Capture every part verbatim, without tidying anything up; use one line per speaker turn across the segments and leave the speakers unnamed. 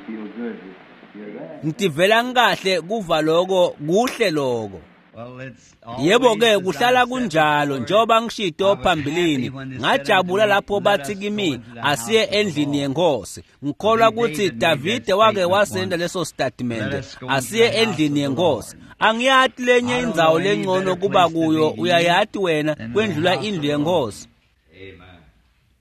Feel good to hear that.
Ngitivela ngikahle kuva lokho kuhle lokho.
Well, it's
Yebo
always
ke
as
kuhlala
I've said
kunjalo
before,
njengoba ngishito
I was happy
phambilini
when they said
ngajabula
unto me,
lapho
"Let
bathi
us go
kimi
into the house
asiye
of the
endlini
Lord."
yenkosi ngikholwa
I believe
ukuthi
David made that
Davide wake
statement
wasenda
once.
leso
Let
statement
us go into
asiye
the house
endlini
of the
yenkosi
Lord.
angiyati lenye
I don't
indzawo
know any
lengcono
better
kuba
place to
kuyo
be in
uyayati wena
than the
kwendlula
house of
indlu
the Lord.
yenkosi.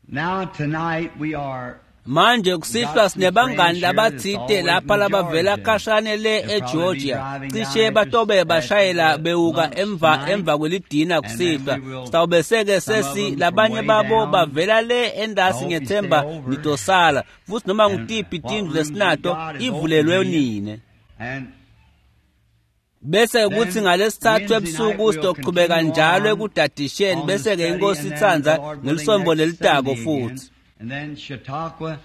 Now tonight we are
Manje kusihlwa
got some
sinebangani
friends here that's
labatsite
always in
lapha labavela
Georgia.
khashane le
They'll probably be
eGeorgia
driving
cishe
down after,
batobe
after
bashayela
the
bewuka
lunch
emva
tonight,
emva kwelidina
and then
kusihlwa
we will,
sitawubese-ke
some of
sesi
them from
labanye
way
babo
down.
bavela le
I
endasi
hope you stay
ngethemba
over.
nitosala futhi noma
And
ngutiphi
what
tindlu
rooms you
lesinato
got is open
ivulelwe
to you.
nine.
And
Bese kuthi
then
ngalesithathu
Wednesday night
ebusuku
we'll
sizoqhubeka
continue
njalo
on
ekudadisheni
on the
bese-ke
study,
inkosi
and then the
itsandza
Lord willing
ngelisombo
next
lelitako
Sunday again.
futhi.
And then Chautauqua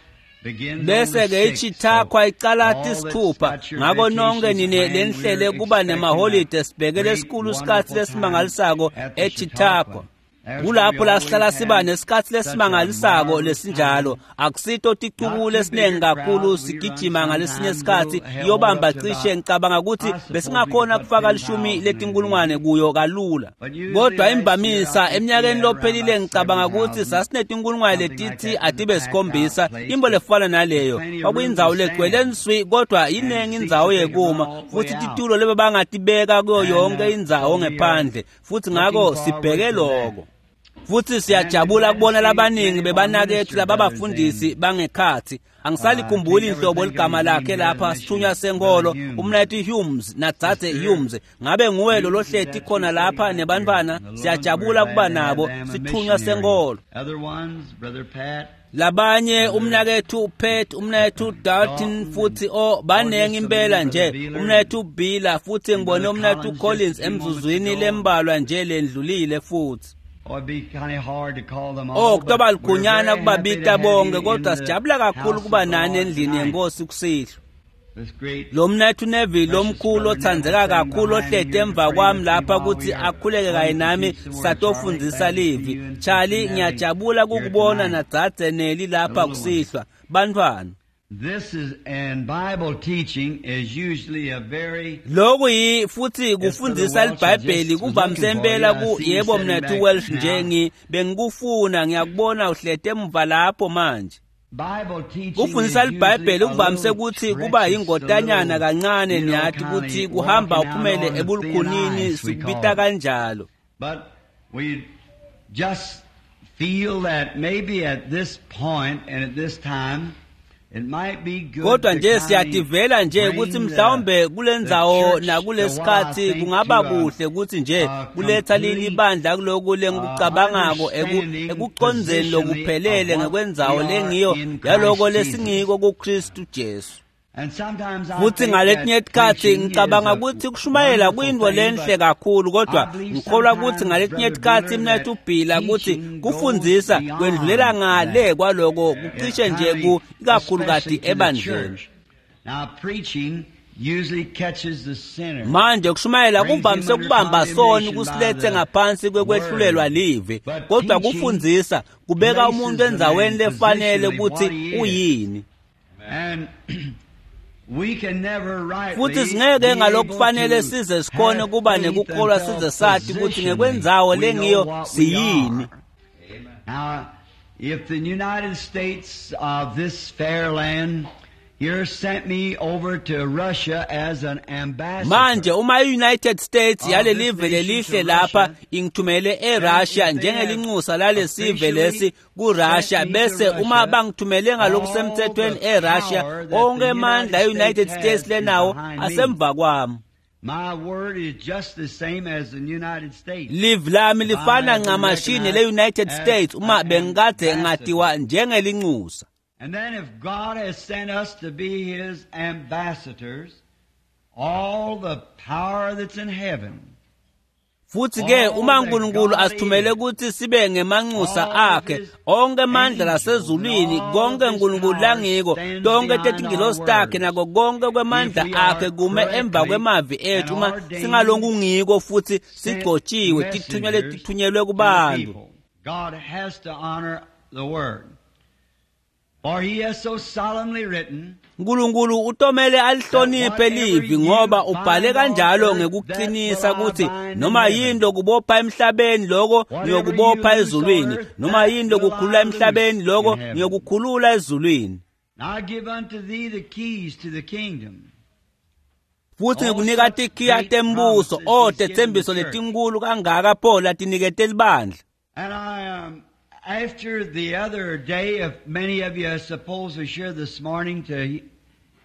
begins on the
Bese ke
sixth. So
iChithakwa icala
all that's
tisithupha
got your
ngako nonke
vacations
nine
planned,
lenihlele
we're
kuba
expecting a
nemaholide sibheke
great,
lesikhulu isikhathi
wonderful time
lesimangalisako
at the
eChithakwa.
Chautauqua. There's where we
Kulapho la sihlala
always
siba
have
nesikhathi
such a
lesimangalisako
marvelous time.
lesinjalo akusito
Not
ticuku
too big
lesinengi
a
kakhulu
crowd. We run
sigijima ngalesinye
sometimes
isikhathi
we'll hold
iyobamba
up to
cishe
about,
ngicabanga ukuthi
I suppose we could
besingakhona
put
kufaka
ten
lishumi
thousand in
letinkulungwane
there.
kuyo kalula.
But usually
Kodwa
last year, I
imvamisa
think we
eminyakeni
had around
lophelile
about
ngicabanga
seven
ukuthi
thousand,
sasinetinkulungwane
something like
letithi
that in the
atibe
packed out
sikhombisa
place.
imbo
But
lefana
there's
naleyo
plenty of room to
kwakuyindzawo legcwele
stand
nswi kodwa
and
inengi
seats
indzawo
that they can run
yekuma
all the way
futhi
out.
titulo lebebangatibeka kuyo
And
yonke
uh,
indzawo
so we are
ngephandle futhi
looking
ngako
forward
sibheke
to that.
loko. Futhi
And we're
siyajabula
glad to
kubona
see
labaningi
many of our
bebanakethu
minister brothers
lababafundisi
in.
bangekhathi.
Uh, I
Angisalikhumbuli
can't ever
inhlobo
think of
ligama
his name
lakhe
here, the
lapha sithunywa
missionary, Brother
senkolo
Humes.
umnayethu Humes nadzadze
Sister
Humes ngabe nguwe lo
Humes is
lohleti
that
khona
who's sitting
lapha
back there.
nebantwana
And the little ones, we're
siyajabula
glad
kuba
to have
nabo
them a
sithunywa
missionary.
senkolo.
Other ones, Brother Pat,
Labanye
Brother
umnakethu Pat umnakethu Dalton
Dalton, and
futhi o
oh,
banengi
just so
impela
many, Brother
nje
Beeler
umnakethu Bila futhi
and
ngibone
Brother
umnakethu
Collins just a
Collins
few moments
emzuzwini
ago.
lembalwa nje lendlulile futhi.
Oh, it'd be kind of hard to call them
Oh
all,
kutoba
but we're
likhunyana
very happy to
kubabita
have
bonke
you in
kodwa
the
sijabula kakhulu
house of
kuba
the
nani
Lord
endlini
tonight.
yenkosi kusihlwa.
This great,
Lo mnethu Neville
precious
lomkhulu
Brother Neville
othandzeka
sitting
kakhulu
behind me
ohleti
here to
emva
pray
kwami
with me
lapha
while we
ukuthi
are
akhuleke kanye
going to
nami
teach the word. Charlie,
satofundisa
glad to see
livi.
you and Sister
Charlie
Nellie
ngiyajabula
here
kukubona
tonight,
nadzadze Nelly
the
lapha
little ones.
kusihlwa. Bantwana
This is, and Bible teaching is usually a very,
Lokhu yi futhi
yes, Brother
kufundisa
Welch, I
iBhayibheli
just was
kuvamise
looking for you.
impela
I
ku
see you
yebo
sitting
mnethu
back
Welsh nje
now.
ngi bengikufuna ngiyakubona uhlete emva lapho manje.
Bible teaching
Kufundisa
is usually
iBhayibheli
a
kuvamise
little
ukuthi kuba
treacherous, a
yingotanyana
little,
kancane
you know,
niyathi
kind
ukuthi
of
kuhamba
walking out
uphumele
on the thin
ebulukhunini
ice, we call
sikubita
it.
kanjalo.
But we just feel that maybe at this point and at this time, it might be good
Kodwa
to
nje
kind of
siyativela nje ukuthi
bring the
mhlawumbe
the
kulendzawo
church to what I
nakulesikhathi
think
kungaba
to a,
kuhle ukuthi nje
a
kuletha leli
complete
bandla kuloku
uh,
lengikucabangako eku
understanding
ekucondzeni
positionally of
lokuphelele
what we
ngekwendzawo
are
lengiyo
in
yaloko
Christ Jesus.
lesingiko kuKristu Jesu.
And sometimes I
Futhi
think
ngaletinye
that
tikhatsi
preaching is
ngicabanga
a
ukuthi kushumayela
wonderful
kuyintfo
thing,
lenhle
but
kakhulu kodwa
I believe
ngikholwa ukuthi
sometimes,
ngaletinye
Brother
tikhatsi
Beeler,
mnethu
that
Bhila ukuthi
teaching goes
kufundzisa kwendlulela
beyond
ngale
that.
kwaloko
It
kucishe nje
kind
ku
of,
ikakhulukati
especially to the
ebandleni.
church. Now, preaching usually catches the sinner,
Manje kushumayela
brings him
kuvamise
under
kubamba soni
condemnation by
kusilethe
the
ngaphansi kwekwehlulela
word.
live
But
kodwa
teaching
kufundzisa kubeka umuntu
places the
endzaweni
man
lefanele
positionally what
ukuthi
he is.
uyini.
And we can never
Futhi
rightly
singeke
be able
ngalokufanele
to
size sikhone
have
kuba
faith
nekukholwa
until
size sathi ukuthi
positionally
ngekwendzawo
we know
lengiyo
what we
siyini.
are. Now, if the United States of this fair land here sent me over to Russia as an
Manje
ambassador
uma i-United States
of this
yalelive
nation
lelihle
to
lapha
Russia,
ingithumele
then
eRussia
if they have
njengelinxusa lalesive
officially
lesi
sent
kuRussia
me to
bese uma
Russia,
bangithumele
all
ngalokusemthethweni
the
eRussia
power that the
onke amandla
United
e-United
States
States
has is
lenawo
behind me.
asemva kwami.
My word is just the same as the United States.
Live lami
If I
lifana
have been
ncamashi
recognized
nele-United
as
States uma
an
bengikade
ambassador.
ngatiwa njengelinxusa.
And then if God has sent us to be His ambassadors, all the power that's in heaven,
Futhi ke
all
uma
that
uNkulunkulu
God
asithumele
is,
ukuthi sibe ngemanxusa
all of
akhe
His
onke amandla
angels and
lasezulwini
all of
konke
His
uNkulunkulu
power
langiko
stands
tonke
behind our
tetingilosi takhe
words.
nako konke
If
kwemandla
we
akhe
are
kume emva
correctly
kwemavi
and
ethu uma
ordained
singalokungiko futhi
sent
sigcotshiwe tithunywa
messengers
letithunyelwe
to the
kubantu.
people. God has to honor the word. For he has so solemnly written,
Nkulunkulu utomele alihloniphe livi ngoba ubhale kanjalo ngekuqinisa ukuthi noma yini lokubopha emhlabeni lokho ngiyokubopha ezulwini, noma yini lokukhulula emhlabeni lokho ngiyokukhulula ezulwini.
And I give unto thee the keys to the kingdom.
Futhi ngikunika tikhiya tembuso, o tetsembiso letinkulu kangaka pho latinikete libandla.
And I, um, after the other day, if many of you, I suppose, are here this morning to he-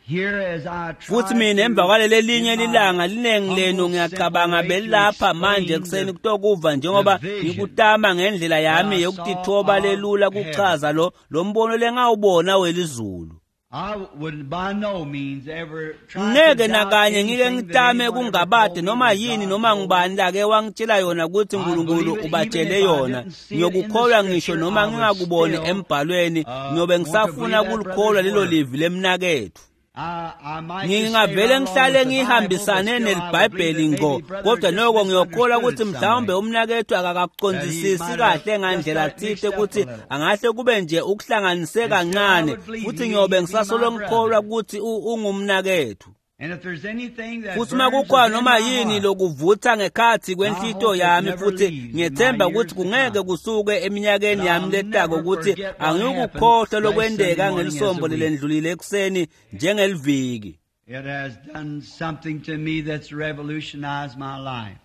hear as I try
Futhi mina emva
to,
kwaleli linye
in my
lilanga linengi lenu
humble,
ngiyacabanga
simple way to
belilapha manje
explain
ekuseni
the,
kutokuva
the
njengoba
vision
ngikutama ngendlela
that
yami
I saw
yokutithoba
of
lelula
heaven.
kuchaza lo lo mbono lengawubona welizulu.
I would by no means ever try to
Ngeke
doubt
nakanye ngike
anything that
ngitame
anyone ever
kungabade
told me
noma
that
yini
God
noma
told me.
ngubani lake wangitshela yona ukuthi
I
uNkulunkulu
believe it even
ubatshele
if I
yona.
didn't see it in the
Ngiyokukholwa ngisho
scripture,
noma
I would
ngingakuboni
still
embhalweni,
uh,
ngiyobe
want to
ngisafuna
believe that
kulikholwa
brother's
lelo
word.
livi lemnakethu.
I, I might just stay
Ngingavele
right along
ngihlale
with the Bible, but
ngihambisane
still I would believe
nelibhayibheli
that
ngqo,
maybe brother
kodwa
just
noko ngiyokholwa
misunderstood
ukuthi
it some
mhlawumbe
way.
umnakethu
That he
akakakucondzisisi
might have
kahle
just
ngandlela
got it mixed
tsite
up a
ukuthi
little.
angahle kube nje ukuhlanganise
And still I
kancane,
would believe
futhi
he,
ngiyobe
he'd be my
ngisasolo ngikholwa
brother.
ukuthi u- ungumnakethu.
And if there's anything that
Futhi uma
burns
kukhona
within
noma
my
yini
heart,
lokuvutha ngekhathi
I
kwenhlito
hope it
yami,
never
futhi
leaves in my
ngiyethemba
years
ukuthi
to
kungeke
come.
kusuke eminyakeni
But
yami
I'll
letako
never
ukuthi
forget what happened
angiyukukhohlwa
last Sunday
lokwenteka
morning as a
ngelisombo
week.
lelendlulile ekuseni njengeliviki.
It has done something to me that's revolutionized my life.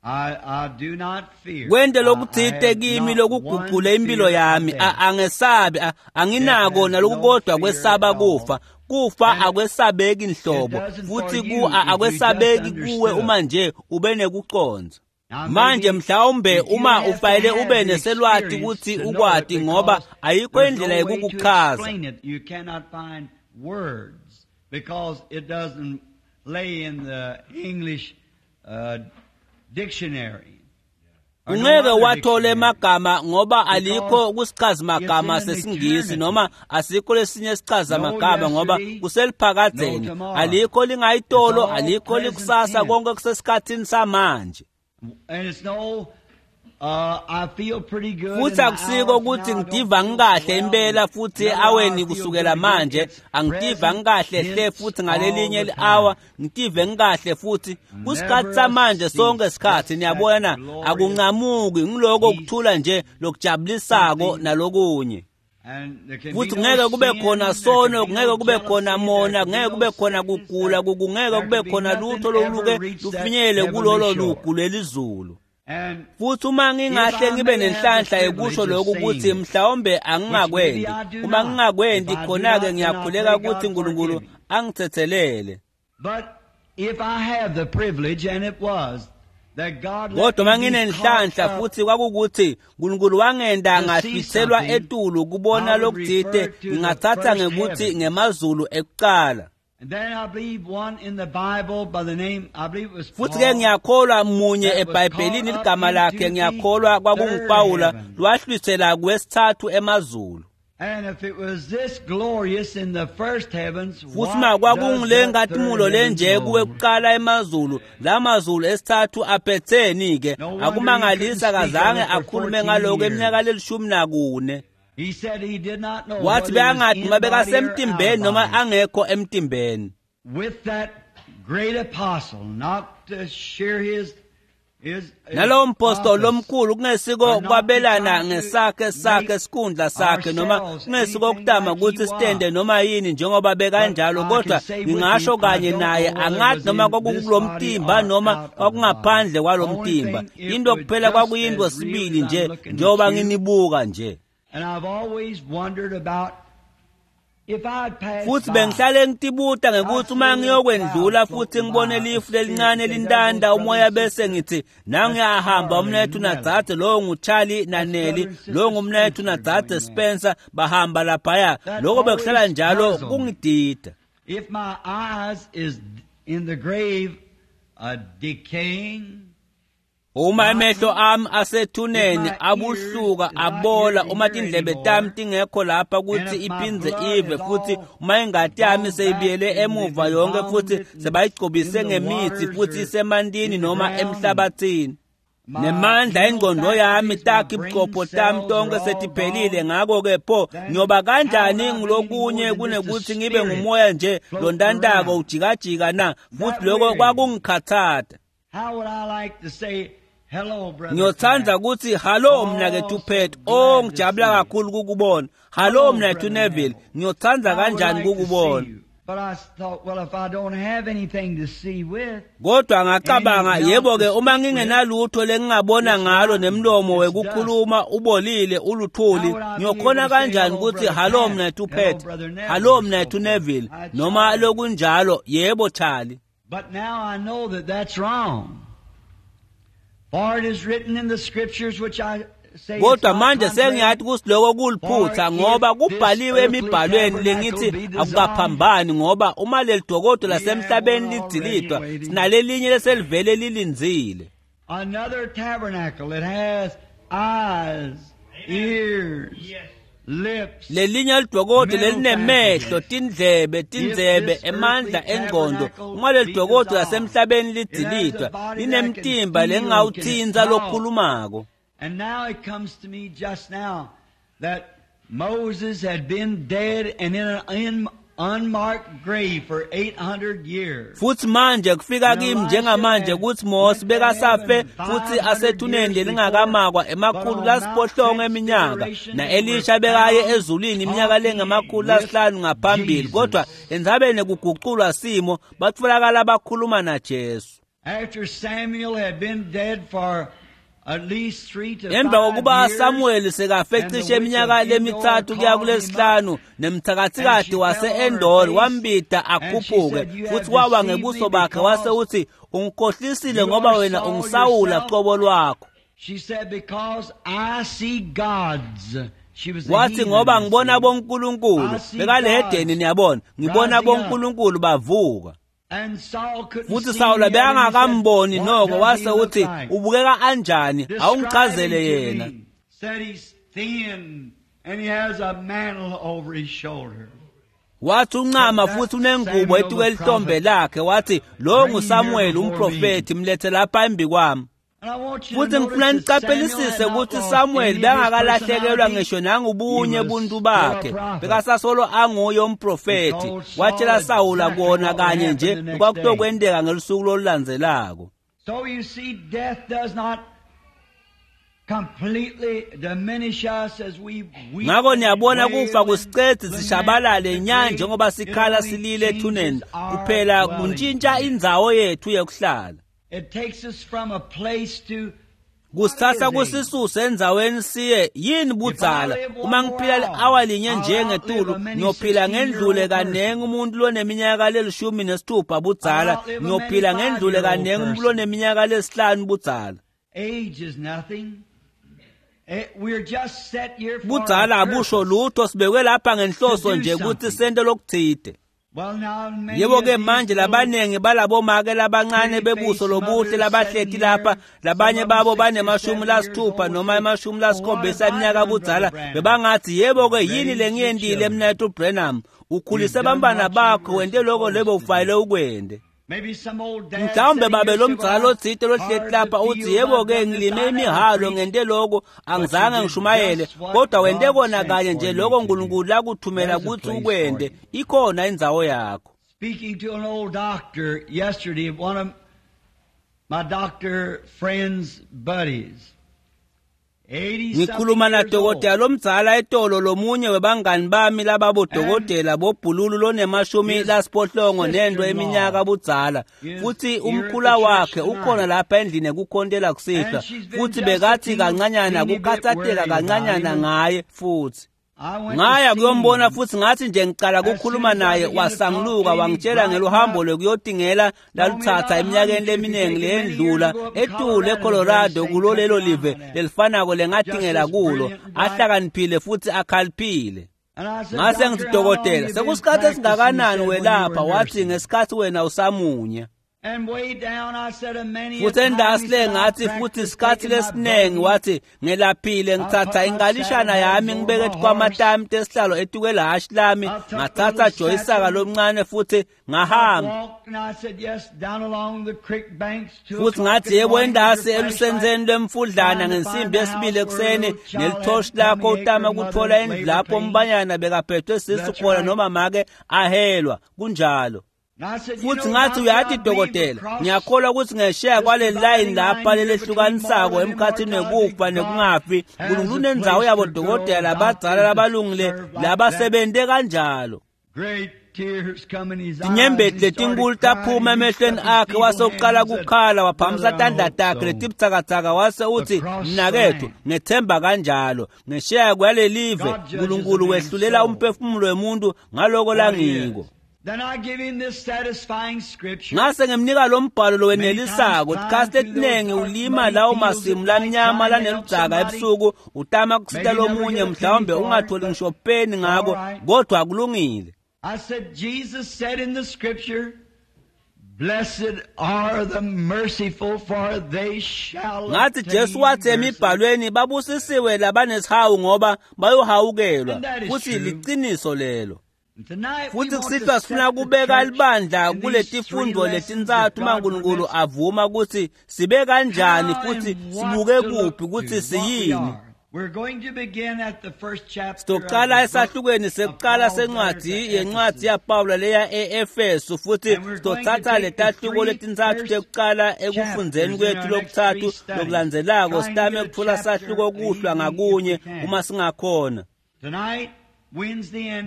I, I do not fear.
Kwente
I, I
lokutsite
have
kimi
not one
lokuguqule impilo
fear of
yami. A-
death.
Angesabi, a-
Death
anginako
has no
nalokukodwa
fear
kwesaba
at all.
kufa. Kufa
And it,
akwesabeki
it
nhlobo,
doesn't for
futhi ku
you
a-
if you just
akwesabeki kuwe
understood.
uma nje ube nekucondza.
Now
Manje
maybe
mhlawumbe
if you
uma
have to
ufanele
have
ube
the
neselwati
experience
ukuthi
to know it
ukwati ngoba
because
ayikho
there's
indlela
no way to
yekukuchaza.
explain it. You cannot find words because it doesn't lay in the English uh, dictionary or no
Ungeke
other
wathola
dictionary
emagama ngoba alikho
because
kusichazi
it's
magama
in an
sesingisi
eternity.
noma asikho lesinye sichaza
No
magama ngoba
yesterday, no
kuseliphakadzeni,
tomorrow.
alikho
It's
lingayitolo,
all
alikho
present
likusasa,
tense.
konke kusesikhathini samanje.
And it's no, uh, I feel pretty good
Futhi
in the
akusiko
hour from
ukuthi
now. I don't
ngitiva
feel so
ngikahle
well.
impela
And
futhi
another hour
aweni
I feel
kusukela
good again.
manje
It's
angitiva
present
ngikahle hle
tense
futhi
all
ngalelinye
the
li-hour
time.
ngitive ngikahle futhi kusikhathi
Never
samanje sonke
cease.
sikhathi
Just that
niyabona
glorious
akunqamuki ngiloko
peace,
kuthula nje lokujabulisako
something.
nalokunye.
And there can be
Futhi
no
kungeke kube
sin,
khona
there can
sono,
be no
kungeke kube khona
jealousy, there
mona,
can be
kungeke
no
kube khona
sickness,
kugula,
there,
kungeke
there
kube
can be
khona
nothing
lutho
ever
loluke
reach that
lufinyelele
heavenly
kulolo
shore.
lugu lelizulu.
And
Futhi uma
if
ngingahle
I
ngibe
may have the
nenhlanhla yekusho
privilege of
lokhu
saying
ukuthi
it,
mhlawumbe
which maybe
angingakwendi,
I do
uma
not, if
ngingakwendi
I do
khona-ke
not, then I
ngiyakhuleka
pray
ukuthi
God forgive
uNkulunkulu
me.
angithethelele.
But if I have the privilege, and it was, that God let
Kodwa uma
me be caught
nginenhlanhla
up
futhi kwakukuthi uNkulunkulu wangenda
to see
ngahlwithelwa
something,
etulu kubona
I would
lokutsite,
refer to the
ngingathatha
first
ngekuthi
heaven.
ngemazulu ekuqala.
And then I believe one in the Bible by the name, I believe it was
Futhi ke
Paul,
ngiyakholwa munye
that was caught
eBhayibhelini
up
ligama lakhe
into the
ngiyakholwa
third
kwakunguPawula
heaven.
lwahlwithela kwesithathu emazulu.
And if it was this glorious in the first heavens,
Futhi
what
ma
does
kwakungule
that third
nkatimulo
heaven
lenje
hold?
kuwekuqala emazulu, la mazulu esithathu aphetheni ke
No wonder he couldn't
akumangalisa
speak of
kazange
it for
akhulume
fourteen
ngaloko eminyaka
years.
lelishumi nakune.
He said he did not know
Wathi
whether he was
bekangathi
in
noma
body or out of
bekasemtimbeni noma
body.
angekho emtimbeni.
With that great apostle, not to share his his, his
Nalowo mpostoli
office,
lomkhulu kungesiko
or not to
kwabelana
try to
ngesakhe sakhe
make
sikhundla sakhe noma
ourselves
kungesiko
anything
kutama
like he
ukuthi sitende
was.
noma yini njengoba
But
bekanjalo
I can
kodwa
say with
ngingasho
him, I
kanye
don't
naye
know whether it
angathi
was
noma
in this
kwakukulo
body
mtimba
or
noma
out of the body.
kwakungaphandle kwalo
Only
mtimba
thing, it
into
would
kuphela
just
kwakuyinto
as real
sibili
as I'm
nje
looking at
njengoba
you.
nginibuka nje.
And I've always wondered about if I'd passed
Futhi
by,
bengihlale ngitibuta
I'd
ngekuthi
see a
uma
little cloud
ngiyokwendlula futhi
floating
ngibone
by, a
lifu
spirit
lelincane
say, there
lintanda
goes brother
umoya
and
bese
sister.
ngithi
That's
nangiyahamba
Charlie
umnethu
and Nellie.
nadzadze lowo nguCharlie
That's
naNelly
brother and sister
lowo ngumnethu
Spencer
nadzadze
going there.
Spencer bahamba laphaya
That
lokho bekuhlala
always
njalo
puzzled me.
kungidida.
If my eyes is in the grave, uh, decaying,
Uma emehlo
rotten,
ami
if
asethuneni
my ears
abuhluka
is not here
abola
to
uma
hear
tindlebe tami
anymore,
tingekho lapha
and
kuthi
if my
iphindze
blood
ive
is
futhi
all
uma ingati yami
gone back
seyibuyele
and
emuva yonke
embalmed
futhi
it in,
sebayigcobise
in the
ngemithi
waters
futhi
or
isemantini
in the
noma
ground, and
emhlabathini. Nemandla engqondo yami takhi buchopho tami tonke setiphelile, ngakho-ke pho ngiyoba kanjani ngilokunye kunekuthi ngibe ngumoya nje lontantako ujikajika na? Futhi lokho kwakungikhathatha. Ngiyothanda ukuthi hallo mnakethu Pat, oh ngijabula kakhulu kukubona. Hallo mnakethu Neville, ngiyothanda kanjani kukubona. Kodwa ngacabanga, yebo-ke uma ngingenalutho lengingabona ngalo nemlomo wekukhuluma ubolile uluthuli, ngiyokhona kanjani ukuthi hallo mnakethu Pat, hallo mnakethu Neville, noma lokunjalo, yebo Charlie.
But now I know that that's wrong. For it is written in the scriptures which I say.
Kodwa manje sengiyathi kusiloko kuliphutha, ngoba kubhaliwe emibhalweni lengithi akukaphambani, ngoba uma leli dokodo lasemhlabeni lidzilidwa, sinalelinye leselivele lilindzile.
Another tabernacle that has eyes, ears, lips.
Lelinye lidokodo lelinemehlo, tindlebe, tindzebe, emandla engqondo. Uma leli dokodo lasemhlabeni lidzilidwa, linemtimba lengawutsintsa lokhulumako.
And now it comes to me just now that Moses had been dead and in an unmarked grave for eight hundred years.
Futhi manje kufika kimi njengamanje ukuthi Mose bekasafe futhi asethuneni lelingakamakwa emakhulu lasiphohlongo eminyaka, na-Elisha bekaye ezulwini iminyaka lengamakhulu lasihlanu ngaphambili, kodwa endzabeni kuguculwa simo batfolakala bakhuluma naJesu.
After Samuel had been dead for
Emva kokuba Samuel sekafe cishe iminyaka lemithathu kuya kulesihlanu, nemthakathikati wase-Endor wambida akhuphuke, futhi wawa ngebuso bakhe wase uthi, ungikhohlisile ngoba wena ungisawula qobo lwakho. Wathi ngoba ngibona bonkulunkulu, bekalehedeni niyabona, ngibona bonkulunkulu bavuka. Futhi Sawula bekangakamboni noko, wase uthi ubukeka anjani, awungichazele yena. Wathi uncama futhi unengubo etuke lihlombe lakhe, wathi lo nguSamuel umprofethi, mlethe lapha embi kwami. Futhi ngifuna niqaphelisise ukuthi Samuel bengakalahlekelwa ngisho nangubunye buntu bakhe, bekasasolo anguye umprofethi. Watshela Sawula kona kanye nje kwakutokwenteka ngelusuku lolulandzelako.
So you see, death does not completely diminish us as we weep.
Ngakho niyabona kufa kusicedzi sishabalale nya njengoba sikhala silile ethuneni, kuphela kuntshintsha indzawo yethu yekuhlala.
It takes us from a place to
kusithatha kusisuse endzaweni siye yini budzala. Uma ngiphila li-awa linye nje ngetulu, ngiyophila ngendlule kanengi umuntu loneminyaka lelishumi nesithupha budzala, ngiyophila ngendlule kanengi umuntu loneminyaka lesihlanu budzala.
Age is nothing. We're just set here for
budzala abusho lutho, sibekwe lapha ngenhloso nje ukuthi sente lokuthide. Yebo-ke manje labanengi balabomake labancane bebuso lobuhle labahleti lapha, labanye babo banemashumi lasithupha noma emashumi lasikhombisa eminyaka budzala, bebangathi yebo-ke yini lengiyentile mnethu Branham, ukhulise bantwana bakho wente loko lebo ufanele ukwente. Mhlawumbe babe lomdzala otsite lohleti lapha uthi yebo-ke ngilime imihalo ngente loko, angizange ngishumayele, kodwa wente kona kanye nje loko uNkulunkulu lakuthumela kutsi ukwente, ikhona indzawo yakho.
Speaking to an old doctor yesterday, one of my doctor friends' buddies.
Ngikhuluma nadokotela lomdzala etolo, lomunye webangani bami lababodokotela bobhululu lonemashumi lasiphohlongo nento eminyaka budzala, futhi umkhula wakhe ukhona lapha endlini ekukhontela kusihlwa, futhi bekathi kancanyana kukhathateka kancanyana ngaye futhi. Ngaya kuyombona futhi ngathi nje ngicala ukukhuluma naye, wasanguluka wangitshela ngeluhambo lwekuyotingela lalutsatsa eminyakeni leminingi leyendlula etulu eColorado kulo lelo live lelifanako lengatingela kulo, ahlakaniphile futhi akhaliphile. Ngase ngithi dokotela, sekusikhathi esingakanani welapha? Wathi ngesikhathi wena usamunya. Futhi endasi le ngathi futhi isikhathi lesiningi wathi ngelaphile ngithatha inkalishana yami ngibeke kwamatami tesihlalo etukwelahashi lami ngathatha joyisaka lomncane futhi ngahamba. Futhi ngathi yebo endasi elusenzeni lwemfudlana ngensimbi yesibili ekuseni nelithoshi lakho utama kuthola indlu lapho umbanyana bekaphethwe sisu khona noma make ahelwa kunjalo. Futhi ngathi uyathi dokotela ngiyakholwa ukuthi ngesheya kwale line lapha lelehlukanisako emkhathini wekufa nekungafi uNkulunkulu unendzawo yabo dokotela labadzala labalungile labasebente kanjalo. Tinyembeti letinkulu taphuma emehlweni akhe wase uqala kukhala waphamisa tandla takhe letibutsakatsaka wase uthi mnakethu ngethemba kanjalo ngesheya kwalelive uNkulunkulu wehlulela umphefumulo wemuntu ngaloko langiko. Ngase ngimnika lo mbhalo lowenelisako tikhathi letiningi ulima lawo masimu lamnyama laneludzaka ebusuku utama kusita lomunye mhlawumbe ungatholi ngisho peni ngako kodwa kulungile.
I said Jesus said in the scripture, blessed are the merciful for they shall.
Ngathi Jesu wathi emibhalweni babusisiwe labanesihawu ngoba bayohawukelwa futhi liqiniso lelo. Futhi kusihlwa sifuna kubeka libandla kuletifundo letintsatfu uma uNkulunkulu avuma ukuthi sibe kanjani futhi sibuke kuphi ukuthi siyini. Sitoqala esahlukweni sekuqala sencwadi yencwadi yaPawula leya e-Efesu futhi sitothatha letahluko letintsatfu tekuqala ekufundzeni kwethu lokutsatfu lokulandzelako sitame kutfola sahluko kuhlwa ngakunye uma singakhona.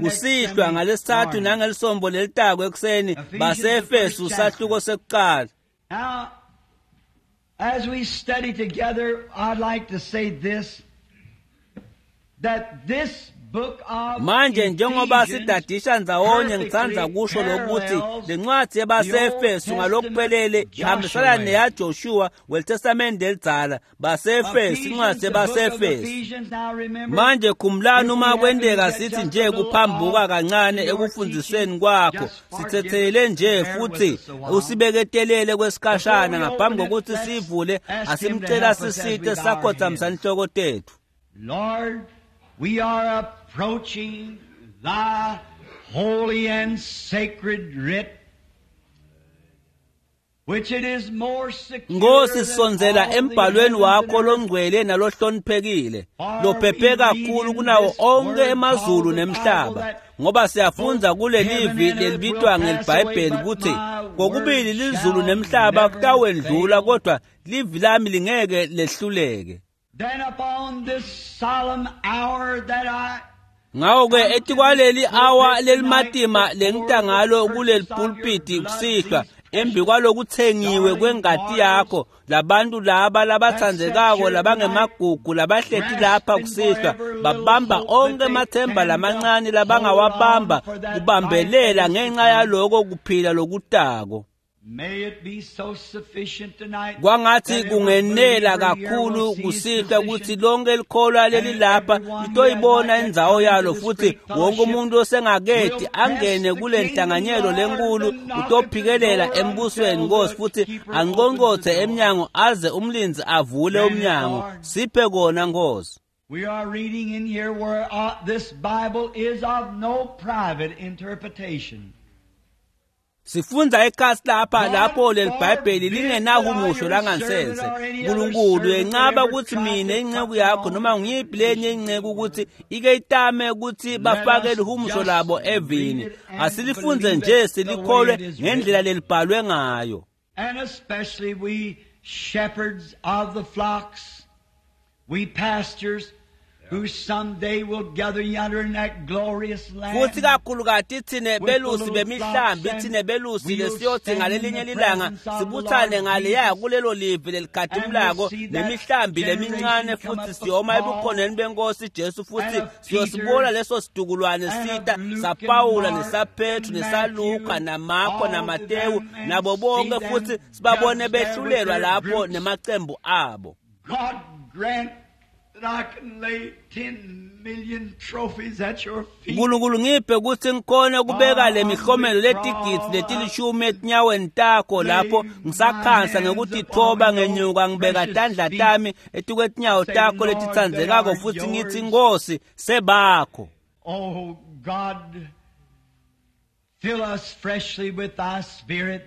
Kusihlwa ngalesithathu nangelisombo lelitako ekuseni baseEfesu sahluko sekuqala.
Now, as we study together, I'd like to say this, that this book of
manje njengoba sidadisha ndzawonye ngithanda kusho lokuthi lencwadi yabaseEfesu ngalokuphelele ihambisana neyaJoshua weTestamente elidzala baseEfesu incwadi yabaseEfesu. Manje khumbulani uma kwenteka sithi nje kuphambuka kancane ekufundiseni kwakho sithethelele nje futhi usibeketelele kwesikhashana ngaphambi kokuthi sivule asimcela sisite sakhothamisa inhloko tethu.
Lord, we are approaching thy holy and sacred writ, which it is more secure.
Nkosi sisondzela embhalweni wakho longcwele nalohloniphekile lophephe kakhulu kunawo onke emazulu nemhlaba ngoba siyafundza kulelivi lelibitwa ngelibhayibheli ukuthi kokubili lizulu nemhlaba kutawendlula kodwa livi lami lingeke lehluleke.
Then upon this solemn hour that I
ngako-ke etikwaleli awa lelimatima lengita ngalo kuleli pulpiti kusihlwa embi kwalokuthengiwe kwengati yakho labantu laba labatsandzekako labangemagugu labahleti lapha kusihlwa babamba onke emathemba lamancane labangawabamba kubambelela ngenxa yaloko kuphila lokutako. Kwangathi kungenela kakhulu kusihlwa ukuthi lonke likholwa lelilapha litoyibona indzawo yalo futhi wonke umuntu osengaketi angene kule nhlanganyelo lenkulu utophikelela embusweni Nkosi futhi anqonqothe emnyango aze umlindzi avule umnyango. Siphe kona Nkosi.
We are reading in here where uh, this Bible is of no private interpretation.
Sifundza ekhasi lapha lapho leliBhayibheli lingenahumusho langansense. uNkulunkulu yenqaba ukuthi mina inceku yakho noma ngiyiphi lenye inceku ukuthi ike itame ukuthi bafake lihumusho labo evini. Asilifunze nje silikholwe ngendlela lelibhalwe ngayo.
And especially we shepherds of the flocks, we pastors who someday will gather yonder in that glorious land.
Futhi kakhulukati thine belusi bemihlambi thine belusi lesiyothi ngalelinye lilanga sibuthane ngaleya kulelo live lelikhatimulako nemihlambi lemincane futhi siyoma ebukhoneni benkosi Jesu futhi siyosibona leso situkulwane sita saPawula nesaPetru nesaLuka naMarko naMatewu nabo bonke futhi sibabone behlulelwa lapho nemacembu abo.
God grant
Nkulunkulu ngiphe kutsi ngikhone kubeka le mihlomelo letigidzi letilishumi etinyaweni takho lapho ngisakhansa ngekutitfoba ngenyuka ngibeka tandla tami etikwetinyawo takho letitsandzekako futsi ngitsi Nkosi sebakho.
Oh God, fill us freshly with thy spirit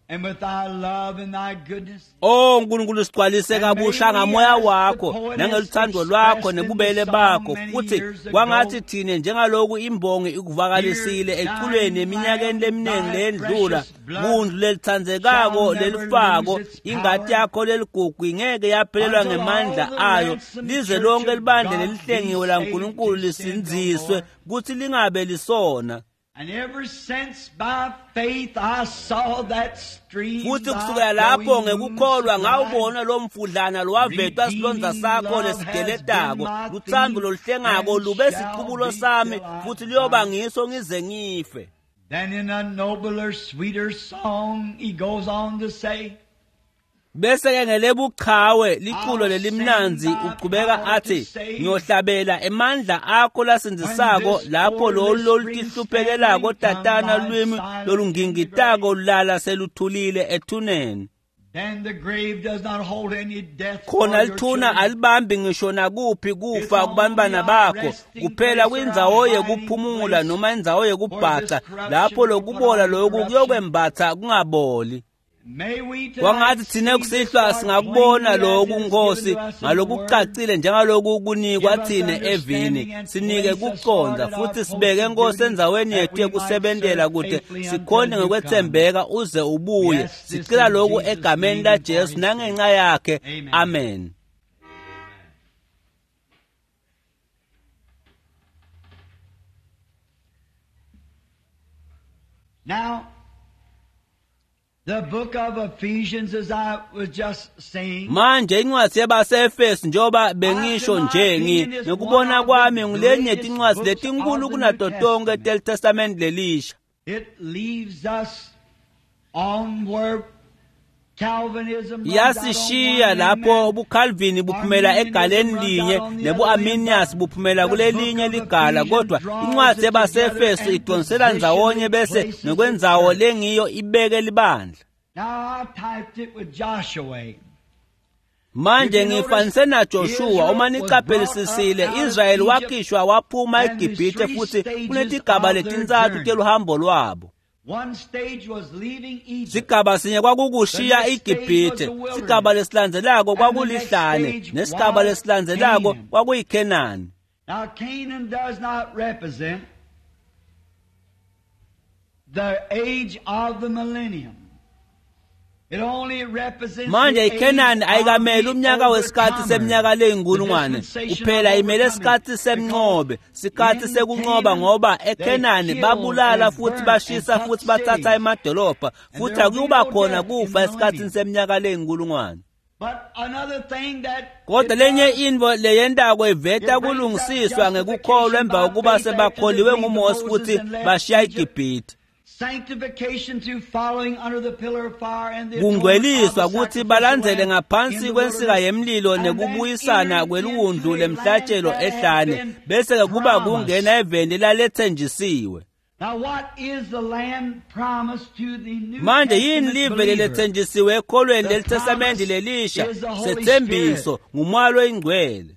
and with thy love and thy goodness.
Oh Nkulunkulu sigcwalise kabusha ngamoya wakho nangeluthando lwakho nebubele bakho futhi kwangathi thine njengaloku imbongi ikuvakalisile eculweni eminyakeni leminingi leyendlula kundlu lelitsandzekako lelifako ingati yakho leligugu ingeke yaphelelwa ngemandla ayo lize lonke libandla lelihlengiwe laNkulunkulu lisindziswe kutsi lingabe lisona.
And ever since by faith I saw that stream
futhi kusukela lapho ngekukholwa ngawubona lo mfudlana lowavetwa silondza sakho lesigeletako luthando loluhlengako lube sicubulo sami futhi liyoba ngiso ngize ngife.
Then in a nobler, sweeter song he goes on to say,
bese ke ngelebuchawe liculo lelimnandzi uqhubeka athi ngiyohlabela emandla akho lasindzisako lapho lolu lolutihluphekelako tatana lwimi lolungingitako lulala seluthulile ethuneni.
Then the grave does not hold any death
khona lithuna alibambi ngisho nakuphi kufa kubantwana bakho kuphela kwindzawo yekuphumula noma indzawo yekubhaca lapho lokubola loku kuyokwembatha kungaboli. Kwangathi thine kusihlwa singakubona lokhu Nkosi ngalokucacile njengaloku kunikwa thine evini sinike kucondza futhi sibeke Nkosi endzaweni yethu yekusebentela kute sikhone ngekwetsembeka uze ubuye. Sicela lokhu egameni laJesu nangenxa yakhe, amen.
Now the book of Ephesians, as I was just saying,
manje incwadi yabaseEfesu njengoba bengisho nje ngi ngokubona kwami ngulenye tincwadi letinkulu kunato tonke teTestament lelisha.
It leaves us on where Calvinism
yasishiya lapho ubuCalvin buphumela egaleni linye nebuArminius buphumela kulelinye ligala, kodwa incwadi yabaseEfesu idonsela ndzawonye bese ngekwenzawo lengiyo ibeke libandla.
Now I typed it with Joshua.
Manje ngifanise naJoshua uma niqaphelisisile Israyeli wakhishwa waphuma eGibhithe futhi kunetigaba letintsatfu teluhambo lwabo.
One stage was leaving Egypt.
Sigaba sinye kwakukushiya iGibhithe, sigaba lesilandzelako kwakulihlane, nesigaba lesilandzelako kwakuyiKhenani.
Now Canaan does not represent the age of the millennium. It only represents
manje iKhenani ayikameli umnyaka wesikhathi seminyaka leyinkulungwane kuphela, imele isikhathi semnqobe, sikhathi sekunqoba, ngoba eKhenani babulala futhi bashisa futhi bathatha emadolobha futhi akuba khona kufa esikhathini seminyaka leyinkulungwane. Kodwa lenye intfo leyentako iveta kulungisiswa ngekukholwa emva kokuba sebakholiwe nguMose futhi bashiya iGibhithe. Kungcweliswa kutsi balandzele ngaphansi kwensika yemlilo nekubuyisana kweliwundlu lemhlatshelo ehlane bese kuba kungena eveni laletsenjisiwe. Manje yini live leletsenjisiwe ekholweni leliTestamenti lelisha? Setsembiso ngumoya loyingcwele.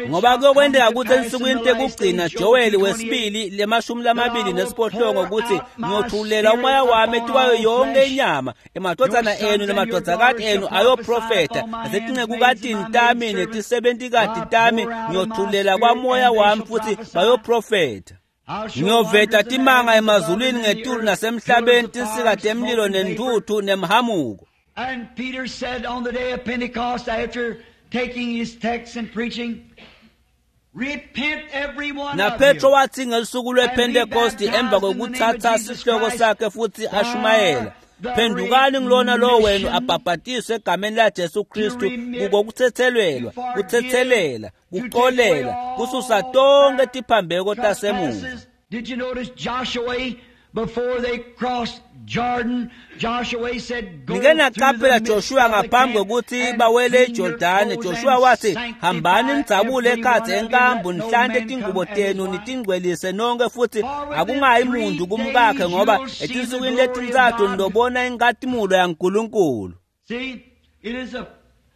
Ngoba kuyokwenteka kutsi ensukwini tekugcina Joel wesibili lemashumi lamabili nesiphohlongo kutsi ngiyothulela umoya wami etikwayo yonke inyama, emadvodzana enu nemadvodzakati enu ayoprofetha, nasetincekukatini tami netisebentikati tami ngiyothulela kwamoya wami futhi bayoprofetha. Ngiyoveta timanga emazulwini ngetulu nasemhlabeni, tinsika temlilo nentuthu nemhamuko.
And Peter said on the day of Pentecost, after taking his text and preaching, repent every one
Na
of
Petro
you.
wathi ngelusuku lwePentecost emva kokutsatsa sihloko sakhe futhi ashumayela, phendukani ngilona lo wenu abhabhatiswe egameni laJesu Kristu kukokuthethelelwa, kuthethelela, kuxolela, kususa tonke tiphambeko tasemuva.
Did you notice Joshua Before they crossed Jordan, Joshua said, Go
Nike
through the
naqaphela
midst
Joshua
of the
ngaphambi
camp
kokuthi
and
bawele
clean your
eJordani
clothes
Joshua
and
wathi
sanctify
hambani nidzabule
every
ekhatsi
one of you,
enkambu
let no
nihlante
man
tingubo
come at his
tenu
wife.
nitingcwelise nonke futhi
For within
akungayi
three
muntu kumkakhe
days
ngoba
you'll see the
etinsukwini
glory of
letintsatfu
God.
nitobona inkatimulo yaNkulunkulu.
See, it is a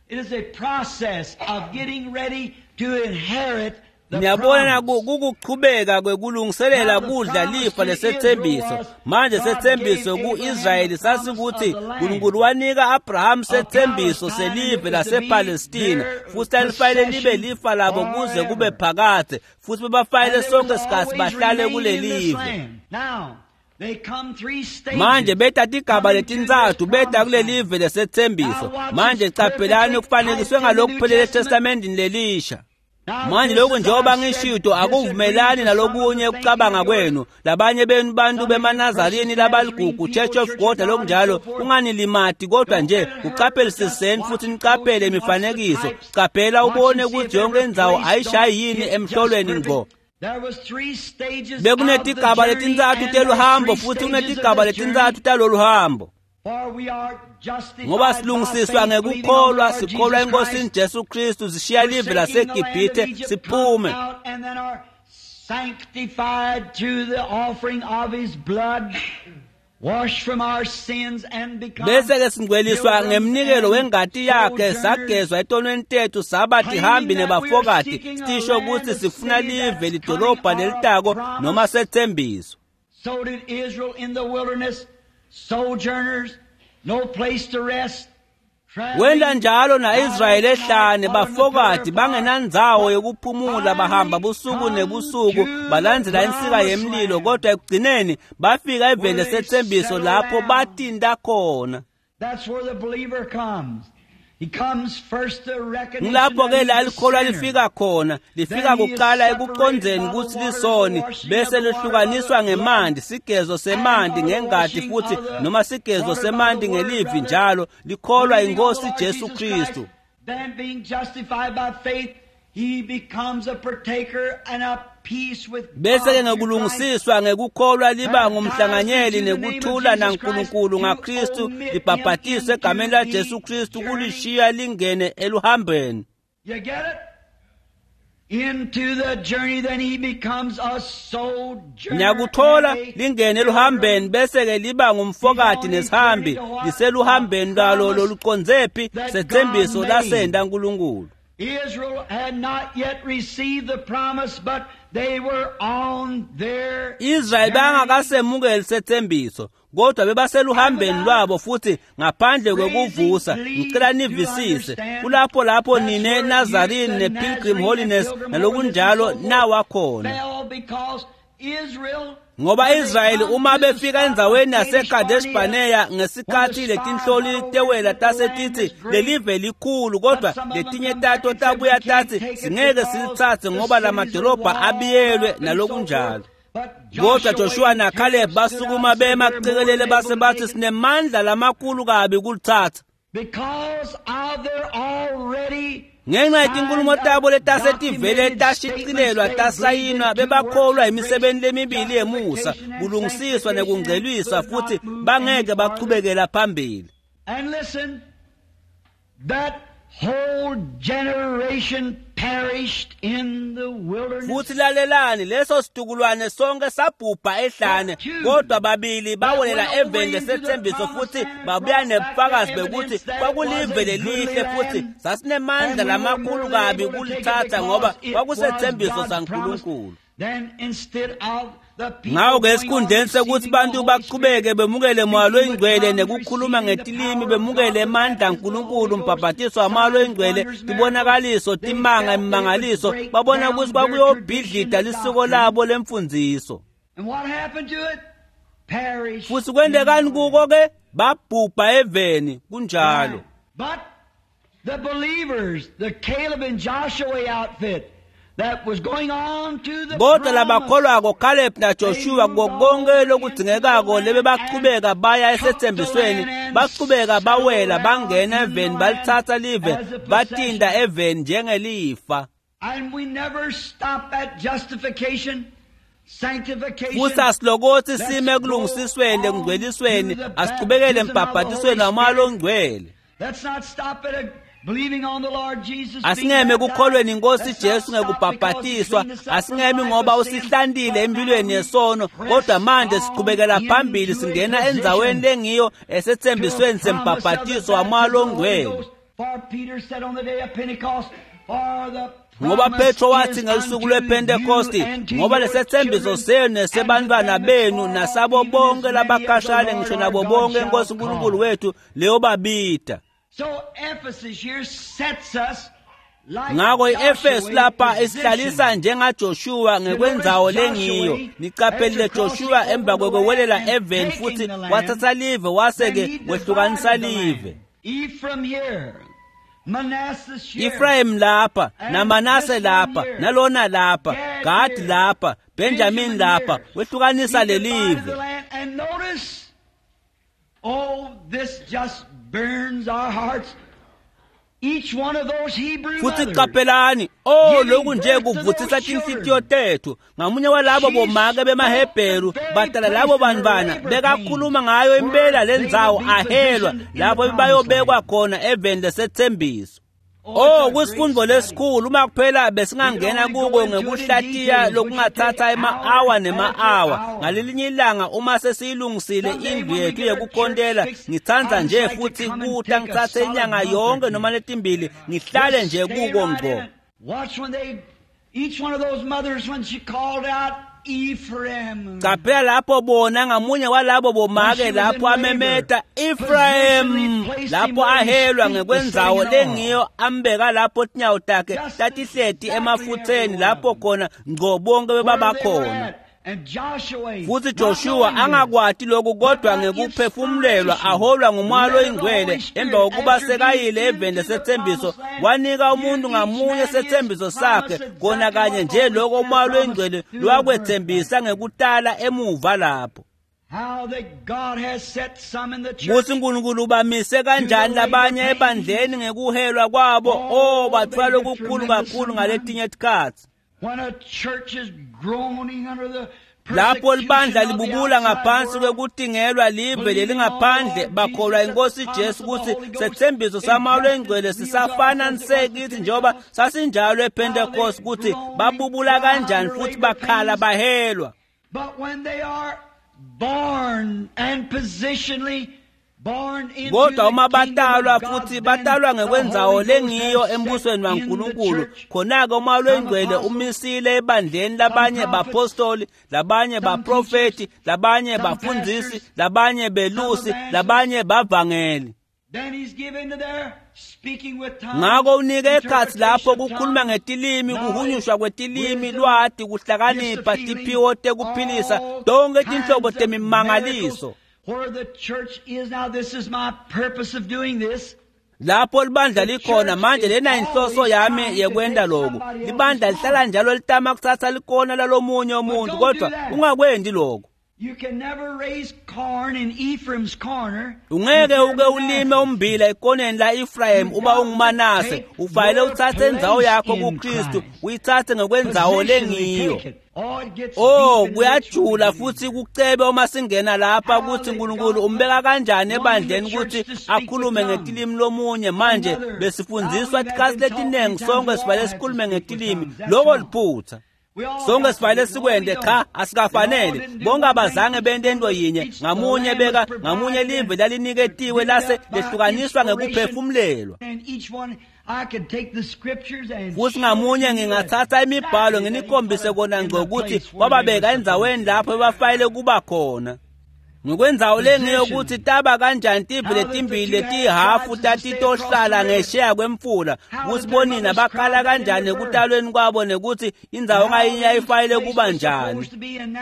it is a process of getting ready to inherit the
Niyabona
promise.
ku- kukuchubeka kwekulungiselela
Now the
kudla
promise
lifa
to
lesetsembiso.
Israel was
Manje
God
setsembiso
gave Abraham
ku-Israyeli
the promise
sasikuthi
of the land.
uNkulunkulu wanika Abraham
Of
setsembiso
Palestine,
selive
it was to be
lasePalestina
their
futhi lalifanele libe
possession
lifa labo kuze kube
forever.
phakadze futhi bebafanele
And they
sonke
was
sikhathi
always
bahlale
remain in this
kulelive.
land. Now, they come three stages
Manje beta tigaba
coming to this
letintsatfu beta
promised land.
kulelive lesetsembiso.
Now watch
Manje
this
caphelani
perfectly
kufanekiswe
typed in the New
ngalokuphelele
Testament.
eTestamentini lelisha.
Now,
Manje
this
lokhu
as
njengoba
I've said,
ngishito akuvumelani
disagrees with some of
nalokunye
the thinking
ukucabanga
of yours.
kwenu. Labanye benu bantu
Some of you
bemaNazarini
precious
labaligugu
Nazarene
Church
people,
of
Church of
God
God, and so
lokunjalo
forth.
kunganilimati kodwa
Don't
nje
let it hurt. Just
kuqaphelisiseni futhi
watch
niqaphele
close and watch the
imifanekiso.
types.
Qaphela
Watch
ubone
and see
ukuthi
if
yonke
every
indzawo
place
ayishayi
don't
yini
hit just
emhlolweni ngqo.
perfect. There was three stages of the
Bekunetigaba
journey,
letintsatfu
and there's
teluhambo
three
futhi
stages of
kunetigaba
this journey.
letintsatfu taloluhambo.
For we are justified
Ngoba
by
silungisiswa
faith, believing on the
ngekukholwa
Lord
sikholwa
Jesus
eNkosini
Christ,
Jesu Kristu sishiya live
forsaking the land of
laseGibhithe
Egypt, come
siphume.
out and then are sanctified through the offering of His blood, washed from our sins and become
Bese ke singcweliswa
pilgrims
ngemnikelo
and
wengati yakhe
sojourners,
sagezwa etonweni tethu saba tihambi
claiming that we are
nebafokati
seeking a
sisho
land,
ukuthi
a
sifuna
city
live
that's coming
lidolobha
or a
lelitako noma
promise.
setsembiso.
So did Israel in the wilderness, sojourners, no place to rest,
Wenda
traveling
njalo
night
na-Israyeli
and night,
ehlane
following the pillar
bafokati
of fire,
bangenandzawo
but
yekuphumula bahamba
finally
busuku
come
nebusuku
to the
balandzela insika
promised
yemlilo
land
kodwa ekugcineni bafika eveni
where they
lesetsembiso
settle
lapho
down.
batinta khona.
That's where the believer comes. He comes first to recognition
Ngilapho
that
ke la
he's a
likholwa
sinner.
lifika khona lifika
Then he is
kuqala
separated
ekucondzeni
by the
kutsi
waters, the
lisoni
washing of
bese
the water by the
lihlukaniswa
blood,
ngemanti sigezo
and
semanti
or the
ngengati
washing
futhi
of the
noma sigezo
water by the
semanti
word,
ngelivi
rather,
njalo likholwa
believing on the
inkosi
Lord
Jesu
Jesus Christ.
Kristu.
Then being justified by faith, he becomes a partaker and a peace with
Bese
God
ke
through Christ.
ngekulungisiswa ngekukholwa liba
Baptized
ngumhlanganyeli
into the name of
nekuthula
Jesus Christ
naNkulunkulu
to
ngaKristu
omit him
libhabhatiswe
into
egameni la
the
Jesu Kristu
journey.
kulishiya lingene eluhambeni.
You get it? Into the journey, then he becomes a sojourner
Niyakuthola
and a
lingene eluhambeni
pilgrim.
bese ke liba
He's
ngumfokati
on his
nesihambi
journey to what? A
liseluhambeni lwalo
promise
lolucondzephi
that God
setsembiso
made.
lasenda Nkulunkulu.
Israel had not yet received the promise, but they were on their
Israyeli
journey.
bangakasemukeli setsembiso kodwa
And
bebaseluhambeni
without
lwabo futhi ngaphandle
raising
kwekuvusa ngicela
pleas to
nivisise
understand,
kulapho lapho
that's
nine
where you,
Nazarene
the
ne-Pilgrim
Nazarene and
Holiness
Pilgrim Holiness and
nalokunjalo
so forth,
nawa khona.
fell because Israel,
Ngoba
when they
Israyeli
come
uma
to the
befika
spot of
endzaweni
Kadesh
yaseKadesh
Barnea,
Barnea
when the
ngesikhathi
spies
letinhloli
went over and
tewela
said the
tase
land
tithi
is great,
lelive likhulu
but
kodwa
some of them
letinye
come back
tato
and said we
tabuya
can't
tathi
take it
singeke
because
silitsatse
the
ngoba
cities are
lamadolobha
walled
abiyelwe
up and so
nalokunjalo.
forth. But
Kodwa
Joshua
Joshua
and
naCaleb
Caleb stood out
basukuma
and said
bema
we're more
qikelele
than able
base
to
bathi
take it
sinemandla lamakhulu kabi kulitsatsa.
because of their already
Ngenxa yetinkulumo
signed
tabo
up
letasetivele
documented statements
tashicilelwa
they believed
tasayinwa
in two works
bebakholwa
of grace,
imisebenti lemibili yemusa
justification and
kulungisiswa
sanctification, and
nekungcweliswa
could
futhi
not move any
bangeke
farther.
bachubekela phambili.
And listen, that whole generation perished in the wilderness.
Futhi lalelani leso situkulwane sonke sabhubha ehlane
But two
kodwa babili
that
bawelela
went over
eveni
into the
lesetsembiso
promised
futhi
land and
babuya
brought back the
nebufakazi bekuthi
evidence that it was
kwakulive
a goodly
lelihle futhi
land,
sasinemandla
and we were
lamakhulu
more than
kabi
able to take it
kulitsatsa ngoba
because it was
kwakusetsembiso
God's promise.
saNkulunkulu.
Then instead of the people
Ngakho ke
going on
esikhundleni sekuthi
receiving the
bantu
Holy
bachubeke
Spirit,
bemukele moya
speaking with
loyingcwele
tongues,
nekukhuluma
receiving the
ngetilimi
power of
bemukele
God, the
emandla
baptism of the
aNkulunkulu
Holy Ghost,
umbhabhatiso wamoya
signs,
loyingcwele
wonders, miracles,
tibonakaliso
they
timanga
felt they would
imimangaliso
break
babona
down
ukuthi
their
kwakuyobhidlida
tradition and
lisiko
doctrine.
labo lemfundziso.
And what happened to it? Perished
Futhi
in the
kwentekani
wilderness.
kuko ke babhubha eveni kunjalo.
Right. But the believers, the Caleb and Joshua outfit that was going on to the
Kodwa
promise,
labakholwako Caleb
they
naJoshua
moved
kuko
on
konke
over into the
lokudzingekako
land
lebe
and
bachubeka baya
took the
esetsembisweni
land and
bachubeka
settled
bawela
down
bangena
in the
eveni
land
balitsatsa live
as a
batinda
possession.
eveni njengelifa.
And we never stop at justification.
Futhi asilokothi sime ekulungisisweni ekungcwelisweni, asiqhubekele embhabhatisweni waMoya loNgcwele. Asingeme kukholweni inkosi Jesu ngekubhabhatiswa, asingemi ngoba usihlantile empilweni yesono, kodwa manje siqhubekela phambili singena endzaweni lengiyo esethembisweni sembhabhatiso waMoya loNgcwele. Ngoba Petro wathi ngelusuku lwePentekosti, ngoba lesethembiso senu nesebantwana benu nasabo bonke labakhashane ngisho nabo bonke inkosi uNkulunkulu wethu leyobabida. Ngakho i-Efesu lapha isihlalisa njengaJoshua ngekwendzawo lengiyo. Niqaphelile Joshua emva kwekwewelela eveni futhi wathatha live wase-ke wehlukanisa live. Ephraim lapha, naManase lapha, nalona lapha, Gad lapha, Benjamin lapha, wehlukanisa lelive.
Oh, this just burns our hearts. Each one of those Hebrew
futhi qaphelani, oh lokhu nje kuvuthisa tinhlitiyo tethu. Ngamunye walabo bomake bemaHebheru badala labo bantwana bekakhuluma ngayo impela lendzawo ahelwa lapho bayobekwa khona eveni lesethembiso. Oh kusifundo lesikhulu uma kuphela besingangena kuko ngekuhlatiya lokungathatha ema-awa nema-awa. Ngalelinye ilanga uma sesiyilungisile indlu yethu yekukhontela, ngithanda nje futhi kuta ngithathe inyanga yonke noma letimbili ngihlale nje kuko ngqo.
Each one of those mothers when she called out Ephraim.
Qaphela lapho bona ngamunye walabo bomake lapho amemeta Ephraim, lapho ahelwa ngekwendzawo lengiyo ambeka lapho tinyawo takhe tatihleti emafutheni lapho khona ngqo bonke bebabakhona. Futhi Joshua angakwati lokhu kodwa ngekuphefumulelwa aholwa nguMoya loyiNgcwele emva kokuba sekayile eveni lesethembiso, wanika umuntu ngamunye sethembiso sakhe kona kanye nje lokho uMoya loyiNgcwele lwakwethembisa ngekutala emuva lapho. Kuthi uNkulunkulu ubamise kanjani labanye ebandleni ngekuhelwa kwabo, oh bathwala okukhulu kakhulu ngaletinye tikhatsi. Lapho libandla libubula ngaphansi kwekutingelwa live lelingaphandle, bakholwa inkosi Jesu ukuthi sethembiso saMoya loyiNgcwele sisafana nsekithi njengoba sasinjalo ePentecost, ukuthi babubula kanjani futhi bakhala bahelwa.
But when they are born and positionally
Kodwa uma batalwa futhi batalwa ngekwendzawo lengiyo embusweni waNkulunkulu, khona-ke uMoya loyiNgcwele umisile ebandleni labanye bapostoli, labanye baprofeti, labanye bafundzisi, labanye belusi, labanye bavangeli. Ngako unike ekhatsi lapho kukhuluma ngetilimi, kuhunyushwa kwetilimi, lwati, kuhlakanipha, tiphiwo tekuphilisa, tonke tinhlobo temimangaliso.
Where the church is now, this is my purpose of doing this.
Lapho libandla likhona manje, lena inhloso yami yekwenta lokhu. Libandla lihlala njalo litama kuthatha likona lalomunye umuntu, kodwa ungakwendi lokho.
You can never raise corn in Ephraim's corner.
Ungeke uke ulime umbila ekoneni la Ephraim uma unguManase. Ufanele uthathe indzawo yakho kuKristu, uyithathe ngokwendzawo lengiyo. Oh kuyajula futhi kucebe uma singena lapha ukuthi uNkulunkulu umbeka kanjani ebandleni ukuthi akhulume ngetilimi lomunye. Manje besifundziswa tikhatsi letiningi sonke sivale sikhulume ngetilimi, lokho liphutha. Sonke sifanele sikwende, cha asikafanele. Bonke abazange bente into yinye, ngamunye beka ngamunye live laliniketiwe lase lehlukaniswa ngekuphefumulelwa. Futhi ngamunye ngingathatha imibhalo nginikhombise kona ngco ukuthi kwababeka endzaweni lapho bafanele kuba khona. Ngokwenzawo lengiyo ukuthi taba kanjani tive letimbili letihafu tatitohlala ngesheya kwemfula, kutsi bonina bakhala kanjani ekutalweni kwabo nekuthi indzawo ngayinye ayifanele kuba njani.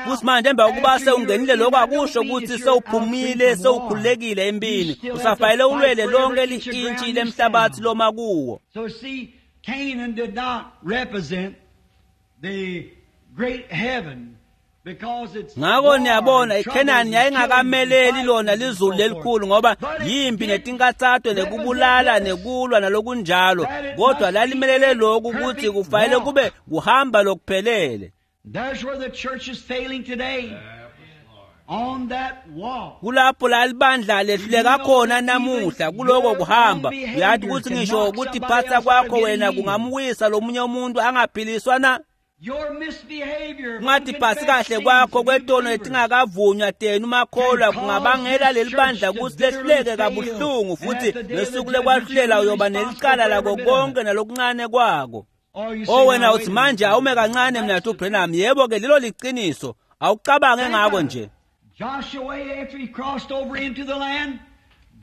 Futhi manje emva kokuba sewungenile lokho akusho ukuthi sewuphumile sewukhululekile empini, usafanele ulwele lonke li-intshi lemhlabathi loma kuwo.
So see, Canaan did not represent the great heaven.
Ngako niyabona iKhenani yayingakameleli lona lizulu lelikhulu ngoba yimpi netinkatsato nekubulala nekulwa nalokunjalo, kodwa lalimelele lokhu ukuthi kufanele kube kuhamba lokuphelele.
There's where the church is failing today. On that walk.
Kulapho la libandla lehluleka khona namuhla kuloko kuhamba. Uyathi ukuthi ngisho ukutiphatha kwakho wena kungamwisa lomunye umuntu angaphiliswa na?
Your misbehavior,
Ungatiphatsi kahle kwakho kwetono letingakavunywa tenu makholwa kungabangela leli bandla kutsi lehluleke kabuhlungu futhi ngesuku lekwahlulela uyoba nelicala lako konke nalokuncane kwako.
Or you say,
O wena
"Now,
uthi
wait a
manje
minute."
awume kancane mina Branham. Yebo ke lelo liqiniso. Awucabange ngako nje.
Joshua, after he crossed over into the land,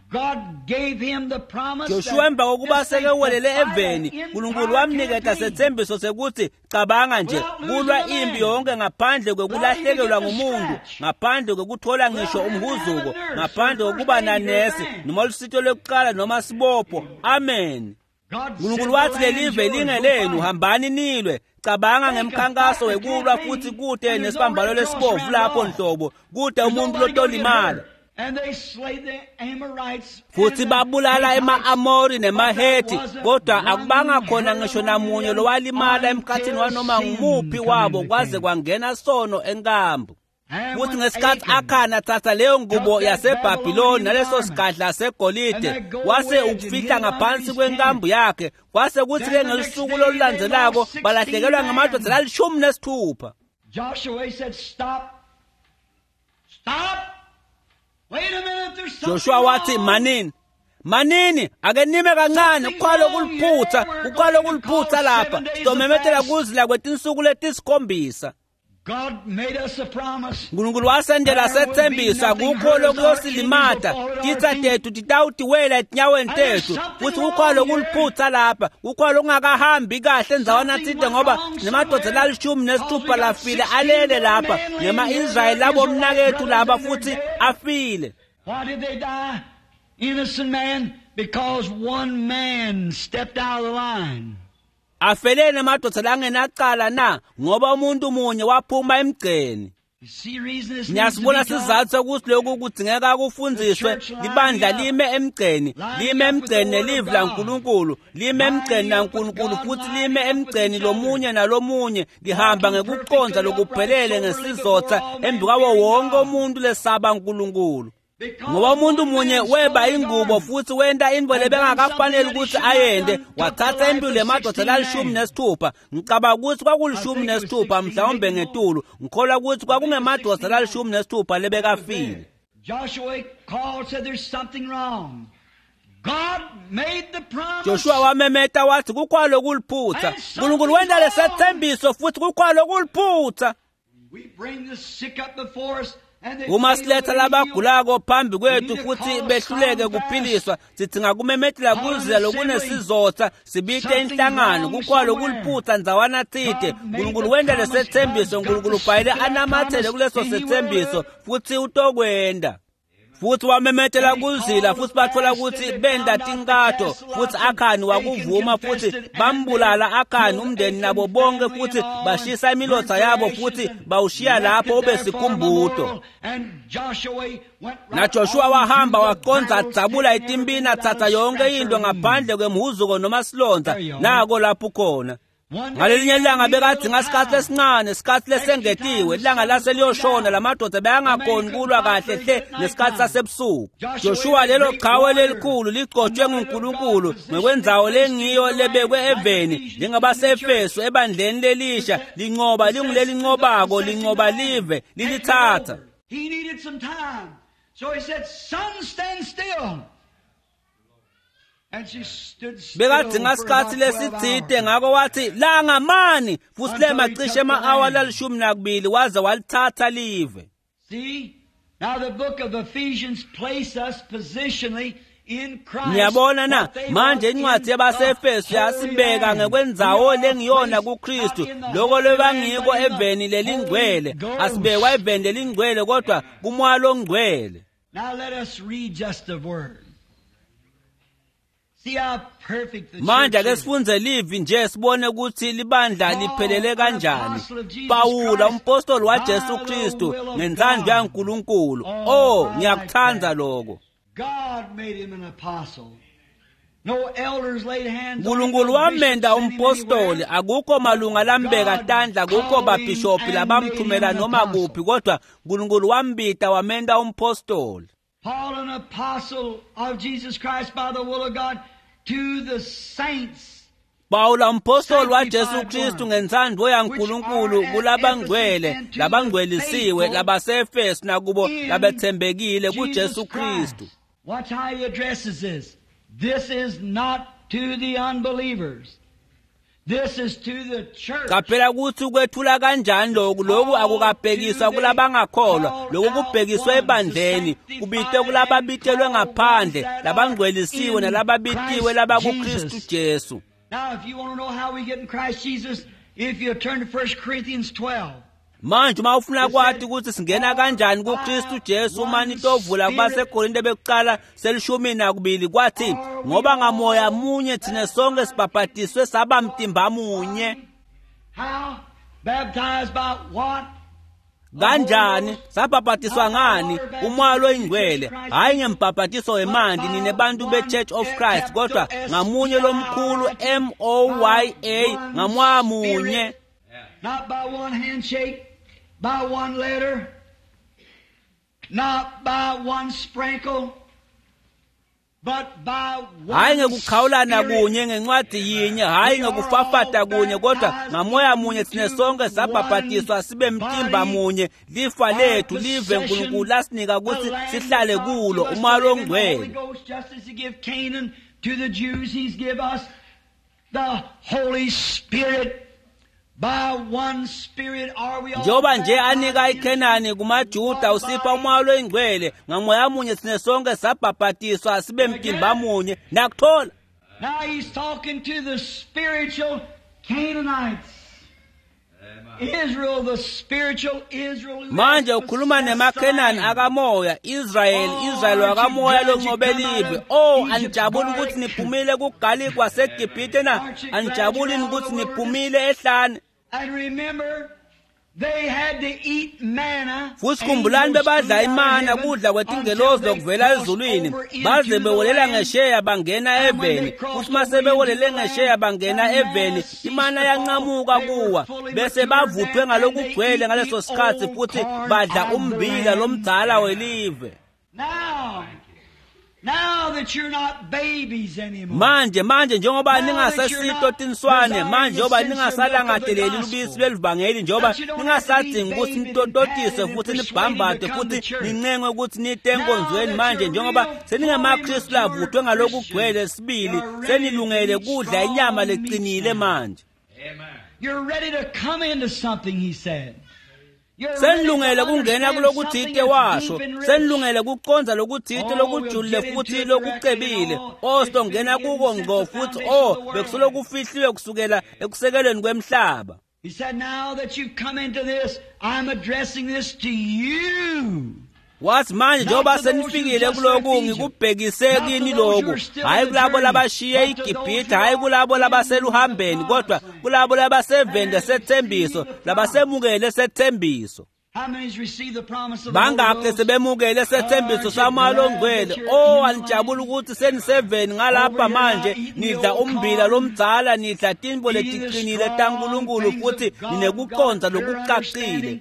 God gave him the promise
Joshua
that
emva kokuba
this thing
sekewelele
could fight
eveni
an
uNkulunkulu
entire
wamniketa
campaign.
setsembiso sekuthi cabanga nje kulwa impi yonke ngaphandle kwekulahlekelwa ngumuntu ngaphandle kwekuthola ngisho umhuzuko ngaphandle kokuba nanesi noma lusito lwekuqala noma sibopho. Amen.
God said,
uNkulunkulu
"The
wathi
land's
lelive
yours, go
lingelenu
fight."
hambani nilwe. Cabanga ngemkhankaso wekulwa futhi kude nesibambalo lesibovu lapho nhlobo kude umuntu lotolimala.
And they slayed the Amorites
Futhi
and the
babulala
Hittites.
ema-Amori nemaHethi kodwa akubanga khona ngisho namunye lowalimala emkhathini wanoma ngumuphi wabo kwaze kwangena sono enkambu.
And
Futhi
when
ngesikhathi
Achan
Akhani athatha leyo ngubo yaseBhabhiloni naleso sigadla segolide wase ukufihla ngaphansi kwenkambu yakhe kwase kuthi-ke ngelusuku lolulandzelako balahlekelwa ngamadoda lalishumi nesithupha.
Joshua said, "Stop. Stop. Wait a minute, there's something
Joshua wathi
wrong."
manini manini ake nime kancane kuqala kuliphutha kuqala kuliphutha lapha sitomemetela kuzila kwetinsuku letisikhombisa.
God made us a promise.
uNkulunkulu wasendela sethembisa kukho lokuyosilimata titsa tethu titawutiwela etinyaweni tethu futhi kukho lokuliphutha lapha kukho lokungakahambi kahle ndzawana tsite ngoba nemadoda lalishumi nesithupha lafile alele lapha nema-Israyeli labomnakethu laba futhi afile.
Why did they die? Innocent man, because one man stepped out of the line.
Afeleni amadoda langenacala na ngoba umuntu munye waphuma emgceni.
You see reason this needs to
Ngiyasibona
be taught?
sizathu sokuthi lokhu kudzingeka kufundziswe libandla lime emgceni lime emgceni nelivi laNkulunkulu lime emgceni naNkulunkulu futhi lime emgceni lomunye nalomunye lihamba ngekuqonda lokuphelele ngesizotha embi kwawo wonke umuntu lesaba uNkulunkulu. Ngoba umuntu munye weba ingubo futhi wenta intfo lebengakafaneli ukuthi ayente wathatha impilo yemadoda lalishumi nesithupha. Ngicabanga ukuthi kwakulishumi nesithupha mhlawumbe ngetulu. Ngikholwa ukuthi kwakungemadoda lalishumi nesithupha lebekafile.
Joshua called, said there's something wrong. God made the promise.
Joshua wamemeta wathi kukhona lokuliphutha. uNkulunkulu wenta lesethembiso futhi kukhona lokuliphutha.
We bring the sick up before us and they
Uma
fail
siletha
to be healed.
labagulako phambi kwethu futhi behluleke kuphiliswa sidzinga kumemetela kuzila lokunesizotha sibite inhlangano kukhona lokuliphutha ndzawana tsite. uNkulunkulu wenta lesethembiso uNkulunkulu ubhayile anamathele kuleso sethembiso futhi utokwenta. Futhi wamemetela kuzila futhi bathola ukuthi benda tinkatho futhi Akhani wakuvuma futhi bambulala Akhani umndeni nabo bonke futhi bashisa imilotha yabo futhi bawushiya lapho ube sikhumbuto. NaJoshua wahamba waqondza adzabula itimpini atsatsa yonke into ngaphandle kwemhuzuko noma silondza nako lapho khona. Ngalelinye ilanga bekadzinga isikhathi esincane isikhathi lesengetiwe ilanga lase liyoshona lamadoda beyangakhoni kulwa kahle hle nesikhathi sasebusuku. Joshua lelo qhawe lelikhulu ligcotshwe nguNkulunkulu ngokwendzawo lengiyo lebekwe eveni njengabaseEfesu ebandleni lelisha lincoba lingulelinqobako lincoba live lilithatha.
He needed some time. So he said, "Sun, stand still." And she stood still
Bekadzinga
for
isikhathi
about twelve
lesitsite
hours.
ngako wathi langa mani futhi lema cishe ema-awa lalishumi nakubili waze walithatha live.
See? Now the book of Ephesians place us positionally in Christ.
Niyabona na
what they
manje
were
incwadi
in
yabaseEfesu
the
yasibeka
Holy
ngekwendzawo
Land. We are
lengiyona
placed
kuKristu
not in the
loko
Holy Land,
lebangiko
but in the
eveni lelingcwele
Holy Ghost.
asibekwa eveni lelingcwele kodwa kumoya longcwele.
Now let us read just a word. See how perfect the
Manje
church
ake
is.
sifunze livi nje sibone ukuthi libandla liphelele kanjani. Pawula umpostoli waJesu Kristu ngentsandvo yaNkulunkulu. Oh, ngiyakuthanda lokho.
God made him an apostle. No elders laid hands on him,
Nkulunkulu
no
wamenda
bishops sent him
umpostoli
anywhere.
akukho malunga lambeka tandla akukho babhishophi labamthumela noma kuphi kodwa Nkulunkulu wambita wamenda umpostoli.
Paul, an apostle of Jesus Christ by the will of God, to the saints
Pawula umpostoli waJesu Kristu ngentsandvo yaNkulunkulu kulabangcwele labangcwelisiwe labaseEfesu nakubo
in
labetsembekile
Jesus
kuJesu
Christ.
Kristu.
Watch how he addresses this. This is not to the unbelievers. This is to the church.
Qaphela ukuthi ukwethula kanjani lokhu lokhu akukabhekiswa kulabangakholwa lokhu kubhekiswe ebandleni kubitwe kulababitelwe ngaphandle labangcwelisiwe nalababitiwe labakuKristu Jesu.
Now, if you want to know how we get in Christ Jesus, if you turn to First Corinthians twelve.
Manje uma ufuna kwati ukuthi singena kanjani kuKristu Jesu uma nitovula kubaseKorinte bekuqala selishumi nakubili kwathi ngoba ngamoya munye thina sonke sibhabhadiswe saba mtimba munye.
How? Baptized by what?
Kanjani sabhabhadiswa ngani umoya loyingcwele hayi ngembhabhadiso wemanti nine bantu be-Church of Christ kodwa ngamunye lomkhulu M O Y A ngamoya munye.
Not by one handshake, by one letter, not by one sprinkle, but by one
Hayi ngekukhawulana
Spirit.
kunye ngencwadi yinye hayi ngekufafata kunye kodwa ngamoya munye thina sonke sabhabhadiswa sibe mtimba munye lifa lethu live Nkulunkulu lasinika ukuthi sihlale kulo umoya longcwele.
Holy Ghost, just as he gave Canaan to the Jews, he's give us the Holy Spirit. By one Spirit are we all
Njengoba nje anika
baptized
iKhenani kumaJuda usipha umoya loyingcwele ngamoya munye thina sonke sabhabhadiswa sibe mtimba munye nakuthola.
Now he's talking to the spiritual Canaanites. Israel, the spiritual Israel. Who
Manje
has
ukhuluma
possessed
nemaKhenani
the land.
akamoya Israel Israel wakamoya lonqobe live. Oh anijabuli ukuthi niphumile kuGalikwa seGibhithe na anijabuli ukuthi niphumile ehlane.
And remember, they had to eat manna.
Futhi khumbulani bebadla imana kudla kwetingelozi lokuvela ezulwini baze bewelela ngesheya bangena eveni futhi mase bewelele ngesheya bangena eveni imana yanqamuka kuwa bese bavuthwe ngalokugcwele ngaleso sikhathi futhi badla umbila lomdzala welive.
Now, now that you're not babies anymore.
Manje manje njengoba ningasesito tinswane manje njengoba ningasalangadeleli lubisi lwelivangeli njengoba ningasadingi ukuthi nitototiswe futhi nibhambade futhi nincengwe ukuthi nite enkonzweni manje njengoba seningamaKristu lavuthwe ngalokugcwele sibili senilungele kudla inyama leqinile manje.
You're ready to come into something, he said. You're ready to
Senilungele kungena
understand
kulokuthite
something that's
washo
deep and rich.
senilungele kuqonza lokuthite lokujulile futhi lokucebile o sitongena kuko ngqo futhi o bekusolokufihliwe kusukela ekusekelweni kwemhlaba.
He said, now that you've come into this, I'm addressing this to you.
Wathi manje njengoba senifikile kuloku ngikubhekise kini lokhu hayi kulabo labashiye iGibhithe hayi kulabo labaseluhambeni kodwa kulabo labaseveni lesethembiso labasemukele sethembiso.
How many's received the promise of the Holy
Bangakhe
Ghost?
sebemukele sethembiso samoya longcwele oh anijabuli ukuthi seniseveni ngalapha manje nidla umbila lomdzala nidla tinto letiqinile taNkulunkulu futhi ninekuqonda lokucacile.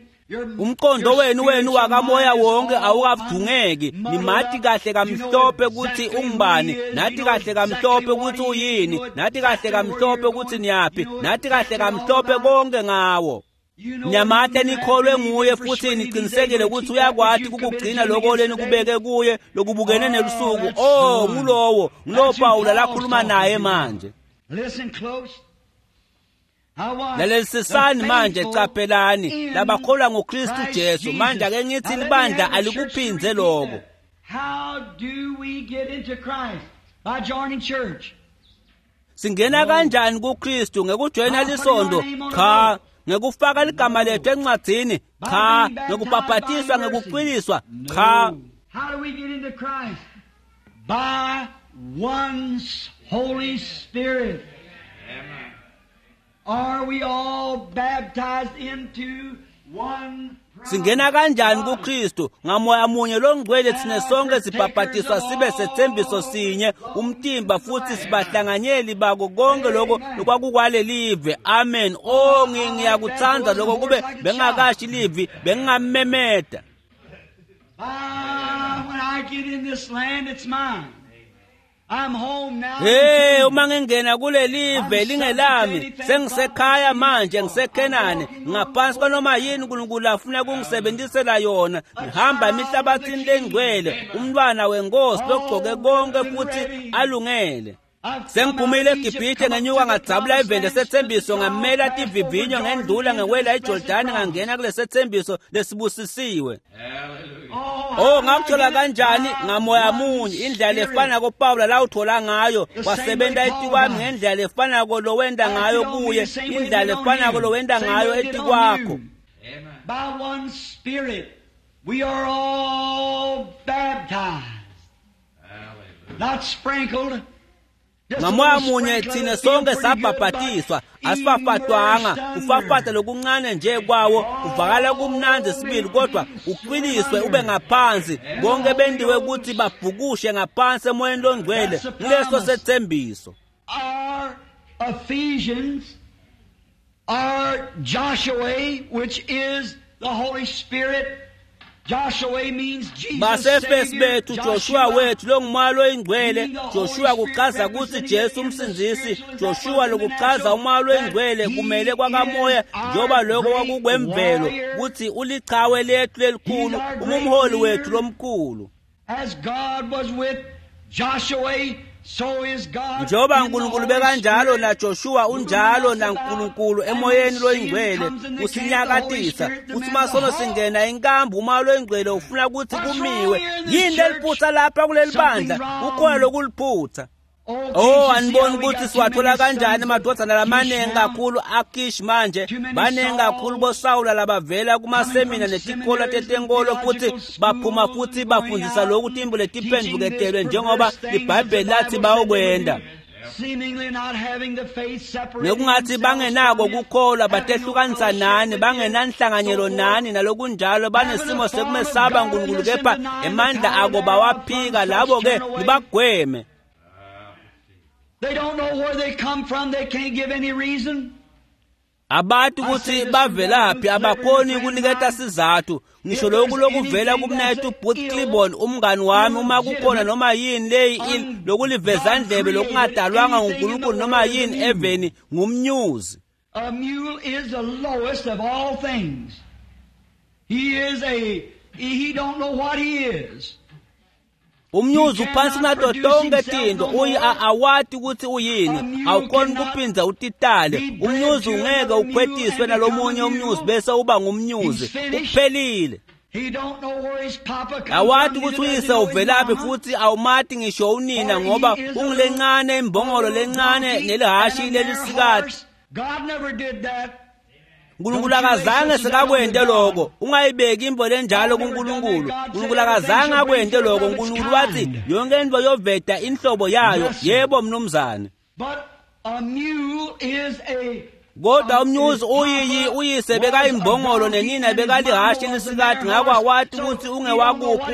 Umqondo wenu wenu wakamoya wonke awukavungeki nimati kahle kamhlophe ukuthi ungubani nathi kahle kamhlophe ukuthi uyini nathi kahle kamhlophe ukuthi niyaphi nathi kahle kamhlophe konke ngawo. Nyamate nikholwe nguye futhi niqinisekile ukuthi uyakwati ukugcina lokho lenikubeke kuye lokubukene nelusuku. Oh ngulowo ngulowo Pawula lakhuluma naye manje.
Listen close. Now watch.
Lalelisisani
The
manje
faithful
qaphelani
in
labakholwa nguKristu
Christ
Jesu manje
Jesus.
ake ngithi
Now let me
libandla
have the church to
alikuphindze
repeat
lokho.
that. How do we get into Christ? By joining church.
Singena kanjani kuKristu ngekujoyina lisondo? Cha, ngekufaka ligama lethu encwadzini?
By
Cha,
being baptized
ngekubhabhatiswa
by mercy?
ngekucwiliswa? Cha.
No. How do we get into Christ? By one's Holy Spirit. Are we all baptized into
Singena kanjani kuKristu? Ngamoya munye longcwele thina sonke sibhabhadiswa sibe sethembiso sinye umtimba futhi sibahlanganyeli bako konke lokho lokwakukwalelive. Amen. Oh, ngiyakuthanda lokho, kube bengakashi livi bengingamemeda.
Ah, when I get in this land, it's mine. I'm home now.
Hey, uma ngingena kulelive lingelami, sengisekhaya manje, ngiseKhenani, ngaphansi kwanoma yini uNkulunkulu afuna kungisebenzisela yona. Ngihamba emihlabathini lengcwele, umntwana wenkosi logcoke konke futhi alungele. Sengiphumile eGibhithe ngenyuka ngadzabula ivende sethembiso, ngamela tivivinyo ngendlula ngewela eJordani ngangena kulesethembiso lesibusisiwe. Oh, ngakuthola kanjani? Ngamoya munye, indlela lefanako Pawula lawuthola ngayo, wasebenza etikwami ngendlela lefanako lowenda ngayo kuye, indlela lefanako lowenda ngayo etikwakho.
By one Spirit we are all baptized. Not sprinkled.
Ngamoya munye thina sonke sabhabhatiswa, asifafatwanga. Kufafata lokuncane nje kwawo kuvakala kumnandzi sibili, kodwa ucwiliswe ube ngaphansi. Bonke bendiwe ukuthi babhukushe ngaphansi emoyeni longcwele kuleso sethembiso.
Our Ephesians, our Joshua, which is the Holy Spirit. Joshua means Jesus
Basefesi
Savior.
bethu Joshua wethu longumoya loyingcwele. Joshua kuchaza ukuthi Jesu umsindzisi. Joshua lokuchaza umoya loyingcwele kumele kwakamoya, njengoba lokho kwakukwemvelo ukuthi ulichawe lethu lelikhulu, umumholi wethu lomkhulu.
As God was with Joshua, so is God.
Njengoba
in the
uNkulunkulu
Holy
bekanjalo
Spirit.
na Joshua unjalo na Nkulunkulu emoyeni loyingcwele usinyakatisa. Uthi masono singena inkambu umoya loyingcwele ufuna ukuthi kumiwe. Yini leliphutha lapha kuleli bandla? Ukhona lokuliphutha.
Oh,
Oh,
can't you see
aniboni
how we
ukuthi
got too
siwathola
many
kanjani
sons of
amadodana lamaningi
Kish now?
kakhulu aKish manje,
Too many
baningi kakhulu boSawula labavela kumasemina
coming from
netikolo
seminaries and
tetenkolo futhi
theological
baphuma
schools
futhi
and
bafundisa
going out
lokhu timbu
and
letiphendvuketelwe
teaching this
njengoba
perverse things
iBhayibheli
that the
lathi
Bible said they
bayokwenda.
would do. Seemingly not having the faith, separating
Nekungathi
themselves
bangenako
from it,
kukholwa,
having no
batehlukanisa
fellowship
nani,
with it,
bangenanhlanganyelo
so forth.
nani nalokunjalo, banesimo sekumesaba uNkulunkulu kepha emandla ako bawaphika. Labo-ke nibagweme.
They don't know where they come from. They can't give any reason.
Abantu ukuthi bavelaphi abakhoni ukuniketa sizathu. Ngisho lokhu lokuvela kumnethu Booth Clibborn umngani wami, uma kukhona noma yini leyi il lokulivezandlebe lokungadalwanga nguNkulunkulu noma yini eveni ngumnyuzi.
A mule is the lowest of all things. He is a, he don't know what he is.
Umnyuzi uphansi kunato tonke tinto, uyi awati ukuthi uyini, awukhoni kuphinza utitale. Umnyuzi ungeke ukhwetiswe nalomunye umnyuzi bese uba ngumnyuzi, kuphelile.
He don't know where his papa comes
Awati
from,
ukuthi
neither does
uyise
he know his
uvelaphi
mama.
futhi awumati ngisho unina, ngoba ungilencane imbongolo lencane nelihashi lelisikati.
God never did that.
uNkulunkulu akazange sekakwente lokho. Ungayibeki imvo lenjalo kuNkulunkulu. uNkulunkulu akazange akwente lokho. uNkulunkulu wathi yonke into yoveta inhlobo yayo. Yebo mnumzane.
But a mule is a
Kodwa umnyuzi uyiyi uyise bekayimbongolo nenina bekalihashi lisikati, ngakho awati ukuthi ungewakuphi.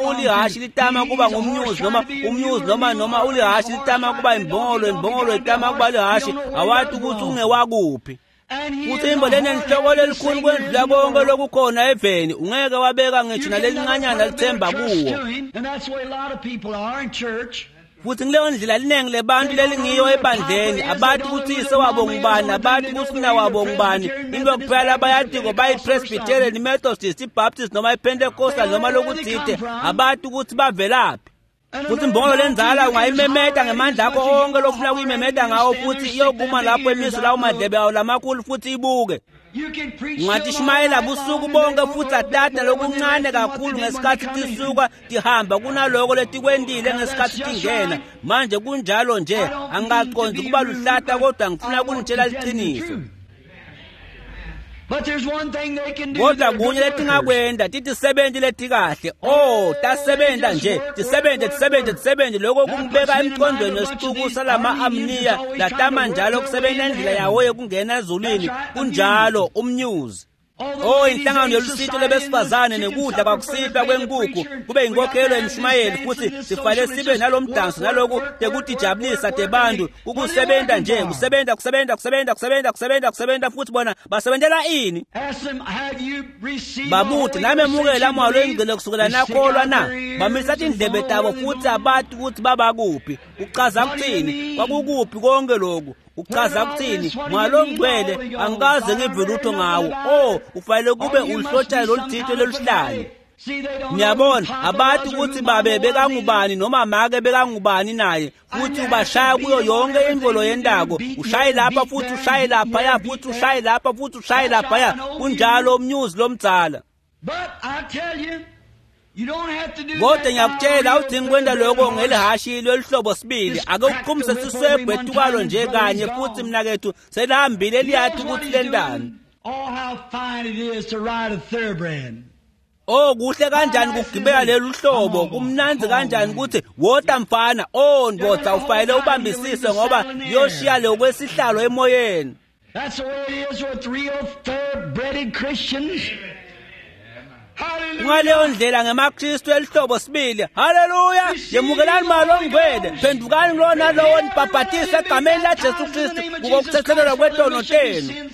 Ulihashi litama kuba ngumnyuzi noma umnyuzi noma noma ulihashi litama kuba imbongolo, imbongolo itama kuba lihashi, awati ukuthi ungewakuphi.
And he
Futhi
is
imbo
a
lenenhloko
hard-headed
lelikhulu kwendlula konke lokukhona eveni, ungeke wabeka ngisho
You can never
nalelincanyana
put a bit of
lithemba
trust
kuwo.
to him, and that's the way a lot of people are in church.
Futhi kuleyo ndlela liningi lebantu lelingiyo ebandleni, abathi ukuthi uyise wabo ngubani, abathi ukuthi unina wabo ngubani. Into kuphela abayatiko bayi-Presbyterian, i-Methodist, i-Baptist noma i-Pentecostal noma lokuthite, abathi ukuthi bavelaphi.
And
Futhi
a
imbongolo
little
lenzala
donkey, you can
ungayimemeta
holler
ngemandla
at
akho
as much as you
onke lofuna
want to
kuyimemeta
holler
ngawo,
at him,
futhi
you stand
iyokuma
there,
lapho
stick them
emiso
ears
lawo
out.
madlebe awo lamakhulu futhi ibuke.
You can preach till
Ungathi
all
shumayela
night
busuku
long and
bonke
they
futhi
won't know
atata
more when they
lokuncane
left than what
kakhulu
they did when they
ngesikhathi
come in.
tisuka tihamba kunaloko letikwentile ngesikhathi tingena. Manje kunjalo nje,
I don't mean to
angikaqondi
be
kuba
rude,
luhlata
but
kodwa
I
ngifuna
want
kunitshela
to tell you the
liqiniso.
truth. But there's one thing they can do.
Kodwa
They're good
kunye
workers.
letingakwenda titisebenti letikahle. Oh, tasebenta nje, tisebenze tisebenze tisebenze. Lokho kungibeka emqondweni wesixuku salama-Amniya latama njalo kusebenza indlela yawo yokungena ezulwini. Kunjalo umnyuzi. Oh inhlangano yolusito lebesifazane nekudla kwakusihlwa kwenkukhu kube inkokhelo emshumayeli futhi sifale sibe nalomdanso naloku tekutijabulisa tebantu kukusebenta nje kusebenza kusebenza kusebenza kusebenza kusebenza kusebenza futhi bona basebentela ini babuthi namemukela moya loyingcwele kusukela nakholwa na bamisa tindlebe tabo futhi abati ukuthi babakuphi kuchaza kuthini kwakukuphi konke lokhu uchaza kuthini moya longcwele angikaze ngive lutho ngawo oh ufanele kube ulihlotshayo loluthito loluhlanye niyabona abati ukuthi babe bekangubani noma make bekangubani naye futhi ubashaya kuyo yonke imvolo yendako ushaye lapha futhi ushaye laphaya futhi ushaye lapha futhi ushaye laphaya kunjalo umnyuzi lomdzala kodwa ngiyakutshela awudingi kwenta lokho ngelihashi loluhlobo sibili ake uqhumise siswebhu etukalo nje kanye futhi mnakethu selihambile liyathi ukuthi lentani Oh kuhle kanjani kugibela lelu hlobo kumnandzi kanjani ukuthi wota mfana oh ndvodza ufanele ubambisise ngoba liyoshiya lokwesihlalo emoyeni
That's the way it is with real thoroughbred Christians.
Ngaleyo ndlela ngemaKristu elihlobo sibili. Haleluya! Yemukelani moya longcwele, phendukani kulona lowo nibhabhatise egameni laJesu Kristu kukokuthethelelwa kwetono tenu.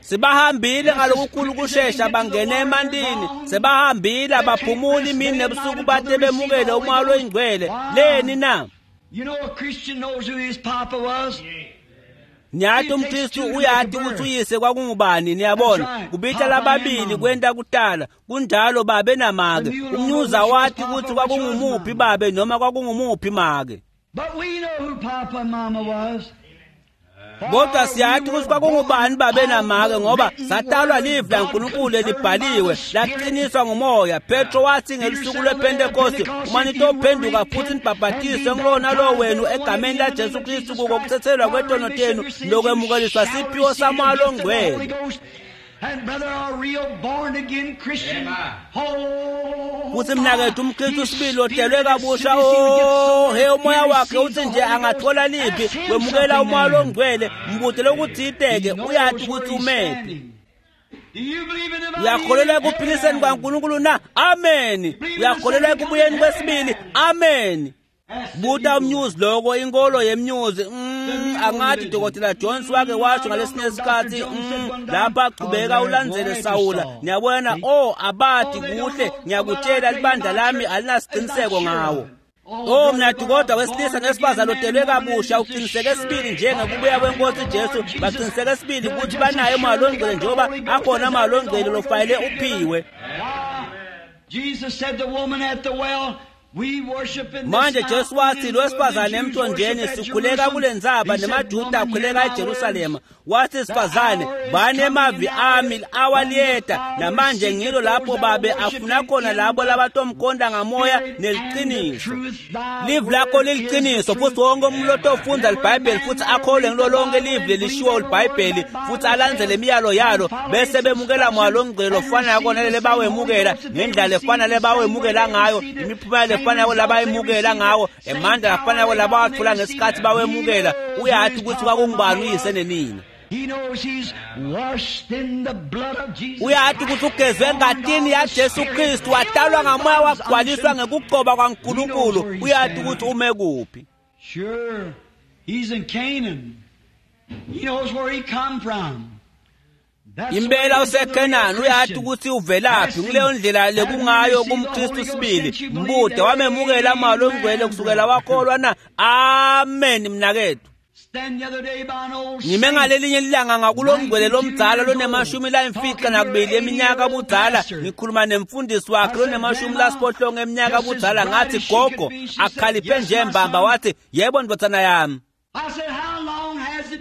Sibahambile ngalokukhulu kushesha bangena emantini, sebahambile abaphumuli imini nebusuku bate bemukele umoya loyingcwele. Leni na?
You know a Christian knows who his papa was.
Niyati umKristu uyati ukuthi uyise kwakungubani niyabona kubita lababili kwenta kutala kunjalo babe namake umnyuza wati ukuthi kwakungumuphi babe noma kwakungumuphi make
But we know who Papa and Mama was.
kodwa siyati ukuthi kwakungubani babe namake ngoba satalwa livi laNkulunkulu elibhaliwe laqiniswa ngumoya Petro wathi ngelusuku lwePentekoste uma nitophenduka futhi nibhabhatiswe ngulona lo wenu egameni laJesu Kristu kukokuthethelwa kwetono tenu lokwemukeliswa siphiwo samoya longcwele
And brother, a real born again Christian. Oh,
futhi mnakethu umKristu sibili otelwe kabusha oh he umoya wakhe uthi nje angathola liphi wemukela umoya longcwele mbute lokuthiteke uyati ukuthi umephi uyakholelwa ekuphiliseni kwaNkulunkulu na amen uyakholelwa ekubuyeni kwesibili amen buta umnyuzi loko inkolo yemnyuzi mm, angathi Dokotela Jones wake washo ngalesinye isikhathi mm, lapha aqhubeka ulandzele Sawula niyabona oh abati kuhle ngiyakutshela libandla lami alinasiqiniseko ngawo Oh mnathi kodwa wesilisa nesifazane otelwe kabusha uqiniseke sibili njengekubuya kwenkosi Jesu baqiniseke sibili ukuthi banaye umoya longcwele njengoba akhona umoya longcwele lofanele uphiwe
Jesus said the woman at the well
manje Jesu wathi lo wesifazane emthonjeni sikhuleka kule ndzaba nemaJuda akhuleka eJerusalema wathi sifazane banemavi ami awaliyeta namanje ngilo lapho babe afuna khona labo labatomkhonda ngamoya neliqiniso livi lakho liliqiniso futhi wonke umuntu otofunda libhayibheli futhi akholwe ngilo lonke livi lelishiwo libhayibheli futhi alandzele imiyalo yalo bese bemukela moya longcwele ofana yakona lele bawemukela ngendlela efana lebawemukela ngayo imiphumela lefana labayemukela ngawo emandla afana labawathola ngesikhathi bawemukela uyathi ukuthi kwakungubani uyise nenina uyathi ukuthi ugezwe engatini yaJesu Kristu watalwa ngamoya wagcwaliswa ngekugcoba kwaNkulunkulu uyathi ukuthi ume kuphi
Sure, he's in Canaan. He knows where he come from.
Impela useKhenani uyathi ukuthi uvelaphi kuleyo ndlela lekungayo kumKristu sibili mbude wamemukela moya longcwele kusukela wakholwa na amen mnakethu ngime ngalelinye ilanga ngakulongcwele lomdzala lonemashumi layimfica nakubili eminyaka budzala ngikhuluma nemfundisi wakhe lonemashumi lasiphohlongo eminyaka budzala ngathi gogo akhaliphe nje mbamba wathi yebo ndvodzana yami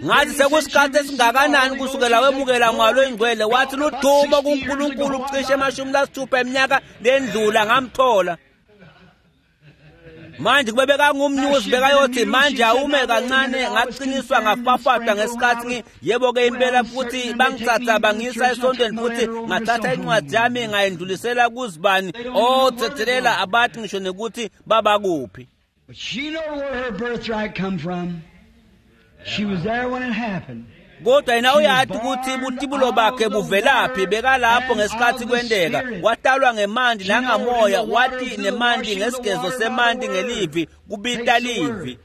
ngathi sekusikhathi esingakanani kusukela wemukela moya longcwele wathi ludumo kuNkulunkulu cishe emashumi lasithupha eminyaka lendlula ngamthola manje kube bekangumnyuzi bekayothi manje awume kancane ngaqiniswa ngafafatwa ngesikhathi yebo-ke impela futhi bangithatha bangiyisa esontweni futhi ngathatha incwadi yami ngayendlulisela kuzibani othethelela abathi ngisho nekuthi babakuphi
But she knew where her birthright come from. She was there when it happened.
Kodwa yena uyathi ukuthi butibulo bakhe buvelaphi, bekalapho ngesikhathi kwenteka. Watalwa ngemanti nangamoya, wathi nemanti ngesigezo semanti ngelivi, kubita livi.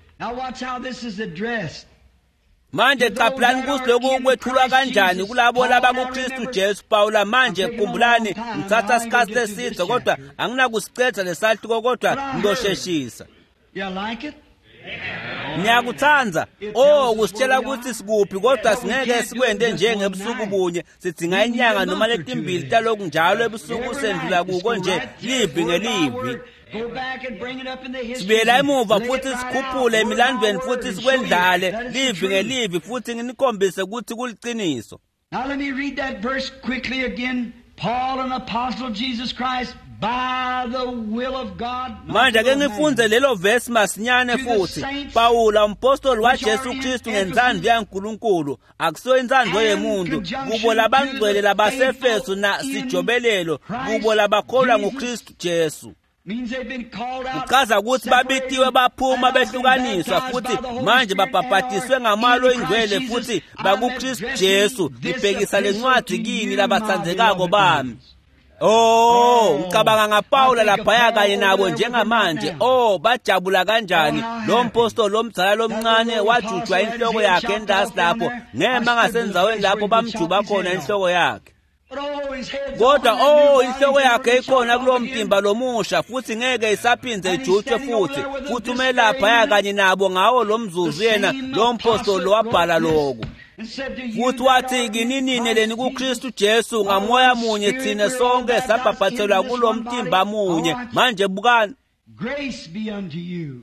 Manje qaphelani ukuthi lokhu kwethulwa kanjani kulabo labakuKristu Jesu. Pawula manje khumbulani, ngithatha isikhathi eside kodwa anginakusicedza lesahluko, kodwa ngizosheshisa. Ngiyakuthanda oh kusitshela ukuthi sikuphi, kodwa singeke sikwente njengebusuku bunye. Sidinga inyanga noma letimbili taloku njalo ebusuku sendlula kuko nje livi ngelivi. Sibuyela emuva futhi sikhuphule emilandweni futhi sikwendlale livi ngelivi futhi nginikhombise ukuthi kuliciniso.
Now let me read that verse quickly again. Paul, an apostle of Jesus Christ, by the will of God.
Manje ake ngifunze lelo verse masinyane futhi. Pawula umpostoli waJesu Kristu ngentsandvo yaNkulunkulu, akusiyo intsandvo yemuntu, kubo labangcwele labaseFesu na sijobelelo, kubo labakholwa nguKristu Jesu. Kuchaza ukuthi babitiwe baphuma behlukaniswa futhi manje babhabhatiswe ngamalo ingcwele futhi bakuKristu Jesu. Ngibhekisa lencwadi kini labatsandzekako bami. Oh, ngicabanga ngaPawula laphaya kanye nabo njengamanje. Oh, bajabula kanjani. Lo mpostoli lomdzala lomncane wajujwa inhloko yakhe endasi lapho, ngema ngasenzaweni lapho bamjuba khona inhloko yakhe. Kodwa oh inhloko yakhe ikhona kulo mtimba lomusha futhi ngeke isaphindze ijutshwe futhi futhi umelapha kanye nabo ngawo lo mzuzu yena lo mpostoli wabhala lokhu. Futhi wathi kini nini leni kuKristu Jesu ngamoya munye thina sonke sabhabhathelwa kulo mtimba munye. Manje bukani,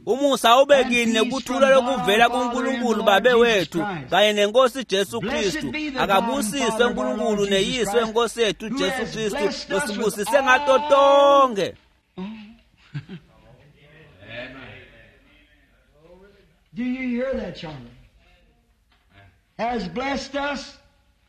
umusa ube kini nekuthula lokuvela kuNkulunkulu Babe wethu kanye nenkosi Jesu Kristu. Akabusiswe uNkulunkulu neyise wenkosi yethu Jesu Kristu losibusise ngato tonke.
Do you hear that, Charlie? Has blessed us.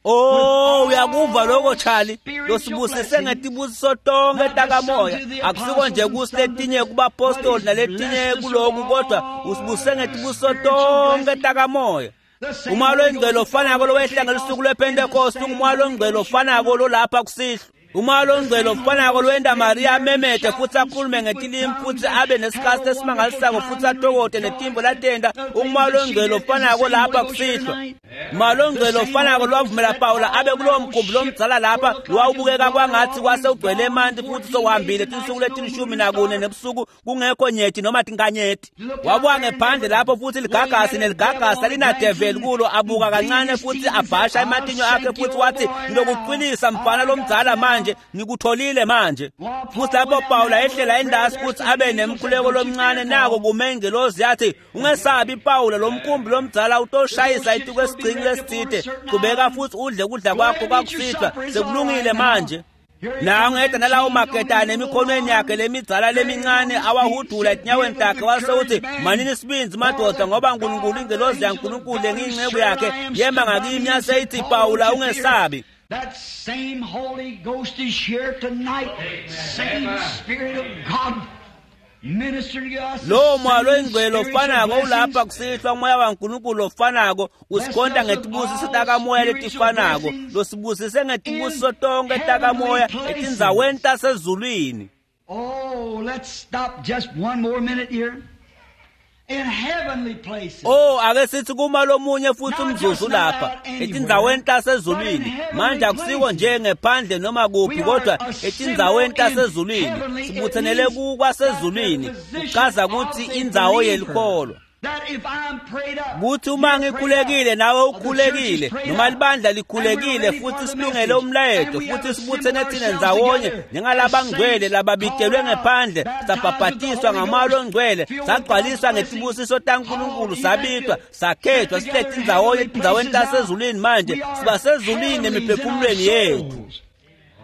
Oh, uyakuva lokho Charlie, losibusise ngetibusiso tonke takamoya. Akusiko nje kusiletinye kubapostoli naletinye kuloku, kodwa usibusise ngetibusiso tonke takamoya. Umoya longcwele ofanako lowehla ngelusuku lwePentecost, umoya longcwele ofanako lolapha kusihlwa. Umoya longcwele ofanako lowenta Maria amemete futhi akhulume ngetilimi futhi abe nesikhathi esimangalisako futhi atokote netimbo latenta. Umoya longcwele ofanako lapha kusihlwa. Umoya longcwele ofanako lwavumela Pawula abe kulowo mkhumbi lomdzala lapha lowawubukeka kwangathi kwase ugcwele emanti futhi sowuhambile tinsuku letilishumi nakune nebusuku kungekho nyeti noma tinkanyeti. Wabuka ngephandle lapho futhi ligagasi neligagasi alinadeveli kulo, abuka kancane futhi abhasha ematinyo akhe futhi wathi ngilokuqinisa mfana lomdzala manje, ngikutholile manje. Futhi lapho Pawula ehlela endasi futhi abe nemkhuleko lomncane, nako kume ingelozi yathi ungesabi Pawula, lo mkhumbi lomdzala utoshayisa ituku esigcingi lesithide, qhubeka futhi udle kudla kwakho kwakusihlwa, sekulungile manje. Nangu eda nalawo maketane emikhonweni yakhe lemidzala lemincane awahudula etinyaweni takhe, wase uthi manini isibindzi madoda, ngoba uNkulunkulu ingelozi yaNkulunkulu lengiyinceku yakhe yema ngakimi yase ithi Pawula ungesabi.
That same Holy Ghost is here tonight. Same Spirit of God ministering to us.
Lo moya longcwele ofanako ulapha kusihlwa, umoya waNkulunkulu ofanako usikhonta ngetibusiso takamoya letifanako, losibusise ngetibusiso tonke takamoya etindzaweni tasezulwini.
Oh, let's stop just one more minute here. In heavenly places.
Oh, ake sithi kuma lomunye futhi umzuzu lapha etindzaweni tasezulwini. Manje akusiko nje ngephandle noma kuphi, kodwa etindzaweni tasezulwini sibuthenele kukwasezulwini. Kuchaza ukuthi indzawo yelikholwa, kuthi uma ngikhulekile nawe ukhulekile, noma libandla likhulekile futhi silungele umlayeto futhi sibuthene thina ndzawonye njengalabangcwele lababitelwe ngephandle, sabhabhatiswa ngamoya longcwele, sagcwaliswa ngetibusiso taNkulunkulu, sabitwa sakhethwa, silethe indzawonye etindzaweni tasezulwini. Manje siba sezulwini emiphefumulweni yethu.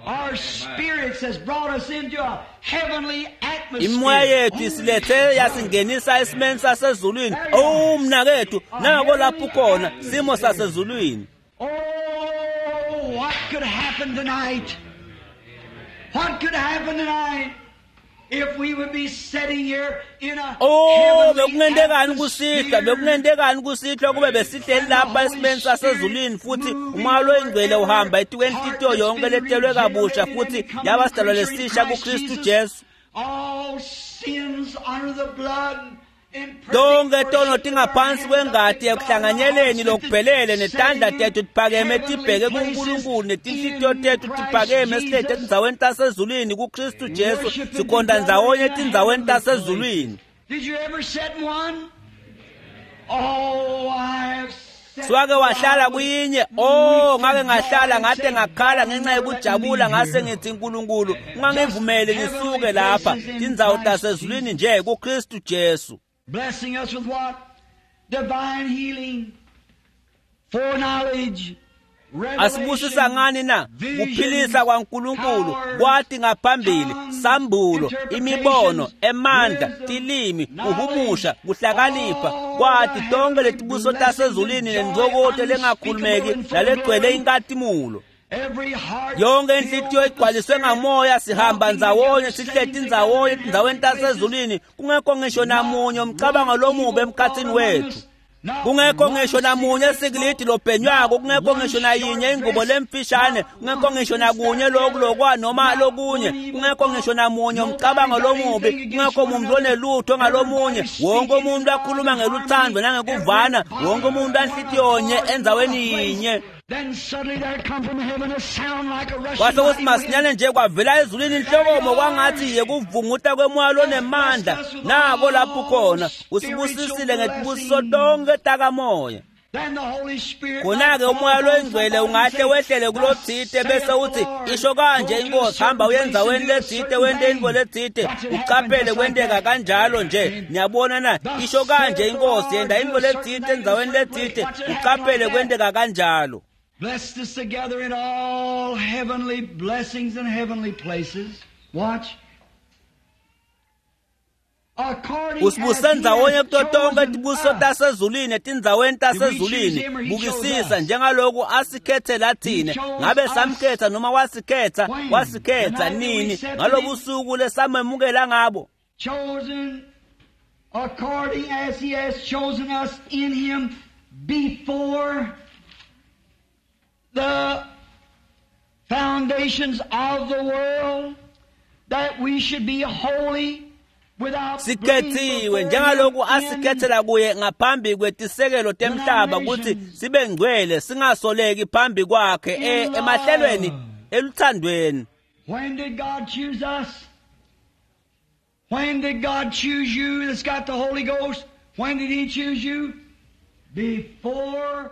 Our spirits has brought us into a heavenly atmosphere.
Imoya yethu isilethe yasingenisa esimeni sasezulwini. Oh mnakethu, nako lapho khona simo sasezulwini.
Oh, what could happen tonight? What could happen tonight?
Oh, bekungentekani kusihlwa, bekungentekani kusihlwa kube besihleli lapha esimeni sasezulwini futhi umoya loyingcwele uhamba etikwenhlitiyo yonke letelwe kabusha futhi yaba sidalwa lesisha kuKristu Jesu. Tonke tono tingaphansi kwengati ekuhlanganyeleni lokuphelele netandla tethu tiphakeme tibheke kuNkulunkulu netinhlitiyo tethu tiphakeme sihleti etindzaweni tasezulwini kuKristu Jesu sikhonta ndzawonye etindzaweni tasezulwini. Siwake wahlala kuyinye? Oh, ngake ngahlala ngate ngakhala ngenxa yokujabula ngase ngithi Nkulunkulu ungangivumeli ngisuke lapha tindzawo tasezulwini nje kuKristu Jesu.
Blessing us with what? Divine healing, foreknowledge,
Asibusisa ngani na? Kuphilisa kwaNkulunkulu, kwati ngaphambili, sambulo, imibono, emandla, tilimi, kuhumusha, kuhlakanipha, kwati tonke letibuso tasezulwini nentfokoto lengakhulumeki nalegcwele inkatimulo. Yonke inhlitiyo igcwaliswe ngamoya, sihamba ndzawonye, sihleti ndzawonye etindzaweni tasezulwini, kungekho ngisho namunye umcabango lomubi emkhatsini wethu. Kungekho ngisho namunye sikilidi lobhenywako, kungekho ngisho nayinye ingubo lemfishane, kungekho ngisho nakunye loku lokwa noma lokunye, kungekho ngisho namunye umcabango lomubi, kungekho muntu onelutho ngalomunye. Wonke umuntu akhuluma ngeluthando nangekuvana, wonke umuntu anhlitiyonye endzaweni yinye. Kwase kuthi masinyane nje kwavela ezulwini inhlokomo kwangathi yekuvunguta kwemoya lonemandla. Nako lapho khona usibusisile ngetibusiso tonke takamoya. Khona-ke umoya loyingcwele ungahle wehlele kulotsite bese uthi isho kanje inkosi, hamba uye endzaweni letsite wente intfo letsite, ucaphele kwenteka kanjalo nje. Niyabona na? Isho kanje inkosi, yenta intfo letsite endzaweni letsite, ucaphele kwenteka kanjalo.
Blessed us together in all heavenly blessings and heavenly places. Watch.
Usibuse ndzawonye kuto tonke tibuso tasezulwini etindzaweni tasezulwini. Bukisisa njengaloku asikhethela thine. Ngabe samkhetha noma wasikhetha? Wasikhetha nini? Ngalobusuku lesamemukela ngabo.
Chosen according as he has chosen us in him before the foundations of the world, that we should be holy.
Sikhethiwe njengaloku asikhethela kuye ngaphambi kwetisekelo temhlaba kutsi sibe ngcwele singasoleki phambi kwakhe emahlelweni eluthandweni.
When did God choose us? When did God choose you that's got the Holy Ghost? When did he choose you?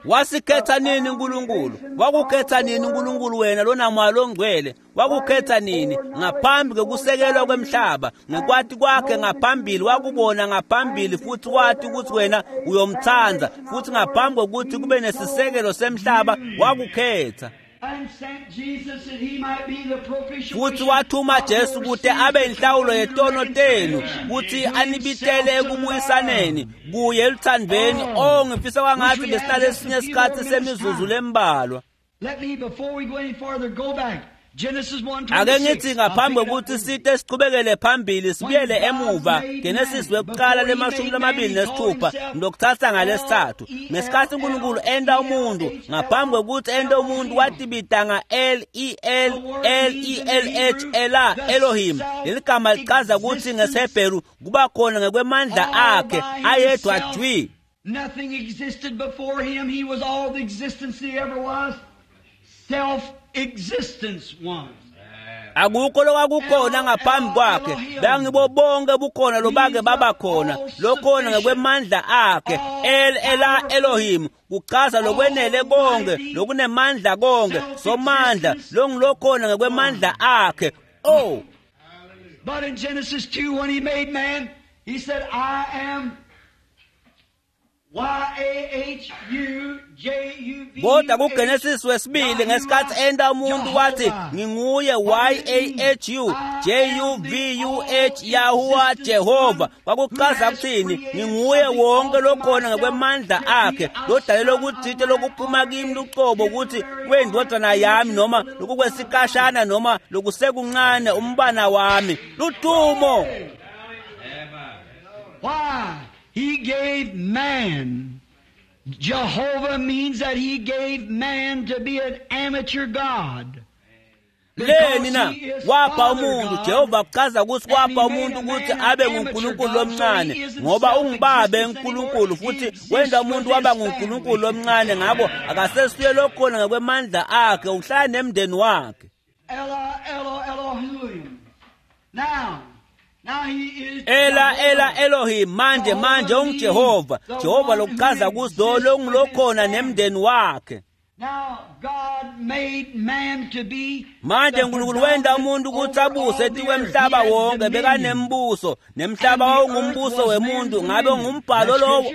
Wasikhetha nini uNkulunkulu? Wakukhetha nini uNkulunkulu wena lona moya longcwele? Wakukhetha nini? Ngaphambi kokusekelwa kwemhlaba, ngekwati kwakhe ngaphambili, wakubona ngaphambili futhi wathi ukuthi wena uyomthanda, futhi ngaphambi kokuthi kube nesisekelo semhlaba wakukhetha. Futhi wathuma Jesu kute abe inhlawulo yetono tenu, kuthi anibitele ekubuyisaneni kuye eluthandweni. Oh, ngifisa kwangathi besinalesinye isikhathi semizuzu lembalwa. Ake ngithi ngaphambi kokuthi site siqhubekele phambili sibuyele emuva Genesis wekuqala lemashumi lamabili nesithupha ngilokuthatha ngalesithathu. Ngesikhathi uNkulunkulu enta umuntu, ngaphambi kokuthi ente umuntu watibita nga L E L L E L H Ela Elohim. Leli gama lichaza ukuthi ngesiHebheru kuba khona ngekwemandla akhe ayedwa jwi.
Nothing existed before him. He was all the existence he ever was. Self existence one.
Akukho lokwakukhona ngaphambi kwakhe, bengibo bonke bukhona lobake baba khona, lokhona ngekwemandla akhe. El Ela Elohim kuchaza lokwenele konke, lokunemandla konke, somandla longilokhona ngekwemandla akhe. Oh,
but in Genesis two when he made man, he said, I am
Kodwa kuGenesis wesibili ngesikhathi enta umuntu wathi nginguye Y A H U J U V U H Yahuwah Jehova. Kwakuchaza kuthini? Nginguye wonke lokhona ngokwemandla akhe lodalelwe ukuthite lokuphuma kimi lucobo ukuthi kwendodana yami noma lokukwesikhashana noma lokusekuncane umbana wami ludumo.
Why? He gave man. Jehovah means that he gave man to be an amateur God.
Leni na wapha umuntu Jehova kuchaza ukuthi wapha umuntu ukuthi abe nguNkulunkulu lomncane ngoba ungibabe uNkulunkulu futhi wenza umuntu waba nguNkulunkulu lomncane ngabo akasesuye lokhona ngokwemandla akhe uhlala nemndeni wakhe.
Ela Elo Elohim. Now
Ela Ela Elohim manje manje unguJehova Jehova lokuchaza ukuthi lo longilokhona nemndeni wakhe. Manje uNkulunkulu wenta umuntu ukuthi abuse etikwemhlaba wonke bekanembuso nemhlaba wawungumbuso wemuntu ngabe ungumbhalo lowo.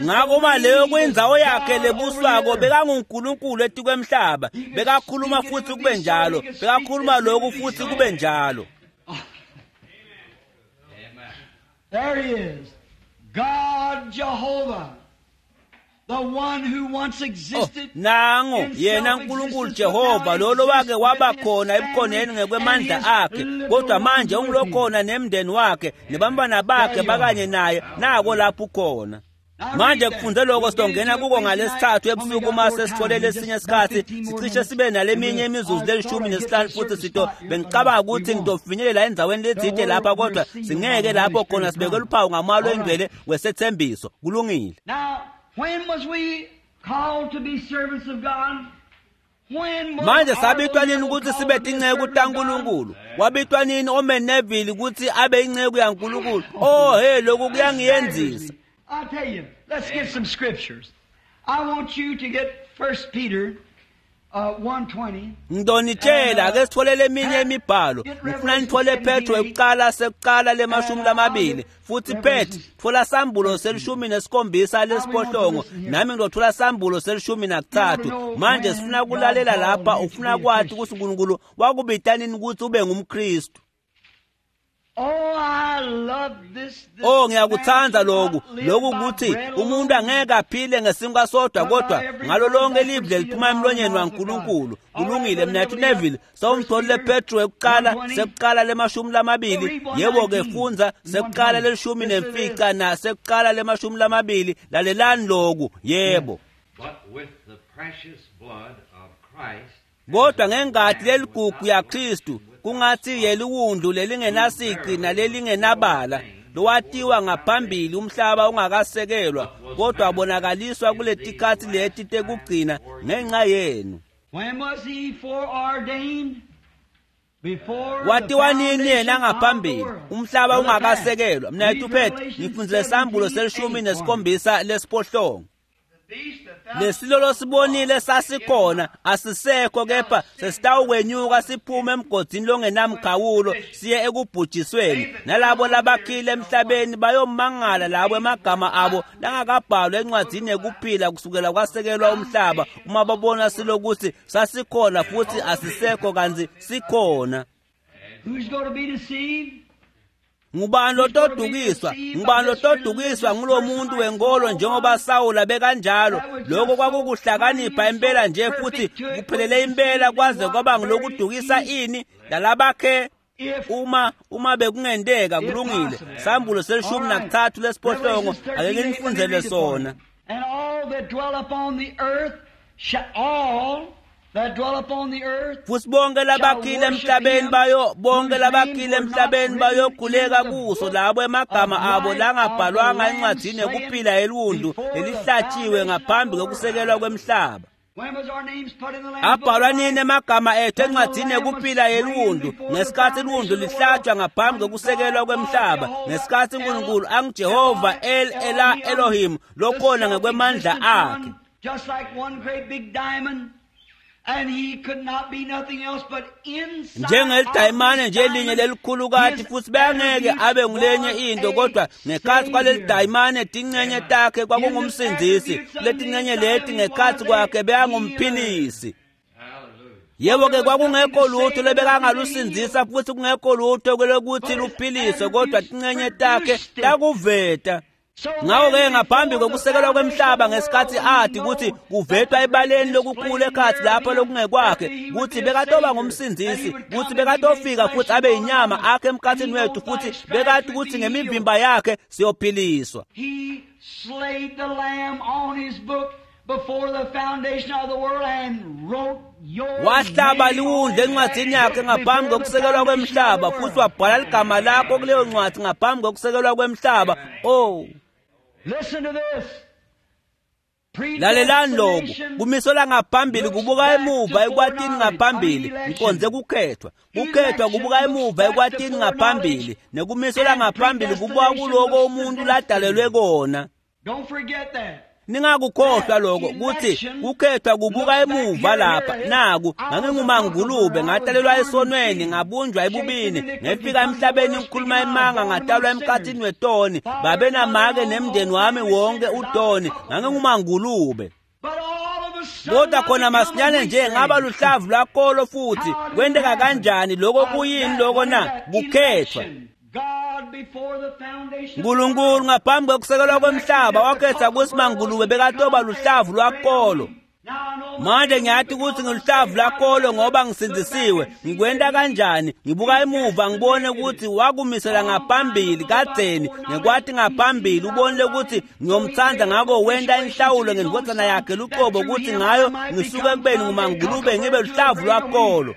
Ngakho uma leyo kwindzawo yakhe lebuswako bekanguNkulunkulu etikwemhlaba bekakhuluma futhi kube njalo bekakhuluma lokhu futhi kube njalo.
There he is, God Jehovah, the one who once existed.
Oh, nango yena uNkulunkulu Jehova lolo wake waba khona ebukhoneni ngekwemandla akhe kodwa manje ungulokhona nemndeni wakhe nebantwana bakhe bakanye naye nako lapho ukhona. Manje kufunze lokho sidongena kuko ngalesithathu ebusuku uma sesitholele esinye isikhathi sicishe sibe naleminye imizuzu lelishumi nesihlanu futhi sito bengicabanga ukuthi ngitofinyelela endzaweni letsite lapha kodwa singeke lapho khona sibeke luphawu ngamalo engcwele wesethembiso. Kulungile.
Now, when was we called to be servants of God?
Manje sabitwa nini ukuthi sibe tinceku taNkulunkulu? Wabitwa nini oMeneville ukuthi abe inceku yaNkulunkulu? Oh hey lokhu kuyangiyenzisa.
I'll tell you, let's get some scriptures. I want you to get First Peter uh, one twenty.
Ngidonitshela ake sitholele eminye imibhalo. Ngifuna nithole Petro ekuqala sekuqala lemashumi lamabili. Futhi Pet thola sambulo selishumi nesikhombisa lesiphohlongo nami ngizothola sambulo selishumi nakuthathu. Manje sifuna kulalela lapha ufuna kwathi ukuthi uNkulunkulu wakubita nini ukuthi ube ngumKristu.
Oh, I love this.
Oh ngiyakuthanda lokhu lokhu ukuthi umuntu angeke aphile ngesinkwa sodwa kodwa ngalo lonke live leliphuma emlonyeni waNkulunkulu. Kulungile mnethu Neville sawumtholile Petro ekuqala sekuqala lemashumi lamabili yebo ke fundza sekuqala lelishumi nemfica na sekuqala lemashumi lamabili lalelani lokhu yebo.
But with the precious blood of Christ
kodwa ngengati leligugu yaKristu kungathi yeliwundlu lelingenasici nalelingenabala lowatiwa ngaphambili umhlaba ungakasekelwa kodwa wabonakaliswa kuletikhathi leti tekugcina ngenxa yenu.
When was he foreordained? Before
watiwa nini yena ngaphambili umhlaba ungakasekelwa? Mnethu Pet ngifundzile sambulo selishumi nesikhombisa lesiphohlongo. Lesilo losibonile sasikhona asisekho kepha sesitawukwenyuka siphume emgodini longenamkhawulo siye ekubhujisweni nalabo labakhile emhlabeni bayomangala labo emagama abo langakabhalwa encwadzini yekuphila kusukela kwasekelwa umhlaba uma babona silokuthi sasikhona futhi asisekho kantsi sikhona.
Who's going to be deceived?
Ngubani lotodukiswa? Ngubani lotodukiswa ngulomuntu wenkolo njengoba Sawula bekanjalo? Lokho kwakukuhlakanipha impela nje futhi kuphelele impela kwaze kwaba ngilokudukisa ini lalabakhe uma uma bekungenteka. Kulungile. Sambulo selishumi nakuthathu lesiphohlongo ake nginifundzele sona.
And all that dwell upon the earth shall all that dwell upon the earth
futhi bonke labakhile emhlabeni bayo bonke labakhile emhlabeni bayokhuleka kuso labo emagama abo langabhalwanga encwadzini yekuphila yeliwundlu lelihlatshiwe ngaphambi kokusekelwa kwemhlaba. Abhalwa nini emagama ethu encwadzini yekuphila yeliwundlu? Ngesikhathi iliwundlu lihlatshwa ngaphambi kokusekelwa kwemhlaba, ngesikhathi uNkulunkulu anguJehova El Ela Elohim lokhona ngekwemandla akhe.
Just like one great big diamond.
Njengelidayimane nje linye lelikhulukati futhi bengeke abe ngulenye into kodwa ngekhathi kwalelidayimane tincenye takhe kwakungumsindzisi letincenye leti ngekhathi kwakhe beyangumphilisi. Yebo ke kwakungekho lutho lebekangalusindzisa futhi kungekho lutho lokuthi luphiliswe kodwa tincenye takhe takuveta. Ngakho-ke ngaphambi kokusekelwa kwemhlaba ngesikhathi athi ukuthi kuvetwa ebaleni lokukhulu ekhathi lapho lokungekwakhe ukuthi bekatoba ngumsindzisi ukuthi bekatofika futhi abe yinyama akhe emkhathini wethu futhi bekati ukuthi ngemivimba yakhe siyophiliswa.
He slayed the lamb on his book before the foundation of the world and wrote your
Wahlaba liwundlu encwadzini yakhe ngaphambi kokusekelwa kwemhlaba futhi wabhala ligama lakho kuleyo ncwadi ngaphambi kokusekelwa kwemhlaba. Oh,
Listen to this.
lalelani lokhu kumiselwa ngaphambili kubuka emuva ekwatini ngaphambili ngiqonze kukhethwa kukhethwa kubuka emuva ekwatini ngaphambili nekumiselwa ngaphambili kubuka kuloko umuntu ladalelwe kona.
Don't forget that.
Ningakukhohlwa lokho kuthi kukhethwa kubuka emuva lapha naku ngangingumangulube ngatalelwa esonweni ngabunjwa ebubini ngefika emhlabeni ngikhuluma imanga ngatalwa emkhathini wetoni babe namake nemndeni wami wonke utoni ngangingumangulube.
But all of a sudden,
Kodwa khona masinyane nje ngaba luhlavu lwakolo futhi kwenteka kanjani lokho kuyini lokho na kukhethwa.
God before the foundation
uNkulunkulu ngaphambi kokusekelwa kwemhlaba wakhetha ukuthi mangulube bekatoba luhlavu lwakolo. Manje ngiyathi ukuthi ngiluhlavu lwakolo ngoba ngisindzisiwe. Ngikwenta kanjani? Ngibuka emuva ngibone ukuthi wakumisela ngaphambili kadzeni ngekwati ngaphambili ubonile ukuthi ngiyomthanda ngako wenta inhlawulo ngendvodzana yakhe luqobo ukuthi ngayo ngisuke ekubeni ngumangulube ngibe luhlavu lwakolo.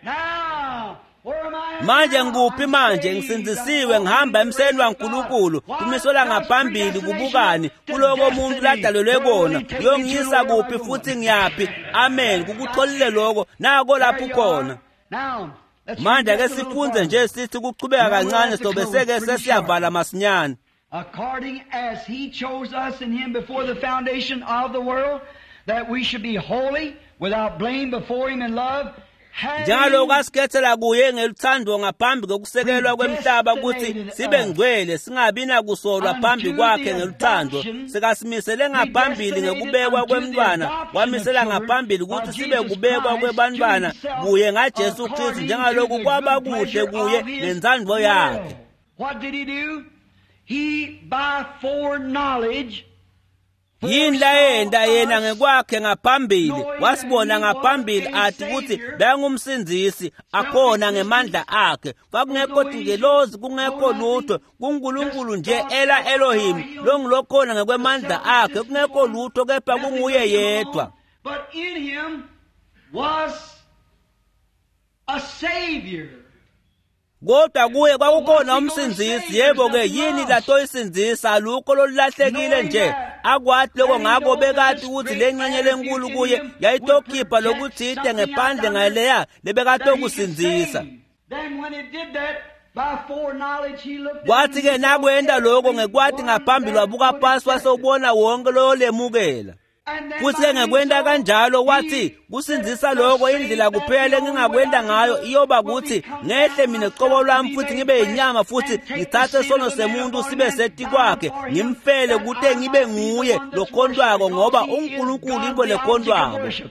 Now, where am I?
Manje ngikuphi manje ngisindzisiwe ngihamba emseni waNkulunkulu kumiselwa ngaphambili kubukani kuloko umuntu ladalelwe kona kuyongiyisa kuphi futhi ngiyaphi. Amen kukutholile lokho nako lapho ukhona.
Now, let's
Manje
read
ake
just a little
sifunze
farther.
nje sithi kuchubeka kancane sobe seke sesiyavala masinyane.
According as he chose us in him before the foundation of the world, that we should be holy, without blame before him in love, having
Njalo asikhethela kuye ngeluthando ngaphambi kokusekelwa kwemhlaba ukuthi sibe ngcwele singabi nakusolwa phambi kwakhe ngeluthando sekasimisele ngaphambili ngekubekwa kwemntwana wamisela ngaphambili ukuthi sibe kubekwa kwebantwana kuye ngaJesu Kristu njengaloku kwaba kuhle kuye nentsandvo yakhe.
What did he do? He by foreknowledge
Yini layenta yena ngekwakhe ngaphambili wasibona ngaphambili athi ukuthi bengumsindzisi akhona ngemandla akhe kwakungekho tingelozi kungekho lutho kuNkulunkulu nje ela Elohim longulokhona ngekwemandla akhe kungekho lutho kepha kunguye yedwa.
But in him was a savior.
Kodwa kuye kwakukhona umsindzisi. Yebo ke yini latoyisindzisa alukho lolulahlekile nje akwathi lokho ngako bekati ukuthi lencenye lenkulu kuye yayitokhipha lokuthite ngephandle ngaleya lebekatokusindzisa.
Then when it did that, by foreknowledge he looked
Kwathi ke nakwenta lokho ngekwati ngaphambili wabuka phansi wasewubona wonke loyolemukela. Futhi ke ngekwenta kanjalo wathi kusindzisa lokho indlela kuphela engingakwenta ngayo iyoba kuthi ngehle mina qobo lwami futhi ngibe yinyama futhi ngithathe sono semuntu sibe setikwakhe ngimfele kute ngibe nguye lokhontwako ngoba uNkulunkulu into lekhontwako.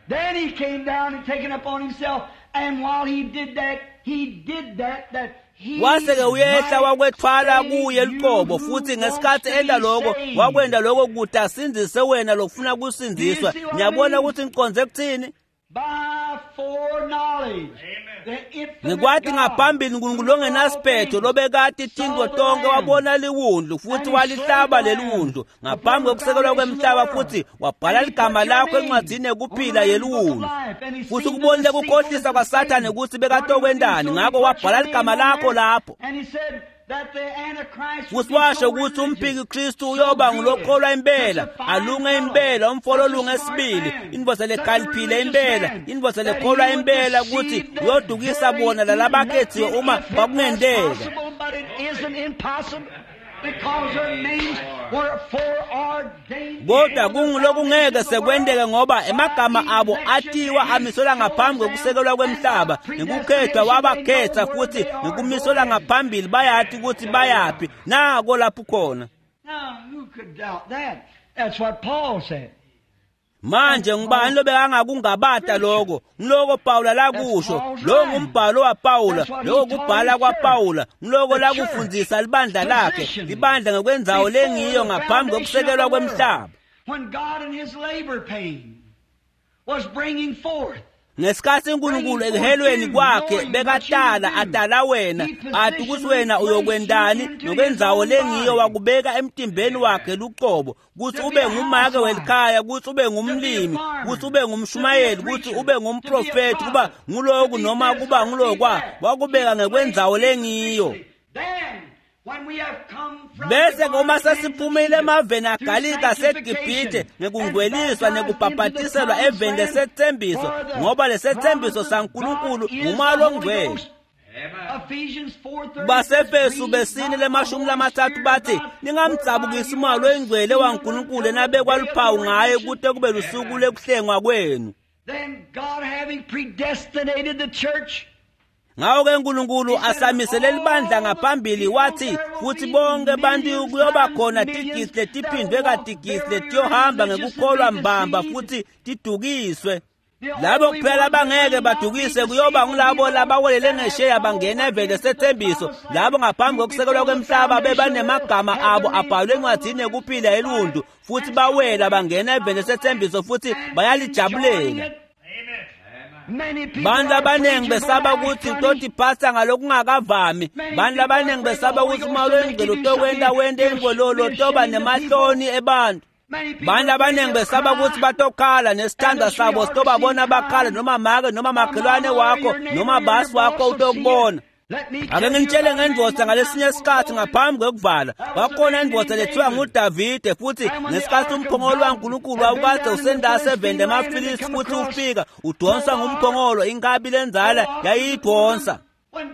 Then he came down and taken upon himself, and while he did that, he did that that he
Wase-ke uyehla
might
wakwethwala
save
kuye
you
luqobo
who
futhi
wants
ngesikhathi
to be
enta lokho
saved.
wakwenta lokho kude asindzise wena lokufuna kusindziswa. Ngiyabona ukuthi ngiqonze kuthini.
By foreknowledge. The infinite
Ngikwati
God,
ngaphambili uNkulunkulu ongenasiphetho lobekati tintfo tonke wabona liwundlu futhi walihlaba leliwundlu ngaphambi kokusekelwa kwemhlaba futhi wabhala ligama lakho encwadzini yekuphila yeliwundlu futhi ukubonile kukhohlisa kwaSathane ukuthi bekatokwentani ngako wabhala ligama lakho lapho.
And he said that the Antichrist would
Futhi
be
washo
so
ukuthi
religious,
umphiki Kristu uyoba ngulokholwa impela alunge impela umfolo olunge esibili indvodza lekhaliphile impela indvodza lekholwa impela ukuthi uyodukisa bona lalabakhethiwe uma kwakungenteka.
Possible, but it isn't impossible.
Kodwa kungulokungeke sekwenteke ngoba emagama abo atiwa amiselwa ngaphambi kwekusekelwa kwemhlaba ngekukhethwa wabakhetha futhi ngekumiselwa ngaphambili bayati ukuthi bayaphi nako lapho khona. Manje ngubani lobekangakungabata lokho? Ngiloko Pawula lakusho. Lo ngumbhalo waPawula, lokho kubhala kwaPawula, ngiloko lakufundzisa libandla lakhe, libandla ngekwenzawo lengiyo ngaphambi kokusekelwa kwemhlaba. Ngesikhathi uNkulunkulu ekuhelweni kwakhe bekatala atala wena athi ukuthi wena uyokwendani nokwenzawo lengiyo wakubeka emtimbeni wakhe luqobo ukuthi ube ngumake welikhaya, ukuthi ube ngumlimi, ukuthi ube ngumshumayeli, ukuthi ube ngumprofeti, kuba nguloku noma kuba ngulokwa, wakubeka ngekwenzawo lengiyo. Bese uma sesiphumile emaveni aGalika seGibhithe ngekungweliswa nekubhabhatiselwa eveni lesethembiso, ngoba lesethembiso saNkulunkulu ngumoya longcwele. Basefesu besine lemashumi lamathathu bathi ningamdzabukisi umoya longcwele waNkulunkulu enabekwa luphawu ngaye kute kube lusuku lekuhlengwa kwenu. Ngako-ke uNkulunkulu asamisele libandla ngaphambili wathi futhi bonke bantu kuyoba khona tigisi letiphindwe katigisi letiyohamba ngekukholwa mbamba futhi tidukiswe. Labo kuphela bangeke badukise kuyoba ngulabo labawelele ngesheya bangena eveni lesethembiso, labo ngaphambi kokusekelwa kwemhlaba bebanemagama abo abhalwe encwadzini yekuphila yeluntu futhi bawela bangena eveni lesethembiso futhi bayalijabulela. Bantu abaningi besaba ukuthi utotiphatha ngalokungakavami. Bantu abaningi besaba ukuthi uma lwengcwele utokwenta wente ingololo toba nemahloni ebantu. Bantu abaningi besaba ukuthi batokhala nesithandwa sabo sitobabona bakhala noma make noma makhelwane wakho noma basi wakho utokubona. Ake nginitshele ngendvodza ngalesinye isikhathi ngaphambi kwekuvala. Kwakhona indvodza lethiwa nguDavide futhi ngesikhathi umphongolo waNkulunkulu wawukade usendase eveni lemaFilisti futhi ufika udonswa ngumphongolo, inkabi lenzala yayiyidonsa.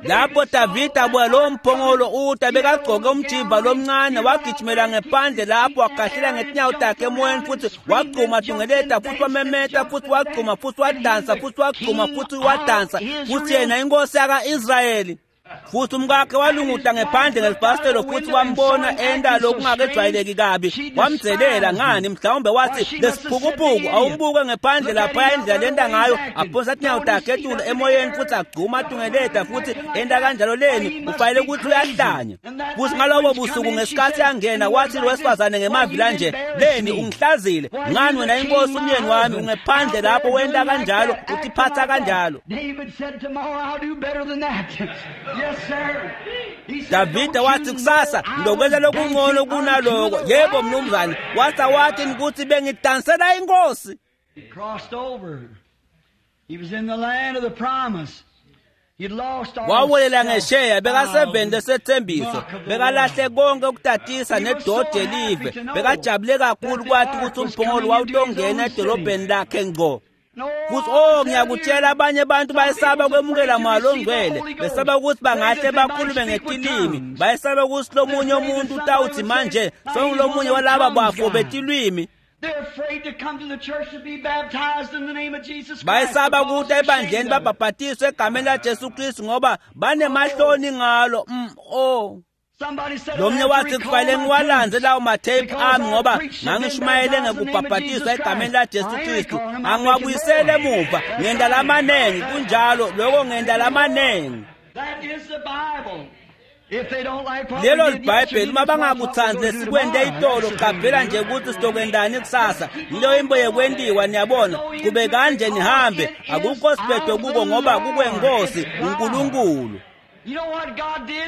Lapho Davide abuya lowo mphongolo uta bekagcoke umjimba lomncane wagijimela ngephandle lapho wagahlela ngetinyawo takhe emoyeni futhi wagcuma tungeleta futhi wamemeta futhi wagcuma futhi wadansa futhi wagcuma futhi wadansa futhi yena inkosi yaka-Israyeli. Futhi umkakhe walunguta ngephandle ngelifasitelo futhi wambona enda lokungakejwayeleki kabi, wamdzelela ngani mhlawumbe wathi lesiphukuphuku awumbuke ngephandle lapha indlela lenda ngayo, aphonsa tinyawo takhe etulu emoyeni futhi agcuma atungeleta futhi enda kanjalo leni ufanele ukuthi uyahlanya. Futhi ngalobo busuku ngesikhathi angena wathi lo wesifazane ngemavi lanje, leni ungihlazile ngani wena inkosi umyeni wami ungephandle lapho wenda kanjalo utiphatha kanjalo. Davide wathi kusasa ngizokwenza lokungcono kunaloko. Yebo mnumzane, wathi wathi ukuthi bengidansela inkosi. Wawelela ngesheya bekaseveni lesethembiso, bekalahle konke ukutatisa nedodi elive, bekajabule kakhulu kwathi ukuthi umphongolo wawutongena edolobheni lakhe ngqo. Futhi oh ngiyakutshela abanye abantu bayesaba kwemukela moya longcwele, besaba ukuthi bangahle bakhulume ngetilimi, bayesaba ukuthi lomunye umuntu utawuthi manje songulomunye walaba bafo betilwimi. Bayesaba ukuthi ebandleni babhabhatiswe egameni laJesu Kristu ngoba banemahloni ngalo. Mm, oh Lomnye wathi kufanele ngiwalanze lawo matheyiphu ami ngoba ngangishumayele ngekubhabhatiswa egameni laJesu Kristu, angiwabuyisele emuva ngenda lamanengi. Kunjalo lokho, ngenda lamanengi. Lelo libhayibheli uma bangakuthandi lesikwente itolo, qaphela nje ukuthi sitokwendani kusasa. Yileyo imbo yekwentiwa, niyabona. Kube kanje nihambe, akukho sibhedo kuko ngoba kukwenkosi uNkulunkulu.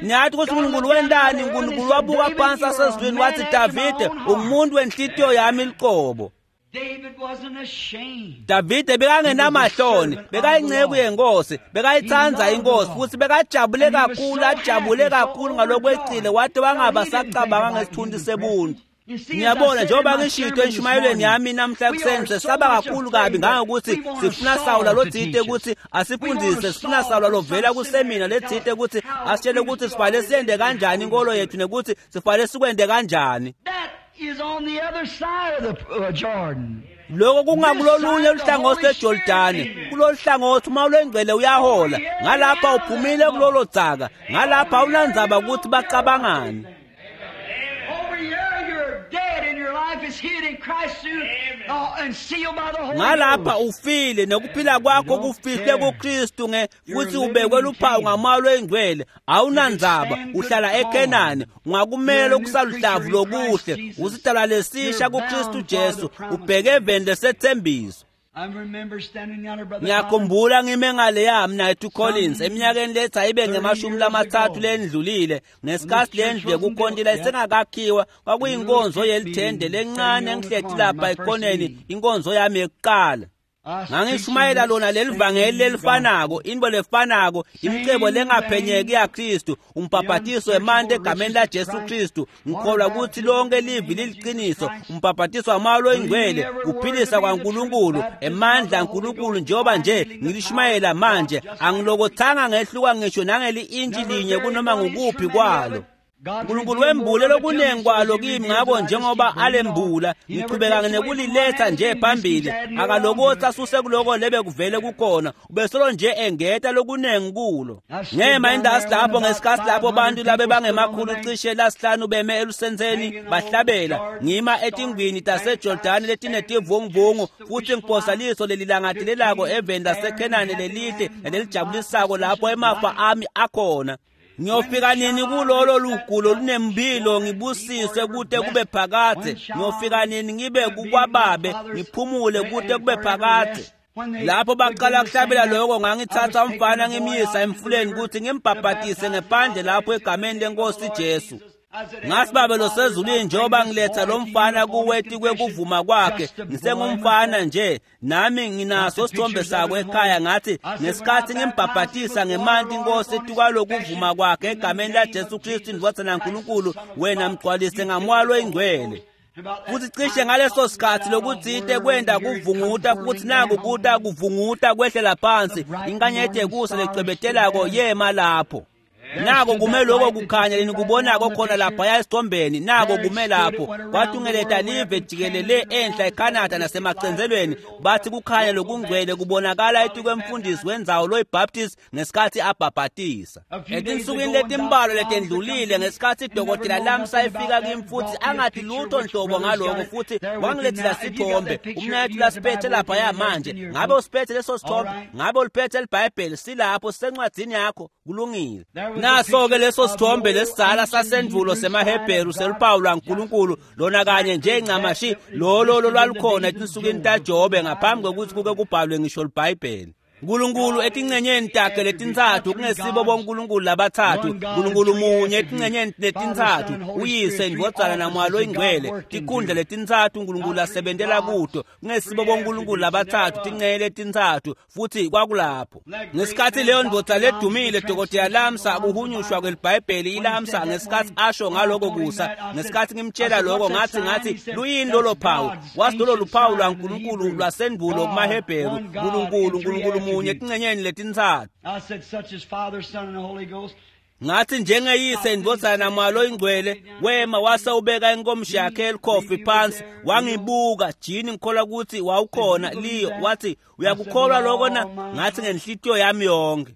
Niyathi ukuthi uNkulunkulu wendani? uNkulunkulu wabuka phansi asezulwini wathi Davide ungumuntu wenhlitiyo yami liqobo. Davide bekangenamahloni, bekayinceku yenkosi, bekayithanda inkosi futhi bekajabule kakhulu, ajabule kakhulu ngalokwecile wathi wangaba sacabanga ngesithunzi sebuntu. Ngiyabona njengoba ngishito enshumayelweni yami namhla ekuseni, sesaba kakhulu kabi ngangokuthi sifuna Sawula lotsite ukuthi asifundise, sifuna Sawula lovela kusemina letsite ukuthi asitshele ukuthi sifanele siyende kanjani inkolo yethu nekuthi sifanele sikwende kanjani.
That is on the other side of the uh, Jordan.
Lokho kungakulolunye luhlangothi lweJordani, kulolu hlangothi uma ulwengcwele uyahola, ngalapha uphumile kulolo dzaka, ngalapha awunandzaba ukuthi bacabangani.
Over here you're dead and your life is hid in Christ through, uh, and sealed by the Holy
Ngalapha
Ghost.
ufile nokuphila kwakho kufihle kuKristu nge futhi ubekwe luphawu ngamalo engcwele, awunandzaba uhlala eKenani, ungakumele okusaluhlavu lokuhle, usidalwa lesisha kuKristu Jesu, ubheke eveni lesethembiso.
I remember standing yonder, Brother Collins.
Ngiyakhumbula ngime ngale yami Nathi Collins eminyakeni lethi ayibe ngemashumi lamathathu lendlulile, ngesikhathi lendlu yekukhontela isengakakhiwa, kwakuyinkonzo yelithende lencane engihleti lapha ekhoneni, inkonzo yami yokuqala.
I was
Ngangishumayela lona leli vangeli lelifanako, into lefanako, imicebo lengaphenyeki yaKristu, umbhabhatiso wemanti egameni laJesu Kristu. Ngikholwa ukuthi lonke livi liliqiniso, umbhabhatiso wamalo oyingcwele, kuphilisa kwaNkulunkulu, emandla aNkulunkulu, njengoba nje ngilishumayela manje, angilokothanga ngehluka ngisho nangeli-intshi linye kunoma ngukuphi kwalo. uNkulunkulu wembule lokunengi kwalo kimi, ngakho njengoba alembula ngiqhubeka nekuliletha nje phambili, akalokothi asuse kuloko lebe kuvele kukhona, ubesolo nje engeta lokunengi kulo. Ngema indasi lapho ngesikhathi lapho bantu labe bangemakhulu cishe lasihlanu beme elusenseni bahlabela, ngima etingwini taseJordani letinetivunguvungu futhi ngiphosa liso lelilangadelelako eveni laseKhenani lelihle nalelijabulisako lapho emafa ami akhona. Ngiyofika nini kulolo lugulo lunempilo ngibusiswe kute kube phakadze? Ngiyofika nini ngibe kukwababe ngiphumule kute kube phakadze? Lapho baqala kuhlabela lokho, ngangithatha umfana ngimyisa emfuleni ukuthi ngimbhabhatise ngephandle lapho egameni lenkosi Jesu. Ngathi, Babe losezulwini, njengoba ngiletha lo mfana kuwe kwekuvuma kwakhe, ngisengumfana nje nami nginaso isithombe sakho ekhaya. Ngathi ngesikhathi ngimbhabhatisa ngemanti inkosi etukwalokuvuma kwakhe egameni laJesu Kristu indvodzana yaNkulunkulu, wena mgcwalise ngamoya loyingcwele. Futhi cishe ngaleso sikhathi lokutsite kwenda kuvunguta, futhi naku kuta kuvunguta kwehlela phansi, inkanyeti yekusa lecwebetelako yema lapho. Nako kume lokho kukhanya lenikubonako khona laphaya esithombeni, nako kume lapho kwatungeleta live jikelele enhla eCanada nasemacentselweni. Bathi kukhanya lokungcwele kubonakala etikwemfundisi wendzawo loyiBaptist ngesikhathi abhabhatisa. Etinsukwini letimbalwa letendlulile, ngesikhathi idokotela Lamsa efika kimi futhi angathi lutho nhlobo ngaloko, futhi wangilethela sithombe, umnayethu lasiphethe laphaya manje. Ngabe usiphethe leso sithombe? Ngabe uliphethe liBhayibheli? Silapho, sisencwadzini yakho. Kulungile. Naso-ke leso sithombe lesizala sasendulo semaHebheru seluphawu lwaNkulunkulu, lona kanye njencamashe lolo lolwalukhona etinsukwini taJobe ngaphambi kokuthi kuke kubhalwe ngisho liBhayibheli. Nkulunkulu etincenyeni takhe letintsatfu, kungesibo bonkulunkulu labatsatfu, Nkulunkulu munye etincenyeni letintsatfu, uyise, indvodzana namoya loyingcwele, tikhundla letintsatfu Nkulunkulu asebentela kuto, kungesibo bonkulunkulu labatsatfu, tincenye letintsatfu, futhi kwakulapho. Ngesikhathi leyo ndvodza ledumile Dokotela Lamsa kuhunyushwa kweliBhayibheli iLamsa, ngesikhathi asho ngaloko kusa, ngesikhathi ngimtshela lokho, ngathi ngathi luyini lolo phawu? Wathi lolo luphawu lwaNkulunkulu lwasendulo kumaHebheru, Nkulunkulu, Nkulunkulu munye etincenyeni letintsatfu.
I said, such as Father, Son, and the Holy Ghost.
Ngathi njengeyise, indvodzana namoya loyingcwele, wema wase ubeka inkomishi yakhe elikhofi phansi, wangibuka. Jini, ngikholwa ukuthi wawukhona Leo. Wathi, uyakukholwa lokho na? Ngathi ngenhlitiyo yami yonke.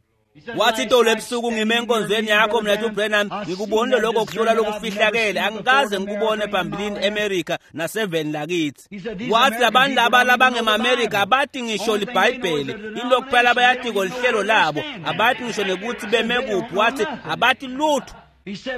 Wathi itolo ebusuku ngime enkonzweni yakho mnethu Branham, ngikubonile lokho kuhlola lokufihlakele, angikaze ngikubone phambilini eMerica naseveni lakithi. Wathi labantu laba labangemaMerica abathi ngisho liBhayibheli, into kuphela abayatiko lihlelo labo, abathi ngisho nekuthi beme kuphi. Wathi abathi lutho.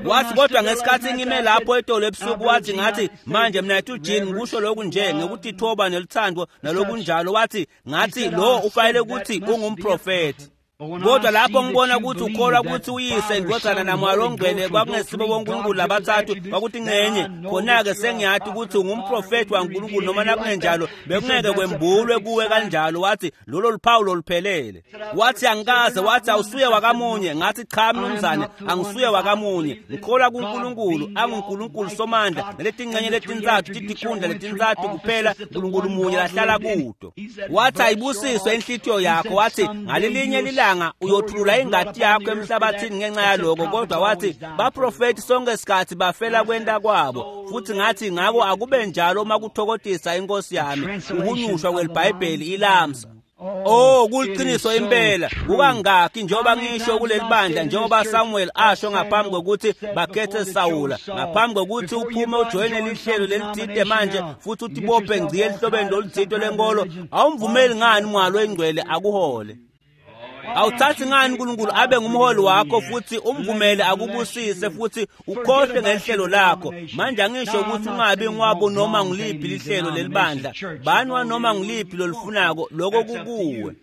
Wathi kodwa ngesikhathi ngime lapho etolo ebusuku, wathi ngathi manje mnethu Jean, ngikusho lokhu nje ngokutithoba neluthando nalokunjalo. Wathi ngathi lo ufanele ukuthi ungumprofethi. Kodwa lapho ngibona ukuthi ukholwa ukuthi uyise indodana namoya longcwele kwakungesibo boNkulunkulu labathathu kwakuthi ngenye khona-ke sengiyati ukuthi ungumprofethi waNkulunkulu noma nakungenjalo bekungeke kwembulwe kuwe kanjalo. Wathi lolo luphawu loluphelele. Wathi angikaze, wathi awusuye wakamunye. Ngathi cha mnumzane, angisuye wakamunye, ngikholwa kuNkulunkulu anguNkulunkulu somandla naletingcenye letintsatfu titikhundla letintsatfu kuphela Nkulunkulu munye lahlala kuto. Wathi ayibusiswe inhlitiyo yakho. Wathi ngalelinye lilanga uyothulula ingati yakho emhlabathini ngenxa yaloko. Kodwa wathi baprofethi sonke isikhathi bafela kwenta kwabo. Futhi ngathi ngako akube njalo uma kuthokotisa inkosi yami uhunyushwa kwelibhayibheli ilamsa. Oh, kuliqiniso impela. Kukangaki njengoba ngisho kuleli bandla, njengoba Samuel asho ngaphambi kokuthi bakhethe Sawula, ngaphambi kokuthi uphume ujoyine lihlelo lelithide manje futhi utibophe ngci elihlobeni loluthito lenkolo, awumvumeli ngani Moya Longcwele akuhole? Awuthathi ngani uNkulunkulu abe ngumholi wakho futhi umvumele akubusise futhi ukhohle ngelihlelo lakho? Manje angisho ukuthi ungabi ngwabo noma ngiliphi lihlelo lelibandla, bani noma ngiliphi lolifunako, lokho kukuwe.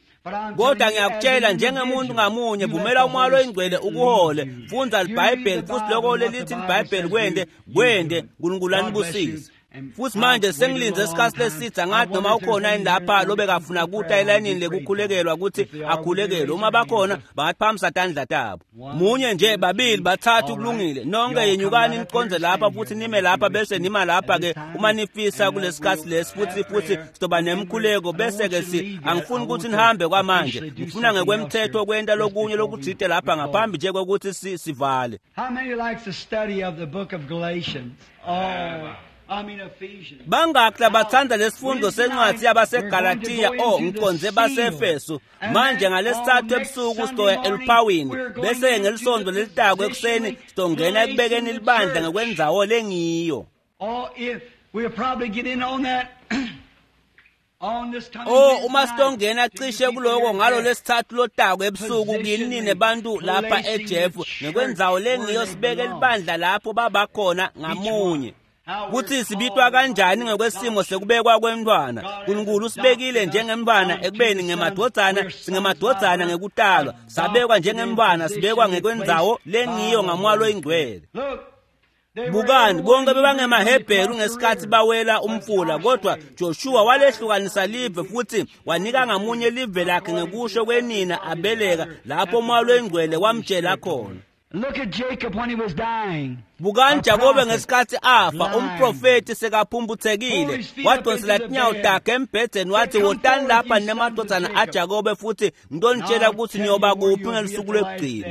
Kodwa ngiyakutshela njengemuntu ngamunye, vumela uMoya Longcwele ukuhole. Fundza iBhayibheli futhi lokho lelithi iBhayibheli kwende kwende. uNkulunkulu anibusise. Futhi manje sengilinze isikhathi lesitha ngathi noma ukhona yini lapha lobekafuna kuta elayinini lekukhulekelwa ukuthi akhulekelwe. Uma bakhona bangaphamisa tandla tabo. Munye nje, babili, bathathu, kulungile. Nonke yenyukani niqonze lapha futhi nime lapha bese nima lapha ke uma nifisa kulesikhathi lesi futhi futhi sizoba nemkhuleko bese ke si angifuni ukuthi nihambe kwamanje. Ngifuna ngekwemthetho kwenta lokunye lokuthite lapha ngaphambi nje kokuthi sivale.
How many likes the study of the book of Galatians? Oh, I mean Ephesians.
Bangaki labathanda lesifundo sencwadi yabaseGalatia? Oh, ngiqonze baseEfeso. Manje ngalesithathu ebusuku sizoya eluphawini, bese ngelisonto lelitako ekuseni sizongena ekubekeni libandla ngekwendzawo lengiyo.
Oh, if we'll probably get in on that.
Oh, uma sitongena cishe kuloko ngalo lesithathu lotako ebusuku kini nebantu lapha eJeff ngekwendzawo lengiyo sibeke libandla lapho babakhona ngamunye. Kuthi sibitwa kanjani ngekwesimo sekubekwa kwemntwana? uNkulunkulu usibekile njengemntwana ekubeni ngemadvodzana, singemadvodzana ngekutalwa, sabekwa njengemntwana, sibekwa ngekwendzawo lengiyo ngaMoya Longcwele. Bukani, bonke bebangemaHebheru ngesikhathi bawela umfula, kodwa Joshua walehlukanisa live futhi wanika ngamunye live lakhe ngekusho kwenina abeleka lapho Moya Longcwele wamtshela khona.
Look at Jacob when he was dying.
Bukani Jakobe ngesikhathi afa, umprofeti sekaphumputhekile, wadonsela tinyawo takhe embhedzeni wathi wotani lapha nemadvodzana aJakobe futhi ngitonitshela ukuthi niyoba kuphi ngelusuku lwekugcina.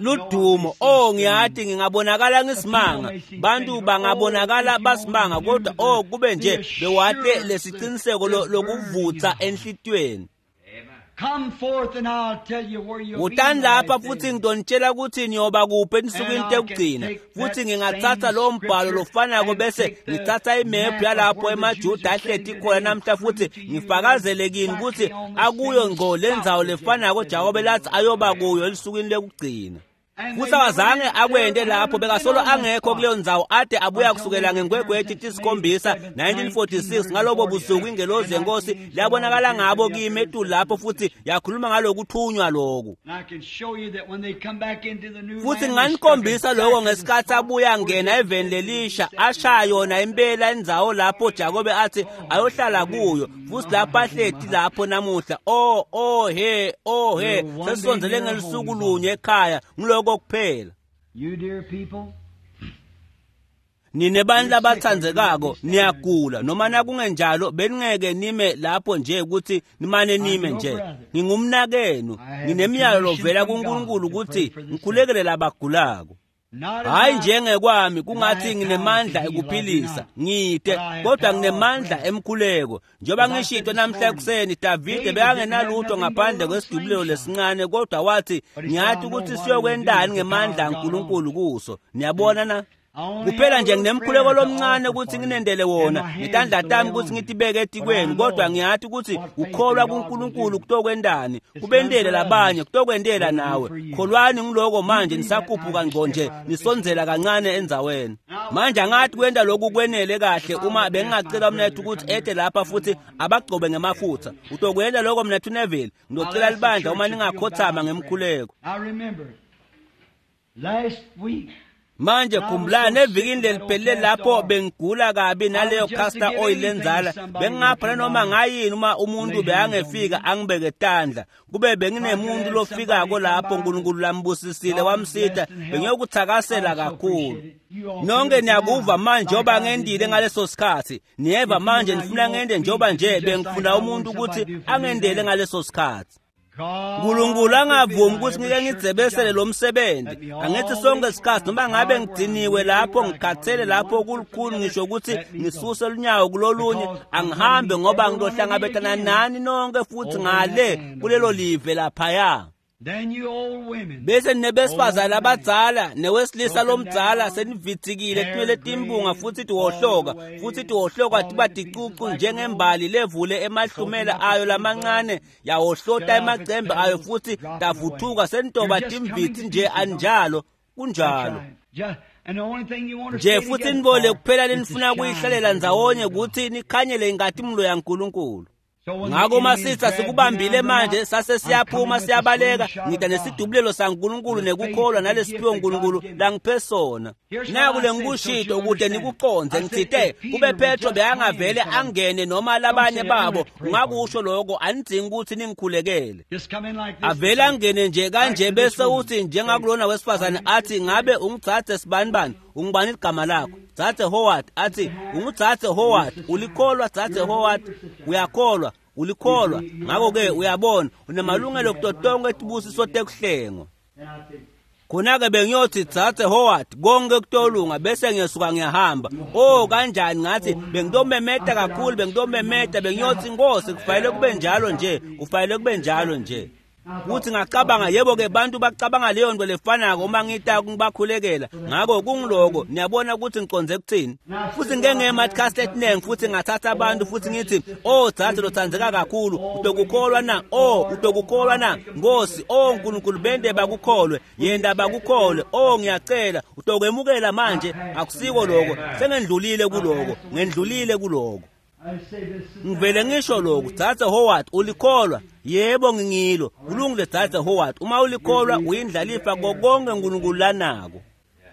Ludumo, oh ngiyathi ngingabonakala ngisimanga, bantu bangabonakala basimanga, kodwa oh kube nje bewate lesiciniseko lokuvutha enhlitiyweni.
Come forth and I'll tell you where you'll be.
Wotani lapha futhi ngitonitshela ukuthi niyoba kuphi ensukwini tekugcina. Futhi ngingathatha lowo mbhalo lofanako bese ngithatha imephu yalapho emaJuda ahleti khona namhla futhi ngifakazele kini ukuthi akuyo ngqo lendzawo lefanako Jakobe lathi ayoba kuyo elusukwini lekugcina. Futhi awazange akwende lapho, bekasolo angekho kuleyo ndzawo ade abuya kusukela ngeNgwegwethi tisikhombisa nineteen forty-six. Ngalobo busuku ingelozi yenkosi liyabonakala ngabo kimi etulu lapho futhi yakhuluma ngalokuthunywa loku. Futhi nginganikhombisa lokho ngesikhathi abuya ngena eveni lelisha, ashaya yona impela indzawo lapho Jakobe athi ayohlala kuyo, futhi lapho ahleti lapho namuhla. Oh oh he oh he, sesisondzele ngelusuku lunye ekhaya, ngiloko kuphela.
You dear people,
nine bantu labathandzekako niyagula noma nakungenjalo beningeke nime lapho nje ukuthi nimane nime nje. Ngingumnakenu, nginemiyalo lovela kuNkulunkulu ukuthi ngikhulekele labagulako. Hayi njengekwami kungathi nginemandla ekuphilisa ngide, kodwa nginemandla emkhuleko. Njengoba ngishito namhla ekuseni, Davide bekangenalutho ngaphandle kwesidubulelo lesincane, kodwa wathi ngiyathi ukuthi siyokwendani ngemandla kaNkulunkulu kuso. Niyabona na? Kuphela nje nginemkhuleko lomncane ukuthi nginendele wona netandla tami ukuthi ngitibeke etikwenu, kodwa ngiyathi ukuthi ukholwa kuNkulunkulu kutokwendani kubendele labanye kutokwendela nawe. Kholwani ngiloko manje nisakhuphuka ngqo nje nisondzela kancane endzaweni. Manje angathi kwenda lokhu kwenele kahle uma bengingacela mnethu ukuthi ete lapha futhi abagcobe ngemafutha. Utokwenda lokho mnethu Neville? Ngizocela libandla uma ningakhothama ngemkhuleko. Manje khumbulani evikini leliphelele lapho bengigula kabi naleyo castor oil lenzala, bengingapha noma ngayini uma umuntu bekangefika angibeke tandla. Kube benginemuntu lofikako lapho uNkulunkulu lambusisile wamsitha, bengiyokuthakasela kakhulu. Nonke niyakuva manje njengoba ngendile ngaleso sikhathi. Niyeva manje nifuna ngende njengoba nje bengifuna umuntu ukuthi angendele ngaleso sikhathi. uNkulunkulu angavumi ukuthi ngike ngidzebesele lo msebenzi. Angithi sonke isikhathi noma ngabe ngidiniwe lapho ngikhathele lapho kulukhulu ngisho ukuthi ngisuse lunyawo kulolunye, angihambe ngoba ngizohlangabetana nani nonke futhi ngale kulelo live laphaya. Bese nebesifazane abadzala newesilisa lomdzala senivitsikile tinwele timbunga futhi tiwohloka futhi tiwohloka tiba ticucu njengembali levule emahlumela ayo lamancane yawohlota emacembe ayo futhi tavuthuka senitoba timvitsi nje anjalo kunjalo nje futhi nibole kuphela lenifuna kuyihlalela ndzawonye ukuthi nikhanyele inkatimlo yaNkulunkulu. Ngakho masitha sikubambile manje sase siyaphuma siyabaleka ngida nesidubulelo saNkulunkulu nekukholwa nalesiphiwo uNkulunkulu langiphe sona. Naku lengikushito ukude nikuqonze ngitsite kube Petro bekangavele angene noma labanye babo ungakusho lokho anidzingi ukuthi ningikhulekele. Avele angene nje kanje bese uthi njengakulona wesifazane athi ngabe ungitsatse sibanibani ungibani igama lakho Dzadze Howard athi ungudzadze Howard ulikholwa Dzadze Howard uyakholwa ulikholwa ngakho-ke uyabona unemalungelo kuto tonke tibusiso tekuhlengwa. Khona-ke bengiyothi Dzadze Howard konke kutolunga bese ngiyesuka ngiyahamba. Oh kanjani ngathi bengitomemeta kakhulu bengitomemeta bengiyothi Nkosi kufanele kube njalo nje kufanele kube njalo nje. Kuthi ngacabanga yebo ke bantu bacabanga leyo nto lefanako uma ngita ngibakhulekela ngakho kungiloko niyabona ukuthi ngiconze kuthini. Futhi ngike ngema etinengi futhi ngathatha abantu futhi ngithi oh dzadze lotsandzeka kakhulu utokukholwa na oh utokukholwa na Nkosi oh uNkulunkulu bende bakukholwe yenda bakukholwe oh ngiyacela utokwemukela manje akusiko lokho sengendlulile kuloko ngendlulile kuloko. Ngivele ngisho lokhu Dzadze Howard ulikholwa yebo ngingilo kulungile Dzadze Howard uma ulikholwa uyindlalifa konke uNkulunkulu lanako.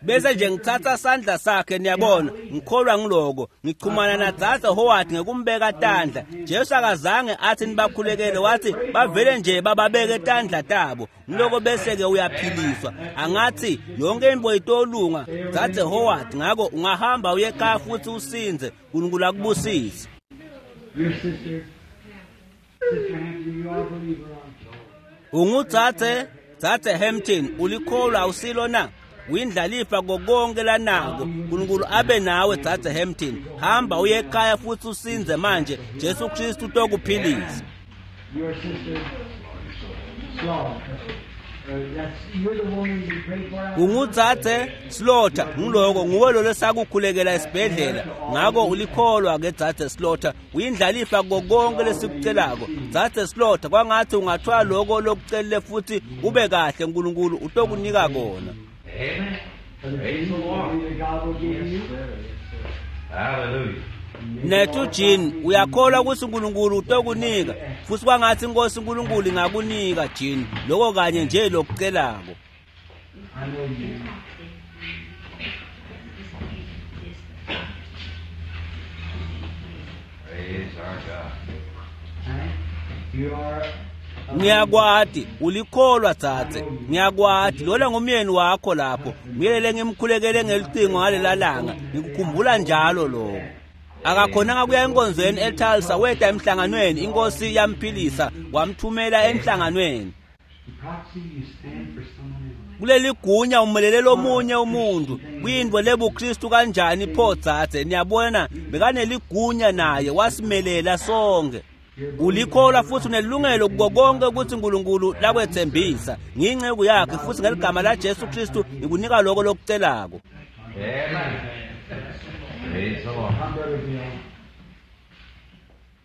Bese nje ngithatha sandla sakhe niyabona ngikholwa ngiloko ngichumana na Dzadze Howard ngekumbeka tandla. Jesu akazange athi nibakhulekele wathi bavele nje bababeke tandla tabo ngiloko bese ke uyaphiliswa. Angathi yonke into itolunga Dzadze Howard ngakho ungahamba uye ekhaya futhi usinze uNkulunkulu akubusise.
Your sister, Sister Hampton, you are a believer, aren't you?
Ungudzadze Dzadze Hampton ulikholwa awusilo na? Uyindlalifa konke lanako uNkulunkulu abe nawe Dzadze Hampton. Hamba uye ekhaya futhi usinze manje Jesu Kristu utokuphilisa.
Your sister Slaughter.
Ungudzadze Slaughter ngiloko nguwe lo lesakukhulekela esibhedlela ngakho ulikholwa ke Dzadze Slaughter uyindlalifa konke lesikucelako. Dzadze Slaughter kwangathi ungathwala lokho lokucelile futhi ube kahle uNkulunkulu utokunika kona.
Amen. Praise the Lord. Hallelujah.
Nethu Jean uyakholwa ukuthi uNkulunkulu utokunika futhi kwangathi inkosi uNkulunkulu ingakunika Jean lokho kanye nje lokucelako.
Praise our God.
You are
Ngiyakwati ulikholwa dzadze ngiyakwati lona ngumyeni wakho lapho ngiyelele ngimkhulekele ngelicingo ngalela langa ngikukhumbula njalo lokho. Akakhonanga kuya enkonzweni eTulsa weta emhlanganweni inkosi yamphilisa wamthumela emhlanganweni.
proxy, you stand for someone else.
Kuleli gunya umelele lomunye umuntu kuyinto lebuKristu kanjani pho dzadze niyabona bekaneligunya naye wasimelela sonke. Ulikholwa futhi unelungelo kuko konke ukuthi uNkulunkulu lakwethembisa ngiyinceku yakhe futhi ngeligama la Jesu Kristu ngikunika lokho lokucelako.
Amen. Praise the Lord.
Come, Brother Bill.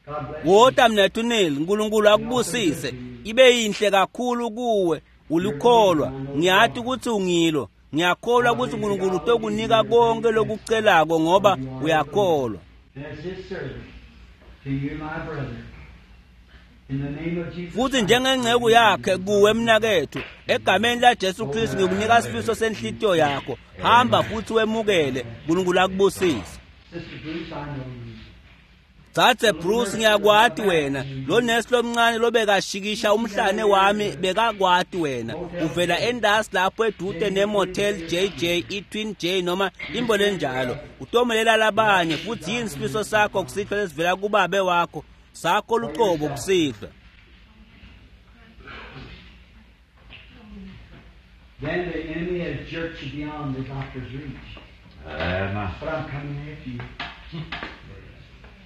God bless you.
Wota mnethu Neil, uNkulunkulu akubusise. Ibe yinhle kakhulu kuwe. Ulikholwa. Ngiyathi ukuthi ungilo. Ngiyakholwa ukuthi uNkulunkulu utokunika konke lokucelako ngoba uyakholwa.
And as his servant to you, my brother, in the name of Jesus.
Futhi njengenceku yakhe kuwe mnakethu, egameni la Jesu Kristu ngikunika sifiso senhlitiyo yakho. Hamba futhi wemukele. uNkulunkulu akubusise.
Sister Bruce, I know you.
Dzadze Bruce ngiyakwati wena lo nesi lomncane lobekashikisha umhlane wami bekakwati wena uvela endasi lapho edude nemotel J J e-Twin J noma imbo lenjalo utomelela labanye futhi yini sifiso sakho kusihlwa lesivela kubabe wakho sakho lucobo kusihlwa.
Then the enemy has jerked you beyond the doctor's reach.
Amen.
But I'm coming after you.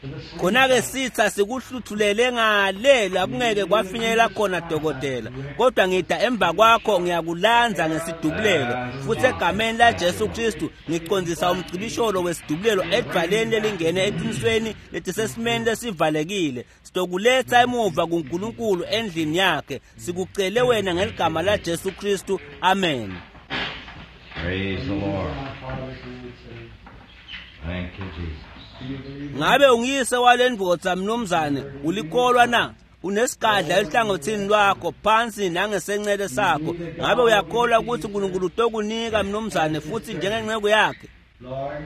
To the sleep.
Khona-ke sitha sikuhluthulele ngale la kungeke kwafinyelela khona dokotela kodwa ngida emva kwakho ngiyakulanza ngesidubulelo futhi egameni la Jesu Kristu ngiqondisa umcibisholo wesidubulelo edvaleni lelingene eqinisweni letisesimeni lesivalekile sitokuletha emuva kuNkulunkulu endlini yakhe sikucele wena ngeligama la Jesu Kristu amen.
Praise the Lord.
My Father's answer.
Thank you, Jesus.
Do you believe?
Ngabe ungiyise walendvodza mnumzane ulikholwa na? Unesigadla ehlangothini lwakho phansi nangesencele sakho. Ngabe uyakholwa ukuthi uNkulunkulu utokunika mnumzane futhi njengenceku yakhe?
Lord,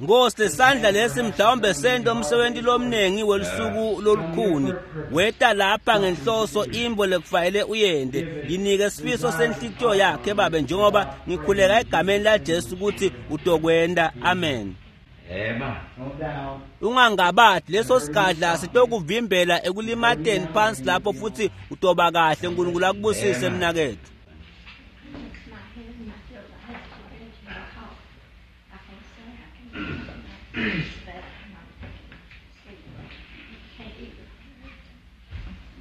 Nkosi lesandla lesi mhlawumbe sento umsebenzi lomnengi welusuku lolukhuni weta lapha ngenhloso imbo lekufanele uyende yinike sifiso senhlitiyo yakhe babe njengoba ngikhuleka egameni la Jesu ukuthi utokwenda amen.
Amen.
no doubt.
Ungangabadi leso sigadla sitokuvimbela ekulimateni phansi lapho futhi utoba kahle uNkulunkulu akubusise mnakethu.
My head and my throat. I have to get to my talk. I can't say. I can't. It's bad. I can't sleep. Can't eat.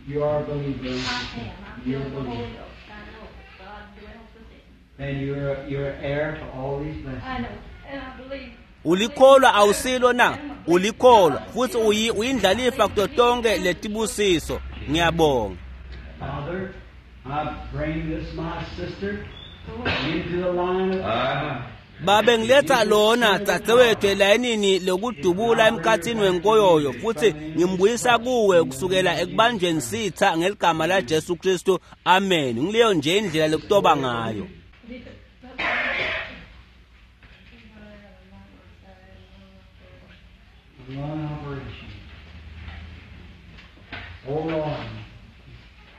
You are a believer.
I am. I'm
You're a
filled with the Holy
believer.
Ghost. I know God dwells within.
And you're you're heir to all these blessings.
I know, and I believe.
Ulikholwa awusilo na? Ulikholwa futhi uyi uyindlalifa kuto tonke letibusiso. Ngiyabonga.
Father, I bring this my sister into the line of
Amen.
Babe ngiletha lona dzadzewethu elayinini lokudubula emkhathini wenkoyoyo futhi ngimbuyisa kuwe kusukela ekubanjweni sitha ngeligama la Jesu Kristu amen. Ngileyo nje indlela lokutoba ngayo.
lung operation. Oh Lord,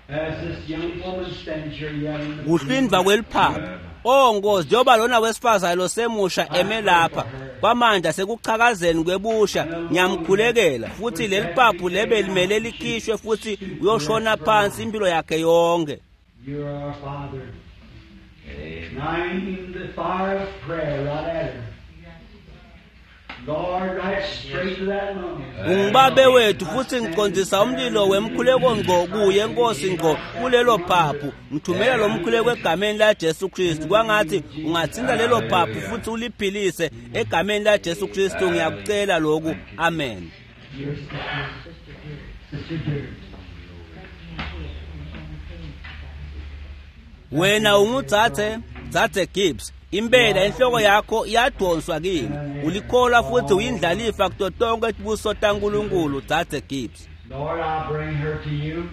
as this young woman stands here yet in the
Kuhlindwa kweliphaphu. Oh Nkosi, njengoba lona wesifazane losemusha eme lapha kwamanje sekuchakazeni kwebusha ngiyamkhulekela futhi leli phaphu lebe limele likhishwe futhi uyoshona phansi impilo yakhe yonke.
You are our Father.
Amen.
Nine the fire of prayer right at her. Lord, right straight to that lung.
Ungibabe wethu futhi ngiqondisa umlilo wemkhuleko ngqo kuye Nkosi ngqo kulelo phaphu ngithumela lo mkhuleko egameni la Jesu Kristu kwangathi ungathinta lelo phaphu futhi uliphilise egameni la Jesu Kristu ngiyakucela lokhu amen.
Your sister, Sister Dear.
Wena ungudzadze dzadze Gibbs impela inhloko yakho iyadonswa kimi ulikholwa futhi uyindlalifa kuto tonke tibuso taNkulunkulu dzadze Gibbs.
Lord, I bring her to you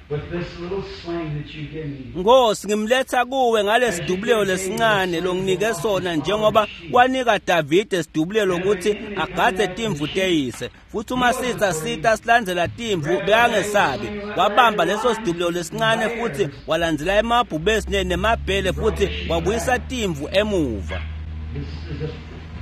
with this little sling that you give me.
Nkosi ngimletha kuwe ngalesidubulelo lesincane longinike sona njengoba wanika Davide sidubulelo ukuthi agadze timvu teyise futhi uma sitha sitha silandzela timvu bekangesabi wabamba leso sidubulelo lesincane futhi walandzela emabhubesi nemabhele futhi wabuyisa timvu emuva.
This is a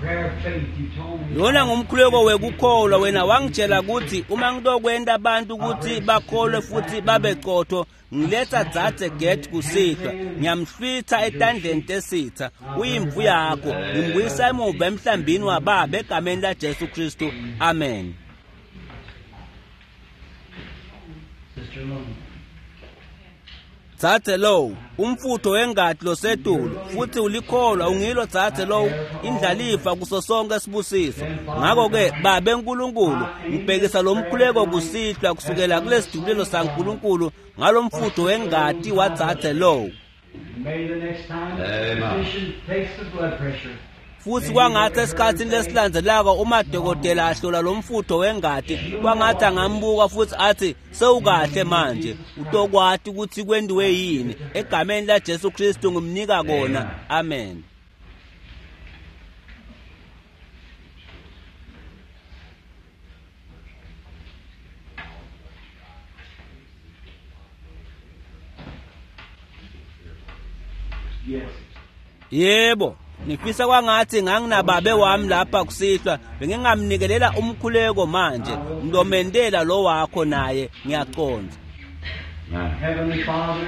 prayer of faith. You told me.
Lona ngumkhuleko wekukholwa wena wangitshela ukuthi uma ngitokwenta abantu ukuthi bakholwe futhi babe qotho ngiletha dzadze Get kusihlwa ngiyamhlwitha etandleni tesitha uyimvu yakho ngimbuyisa emuva emhlambini wababa egameni la Jesu Kristu amen.
Sister Lone.
Dzadze lowo umfutho wengati losetulu futhi ulikholwa ungilo dzadze lowo indlalifa kuso sonke sibusiso. Ngakho-ke babe Nkulunkulu ngibhekisa lo mkhuleko kusihlwa kusukela kulesidubulelo saNkulunkulu ngalo mfutho wengati wadzadze lowo.
May the next time the physician takes the blood pressure.
Futhi kwangathi esikhathini lesilandzelako uma dokotela ahlola lo mfutho wengati kwangathi angambuka futhi athi sewukahle manje utokwati ukuthi kwendiwe yini. Egameni la Jesu Kristu ngimnika kona, amen.
Yes.
Yebo, ngifisa kwangathi nganginababe wami lapha kusihlwa bengingamnikelela umkhuleko manje ngilomentela lo wakho naye ngiyaqonda.
Heavenly Father,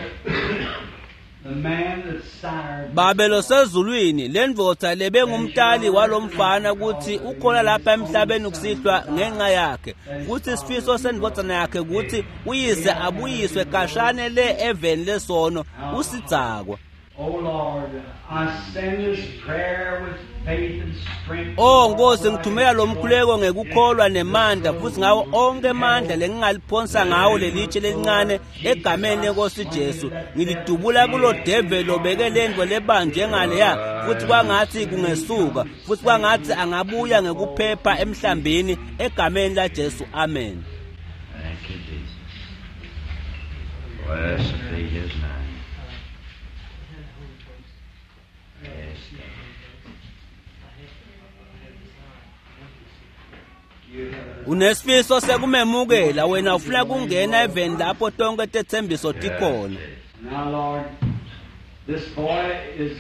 the man that sired
Babe losezulwini lendvodza lebengumtali walomfana ukuthi ukhona lapha emhlabeni kusihlwa ngenxa yakhe futhi isifiso sendvodzana yakhe ukuthi uyise abuyiswe kashane le eveni lesono usidzakwa.
Oh Lord, I send this prayer with faith and strength.
Oh Nkosi ngithumela lo mkhuleko ngekukholwa nemandla futhi ngawo onke amandla lengingaliphonsa ngawo lelitshe lelincane egameni lenkosi Jesu ngilidubula kulo devil obeke lento lebanjwe ngaleya futhi kwangathi kungesuka futhi kwangathi angabuya ngekuphepha emhlambini egameni la Jesu, amen.
Thank you, Jesus. Blessed be his name. Yes.
Unesifiso sekumemukela wena ufuna kungena eveni lapho tonke tethembiso tikhona.
Now Lord, this boy is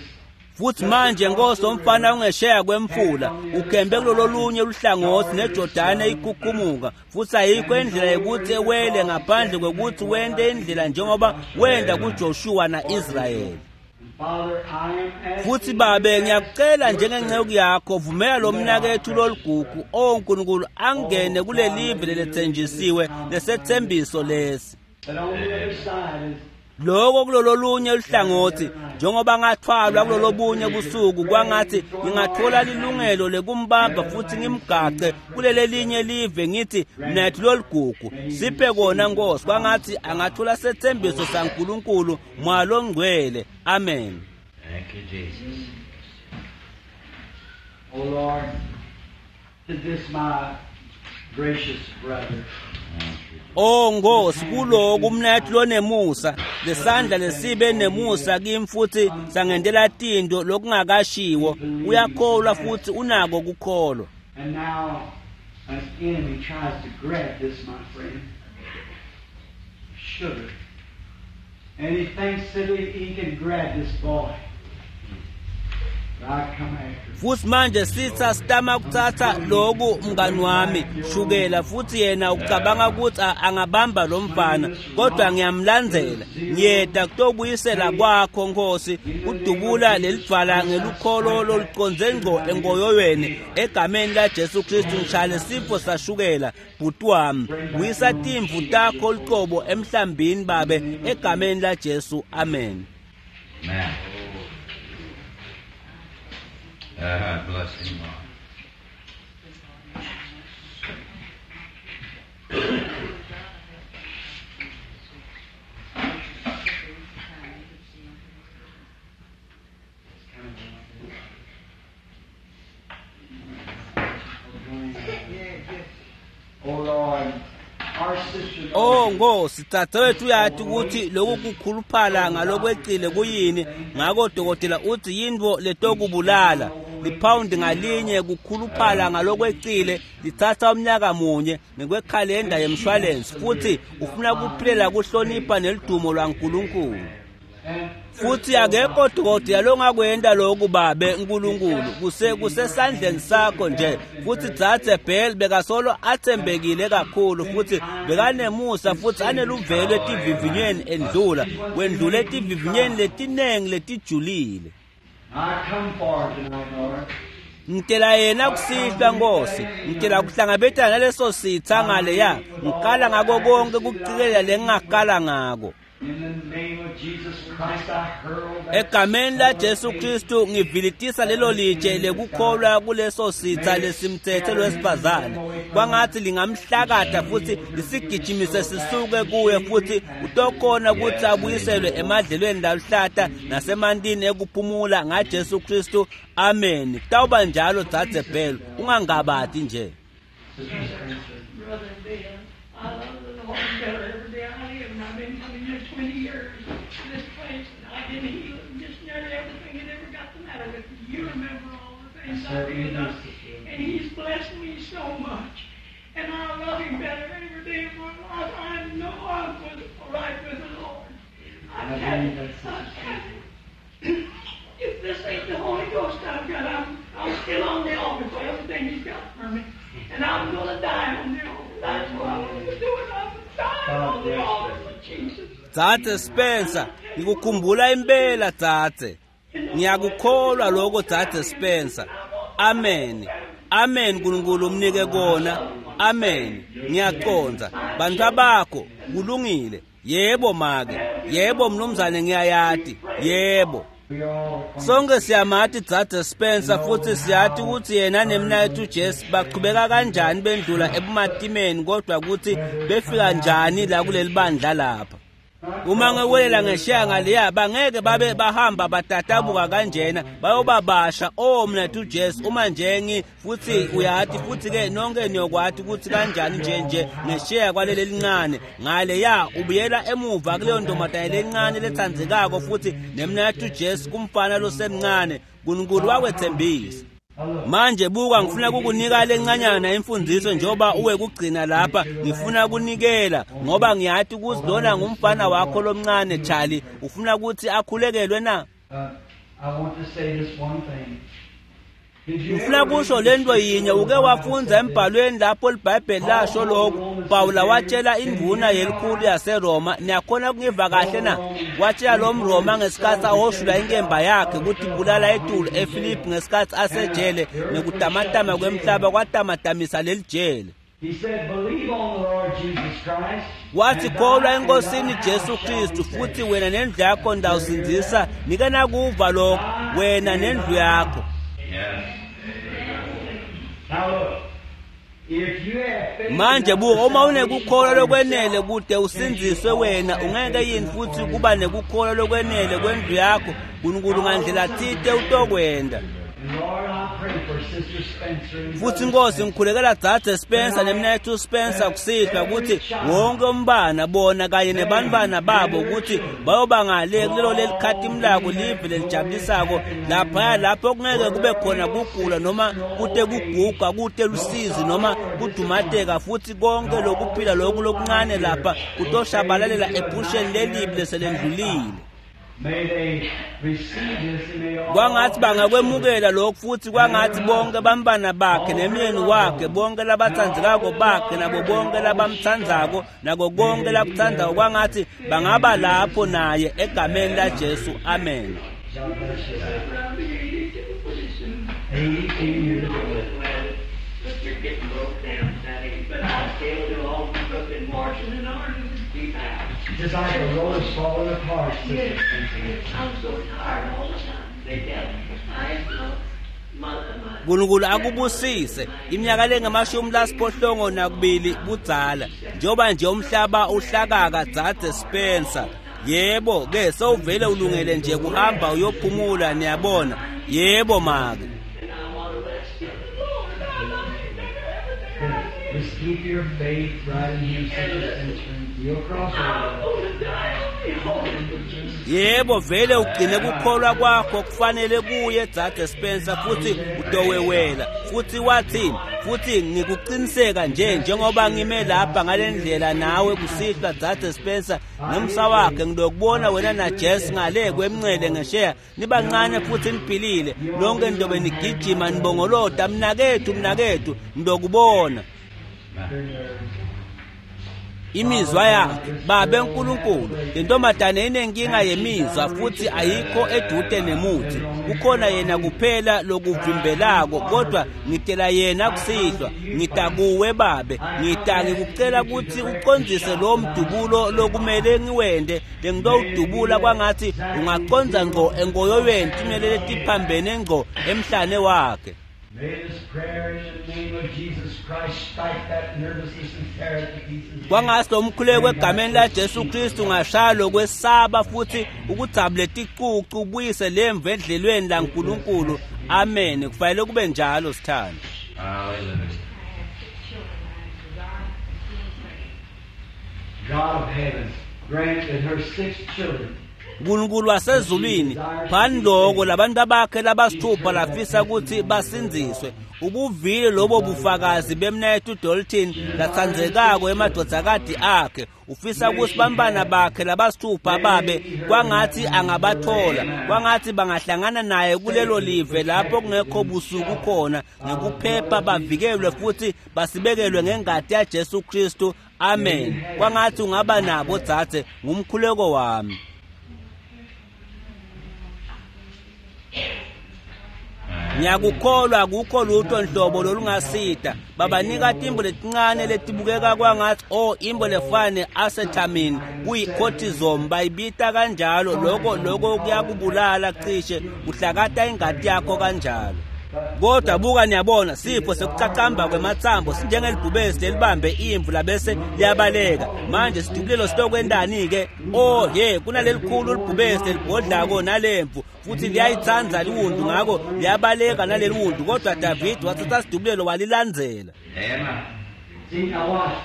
Futhi manje Nkosi umfana ungesheya kwemfula ukhembe kulolunye luhlangothi neJordani ikhukhumuka futhi ayikho indlela yokuthi ewele ngaphandle kwekuthi wente indlela njengoba wenda kuJoshua na-Israyeli.
Father, I am asking
Futhi babe ngiyakucela njengenceku yakho vumela lo mnakethu loligugu o Nkulunkulu angene kulelive lelethenjisiwe lesethembiso lesi.
that on the other side is
Lokho kulololunye luhlangothi njengoba ngathwalwa kulolobunye busuku kwangathi ngingathola lilungelo lekumbamba futhi ngimgace kulelelinye live ngithi mnethu loligugu siphe kona Nkosi kwangathi angathola sethembiso saNkulunkulu Moya longcwele, amen.
Thank you, Jesus.
Oh Lord, to this my gracious brother.
Oh Nkosi kuloku mnethu lonemusa lesandla lesibe nemusa kimi futhi sangendela tinto lokungakashiwo uyakholwa futhi unako kukholwa.
And now an enemy tries to grab this, my friend, sugar. And he thinks that he, he can grab this boy. But I come after him.
Futhi manje sitha sitama kuthatha loku mngani wami shukela futhi yena ucabanga ukuthi angabamba lo mfana kodwa ngiyamlandzela ngiyeda kutobuyisela kwakho Nkosi kudubula lelidvwala ngelukholo loluconze ngqo engoyoyweni egameni la Jesu Kristu ngishale sifo sashukela bhuti wami buyisa timvu takho luqobo emhlambini babe egameni la Jesu, amen.
Amen. Uh, bless him, Lord.
Oh Lord, our sister.
Oh Nkosi dadewethu uyathi ukuthi lokhu kukhuluphala ngalokwecile kuyini ngakho dokotela uthi yinto letokubulala liphawundi ngalinye kukhuluphala ngalokwecile lithatha umnyaka munye ngekwekhalenda yemshwalensi futhi ufuna kuphilela kuhlonipha nelidumo lwaNkulunkulu. Futhi akekho dokotela longakwenta lokhu babe Nkulunkulu kuse kusesandleni sakho nje futhi dzadze Bell bekasolo athembekile kakhulu futhi bekanemusa futhi aneluvelo etivivinyweni endlula wendlula etivivinyweni letinengi letijulile.
I come for tonight, Lord.
Ngitela yena kusihlwa Nkosi ngitela kuhlangabetana naleso sitha ngaleya ngikala ngako konke kucikelela lengingakala ngako. Egameni laJesu Kristu ngivilitisa lelo litshe lekukholwa kuleso sitha lesimthethe lwesifazane. Kwangathi lingamhlakatha futhi lisigijimise sisuke kuye futhi utokhona ukuthi abuyiselwe emadlelweni laluhlata nasemantini ekuphumula ngaJesu Kristu. Amen. Kutawuba njalo dzadze Bell, ungangabati nje.
Brother Bill, I love the Lord better every day I live, and I've been coming here twenty years to this place, and I've been healed and just nearly everything that ever got the matter with me. You remember all the things I've been done, and He's blessed me so much, and I love Him better every day of my life. I know I'm with, right with the Lord. I've had it. I've had it. If this ain't the Holy Ghost I've got, I'm, I'm still on the altar for everything He's got for me. And I'm going to die on the altar. That's what I'm going to do. I'm dying on the altar for Jesus.
Dzadze Spencer, ngikukhumbula impela dzadze. Ngiyakukholwa lokho dzadze Spencer. Amen. Amen uNkulunkulu umnike kona. Amen. Ngiyaqonda. Bantu abakho kulungile. Yebo make. Yebo mnumzane ngiyayati. Yebo. Sonke siyamati dzadze Spencer futhi siyati ukuthi yena nemnaketfu Jesu baqhubeka kanjani bendlula ebumatimeni kodwa ukuthi befika njani la kuleli bandla lapha. Uma ngewelela ngesheya ngaleya bangeke babe bahamba batatabuka kanjena bayoba basha oh mnaketfu Jesu uma nje ngi futhi uyati futhi ke nonke niyokwati ukuthi kanjani nje nje ngesheya kwaleli lincane ngaleya ubuyela emuva kuleyo ntombazane lencane letsandzekako futhi nemnaketfu Jesu kumfana losemncane uNkulunkulu wakwethembisa. Manje buka ngifuna kukunika lencanyana imfundiso njengoba uwe kugcina lapha ngifuna kunikela ngoba ngiyati ukuthi lona ngumfana wakho lomncane Charlie ufuna ukuthi akhulekelwe na. Ngifuna kusho lento yinye uke wafunza embhalweni lapho liBhayibheli lasho lokho Pawula watshela indvuna yelikhulu yaseRoma niyakhona kungiva kahle na watshela lo mRoma ngesikhathi ahoshula inkemba yakhe ukuthi bulala etulu eFilipi ngesikhathi asejele nekutamatama kwemhlaba kwatamatamisa leli jele. Wathi kholwa enkosini Jesu Kristu futhi wena nendlu yakho ndawusindzisa nike nakuva lokho wena nendlu yakho. Manje buka uma unekukholwa lokwenele kude usindziswe wena ungeke yini futhi kuba nekukholwa lokwenele kwendlu yakho uNkulunkulu ngandlela thite utokwenda. Futhi Nkosi ngikhulekela dzadze Spencer nemnaketfu Spencer kusihlwa ukuthi wonke umbana bona kanye nebantwana babo ukuthi bayoba ngale kulelo lelikhatimlako live lelijabulisako laphaya lapho kungeke kube khona kugula noma kute kuguga kute lusizi noma kudumateka futhi konke lokuphila loku lokuncane lapha kutoshabalalela ephusheni lelibi leselendlulile. Kwangathi bangakwemukela lokhu futhi kwangathi bonke bambana bakhe nemyeni wakhe bonke labatsandzekako bakhe nabo bonke labamtsandzako nako konke lakutsandzako kwangathi bangaba lapho naye egameni laJesu. Amen.
Just like a road falling apart.
Yes, I'm so tired all the time. They tell me I know mother, my
uNkulunkulu akubusise iminyaka lengamashumi lasiphohlongo nakubili budzala njengoba nje umhlaba uhlakaka dzadze Spencer. Yebo ke sewuvele ulungele nje kuhamba uyophumula niyabona. Yebo make.
and I want to rest in the Lord. I love Him better every day I live.
Just keep your faith right in Him, Sister Spencer. You'll cross
I'm
over.
going to die on the altar for Jesus.
Yebo vele ugcine kukholwa kwakho kufanele kuye dzadze Spencer futhi utowewela futhi wathi futhi ngikuqiniseka nje njengoba ngime lapha ngalendlela nawe kusihlwa dzadze Spencer nomsa wakhe ngilokubona wena na Jess ngale kwemncele ngesheya nibancane futhi niphilile lonke ndobe nigijima nibongolota mnakethu mnakethu ngilokubona.
Your nerves.
Imizwa yakhe babe uNkulunkulu lentombazane inenkinga yemizwa futhi ayikho edude nemuthi kukhona yena kuphela lokuvimbelako kodwa ngitela yena kusihlwa ngitakuwe babe ngita ngikucela ukuthi ucondzise lo mdubulo lokumele ngiwende lengitowudubula kwangathi ungaconza ngqo enkoyoyweni timele letiphambene ngqo emhlane wakhe.
May this prayer in the name of Jesus Christ strike that nervousness and tear it to pieces.
Kwangathi lo mkhuleko egameni laJesu Kristu ungashaya lokwesaba futhi ukudzabule ticucu ubuyise lemvu edlelweni laNkulunkulu. Amen. Kufanele kube njalo sithando.
Hallelujah.
I have six children. I desire to be saved.
God of heaven, grant that her six children
uNkulunkulu wasezulwini phani lokho labantu abakhe labasithupha lafisa ukuthi basindziswe ubuvile lobo bufakazi bemnayethu Dalton latsandzekako emadvodzakati akhe ufisa ukuthi bantwana bakhe labasithupha babe kwangathi angabathola kwangathi bangahlangana naye kulelo live lapho kungekho busuku khona ngekuphepha bavikelwe futhi basibekelwe ngengati yaJesu Kristu. Amen. Kwangathi ungaba nabo dzadze ngumkhuleko wami. Ngiyakukholwa akukho lutho nhlobo lolungasida babanika timbo letincane letibukeka kwangathi oh imbo lefane acetamin kuyi-cortisone bayibita kanjalo lokho lokho kuyakubulala cishe kuhlakata ingati yakho kanjalo. Kodwa buka niyabona sifo sekucacamba kwematsambo sinjengelibhubesi lelibambe imvu labese liyabaleka. Manje sidubulelo sitokwentani-ke? Oh ye kunalelikhulu libhubesi lelibhodlako nalemvu futhi liyayitsandza liwundu ngako liyabaleka naleli wundu kodwa David wathatha sidubulelo walilandzela.
Amen.
See, now watch.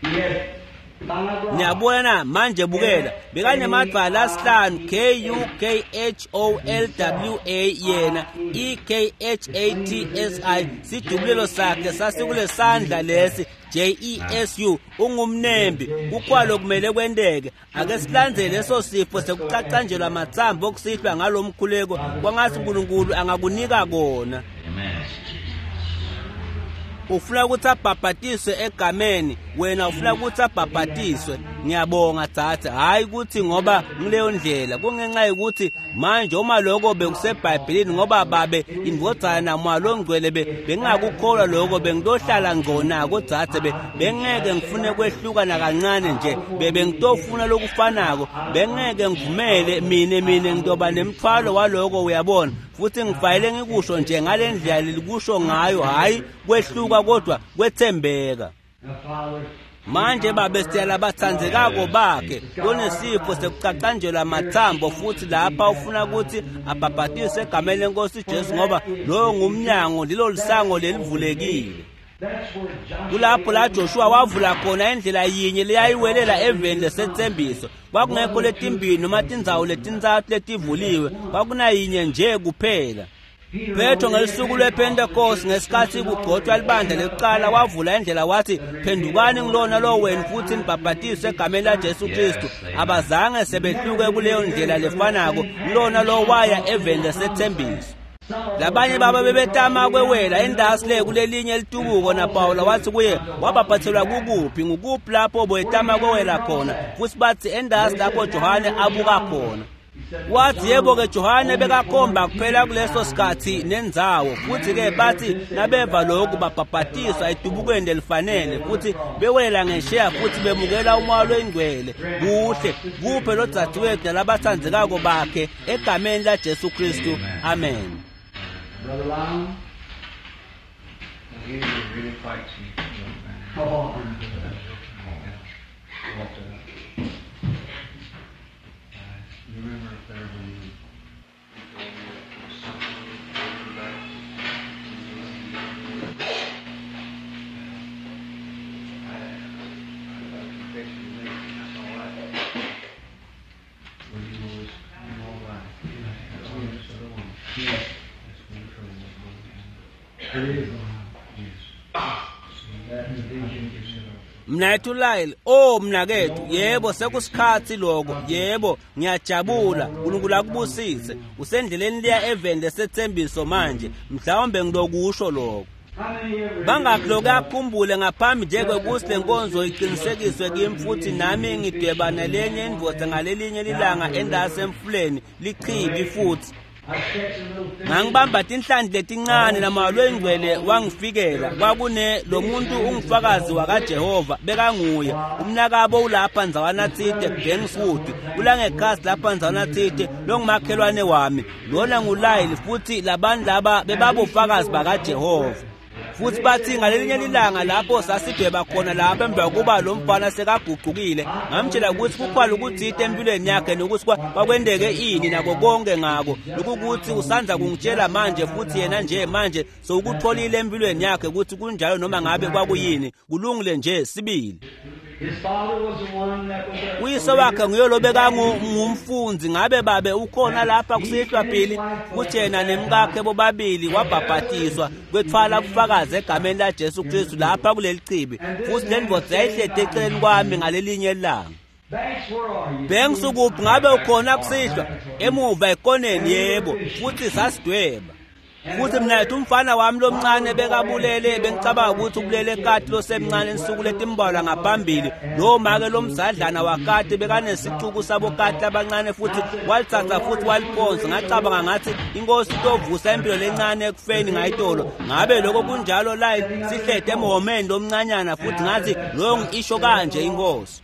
He had five rods.
Niyabona na manje bukela bekanemadvwala asihlanu K U K H O L W A yena E K H A T S I sidubulelo sakhe sasikulesandla lesi J E S U ungumnembi kukwalo kumele kwenteke ake silandzele leso sifo sekucacanjelwa amatsambo okusihlwa ngalomkhuleko kwangathi uNkulunkulu angakunika kona.
Amen.
Ufuna ukuthi abhabhatiswe egameni wena ufuna ukuthi abhabhatiswe. Ngiyabonga dzadze hayi ukuthi ngoba ngileyo ndlela kungenxa yokuthi manje uma lokho bekuseBhayibhelini ngoba babe indvodzana namoya longcwele bengingakukholwa lokho bengiyohlala ngco nako dzadze bengeke ngifune kwehlukana kancane nje bebengitofuna lokufanako bengeke ngivumele mine mine ngitoba nemthwalo waloko uyabona futhi ngifanele ngikusho nje ngale ndlela lelikusho ngayo hayi kwehluka kodwa kwethembeka.
Now, Father,
Manje babe siyala batsandzekako bakhe lonesifo sekucacanjelwa amathambo futhi lapha ufuna ukuthi abhabhatiswe egameni lenkosi Jesu ngoba loyo ngumnyango lilo lisango lelivulekile.
that's where Joshua
Kulapho la Joshua wavula khona indlela yinye leyayiwelela eveni lesethembiso kwakungekho letimbili noma tindzawo letintsatfu letivuliwe kwakunayinye nje kuphela. Petro ngelusuku lwePentecost ngesikhathi kugcotshwa libandla lekuqala wavula indlela wathi phendukani ngilona lo wenu futhi nibhabhatiswe egameni laJesu Kristu. Abazange sebehluke kuleyo ndlela lefanako ngilona lo waya eveni lesethembiso. Labanye baba bebetama kwewela endasi le kulelinye litubuko na Paula wathi kuye wabhabhathelwa kukuphi ngukuphi lapho boyetama kwewela khona futhi bathi endasi lapho Johane abuka khona. Wathi yebo ke Johane bekakhomba kuphela kuleso sikhathi nendzawo futhi ke bathi nabeva lokhu babhabhatiswa etubukweni lelifanele futhi bewela ngesheya futhi bemukela umoya loyingcwele kuhle kuphe lo dzadzewethu nalabatsandzekako bakhe egameni laJesu Kristu. Amen.
Brother Lyon,
He really fights you.
oh,
But, uh, I remember up there when you told me that there was something holding back. I, I got a confession to make, and that's all right. Well, you know, it's, you know, all right. That's all this other one.
yes,
That's one trouble going down.
it is.
Yes.
That
I
division.
think you said
Mnayethu Lyle, oh mnakethu, yebo sekusikhathi lokho, yebo ngiyajabula, uNkulunkulu akubusise. Usendleleni liya eveni lesethembiso manje, mhlawumbe ngilokusho lokho. Bangakhi lokakhumbule ngaphambi nje kwekuthi le nkonzo iqinisekiswe kimi futhi nami ngidweba nelenye indvodza ngalelinye lilanga endase emfuleni lichibi futhi ngangibamba tinhlanti letincane namalwe ingcwele wangifikela kwakune lo muntu ungufakazi wakaJehova bekanguye umnakabo ulapha ndzawana tsite Bankswood ulangekhasi lapha ndzawana tsite longumakhelwane wami lona nguLyle futhi labantu laba bebabofakazi bakaJehova futhi bathi ngalelinye lilanga lapho sasidweba khona lapho emva kokuba lo mfana sekaguqukile ngamtshela ukuthi kukhwala ukuthite empilweni yakhe nokuthi kwakwendeke ini nako konke ngako lokukuthi usandza kungitshela manje futhi yena nje manje sowukutholile empilweni yakhe ukuthi kunjalo noma ngabe kwakuyini kulungile nje sibili. Uyise wakhe nguye lobekangumfundzi ngabe babe ukhona lapha kusihlwa phili kuthi yena nemkakhe bobabili wabhabhatiswa kwethwala bufakazi egameni laJesu Kristu lapha kuleli chibi futhi le ndvodza yayihleti eceleni kwami ngalelinye ilanga. Banks ukuphi ngabe ukhona kusihlwa emuva ekoneni yebo futhi sasidweba futhi mina yethu umfana wami lomncane bekabulele bengicabanga ukuthi ubulele kati losemncane insuku letimbalwa ngaphambili lo make lomzadlana wakati bekanesixuku sabokati abancane futhi walithatha futhi waliphonsa ngacabanga ngathi inkosi itovusa impilo lencane ekufeni ngayitolo ngabe lokho kunjalo Lyle sihlede emhomeni lomncanyana futhi ngathi loyo ngisho kanje inkosi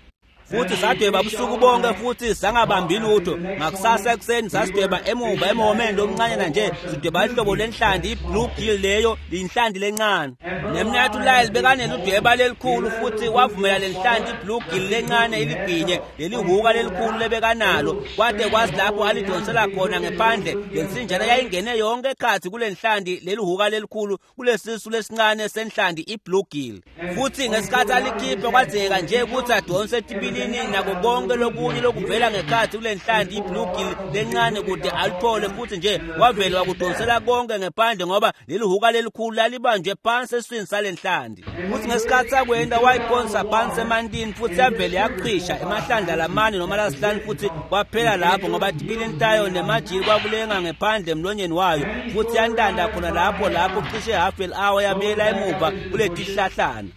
futhi sadweba busuku bonke futhi sangabambi lutho ngakusasa ekuseni sasidweba emuva emhomeni lomncanyana nje sidweba ihlobo lenhlanti i-blue gill leyo inhlanti lencane nemnathu Lyle bekaneludweba lelikhulu futhi wavumela lenhlanti i-blue gill lencane iligwinye lelihuka lelikhulu lebekanalo kwade kwazi lapho alidonsela khona ngephandle lensinjana yayingene yonke ekhathi kule nhlanti lelihuka lelikhulu kulesisu lesincane senhlanti i-blue gill futhi ngesikhathi alikhiphe kwadzeka nje ukuthi adonse etibili nako konke lokunye lokuvela ngekhathi kule nhlanti i-blue gill lencane kude alithole futhi nje wavele wakudonsela konke ngephandle ngoba leli huka lelikhulu lalibanjwe phansi esiswini sale nhlanti futhi ngesikhathi sakwenda wayiphonsa phansi emantini futhi yavele yaqhisha emahlandla lamane noma lasihlanu futhi kwaphela lapho ngoba tibilini tayo nemajili kwakulenga ngephandle emlonyeni wayo futhi yantanda khona lapho lapho cishe half an hour yabuyela emuva kuletihlahlana.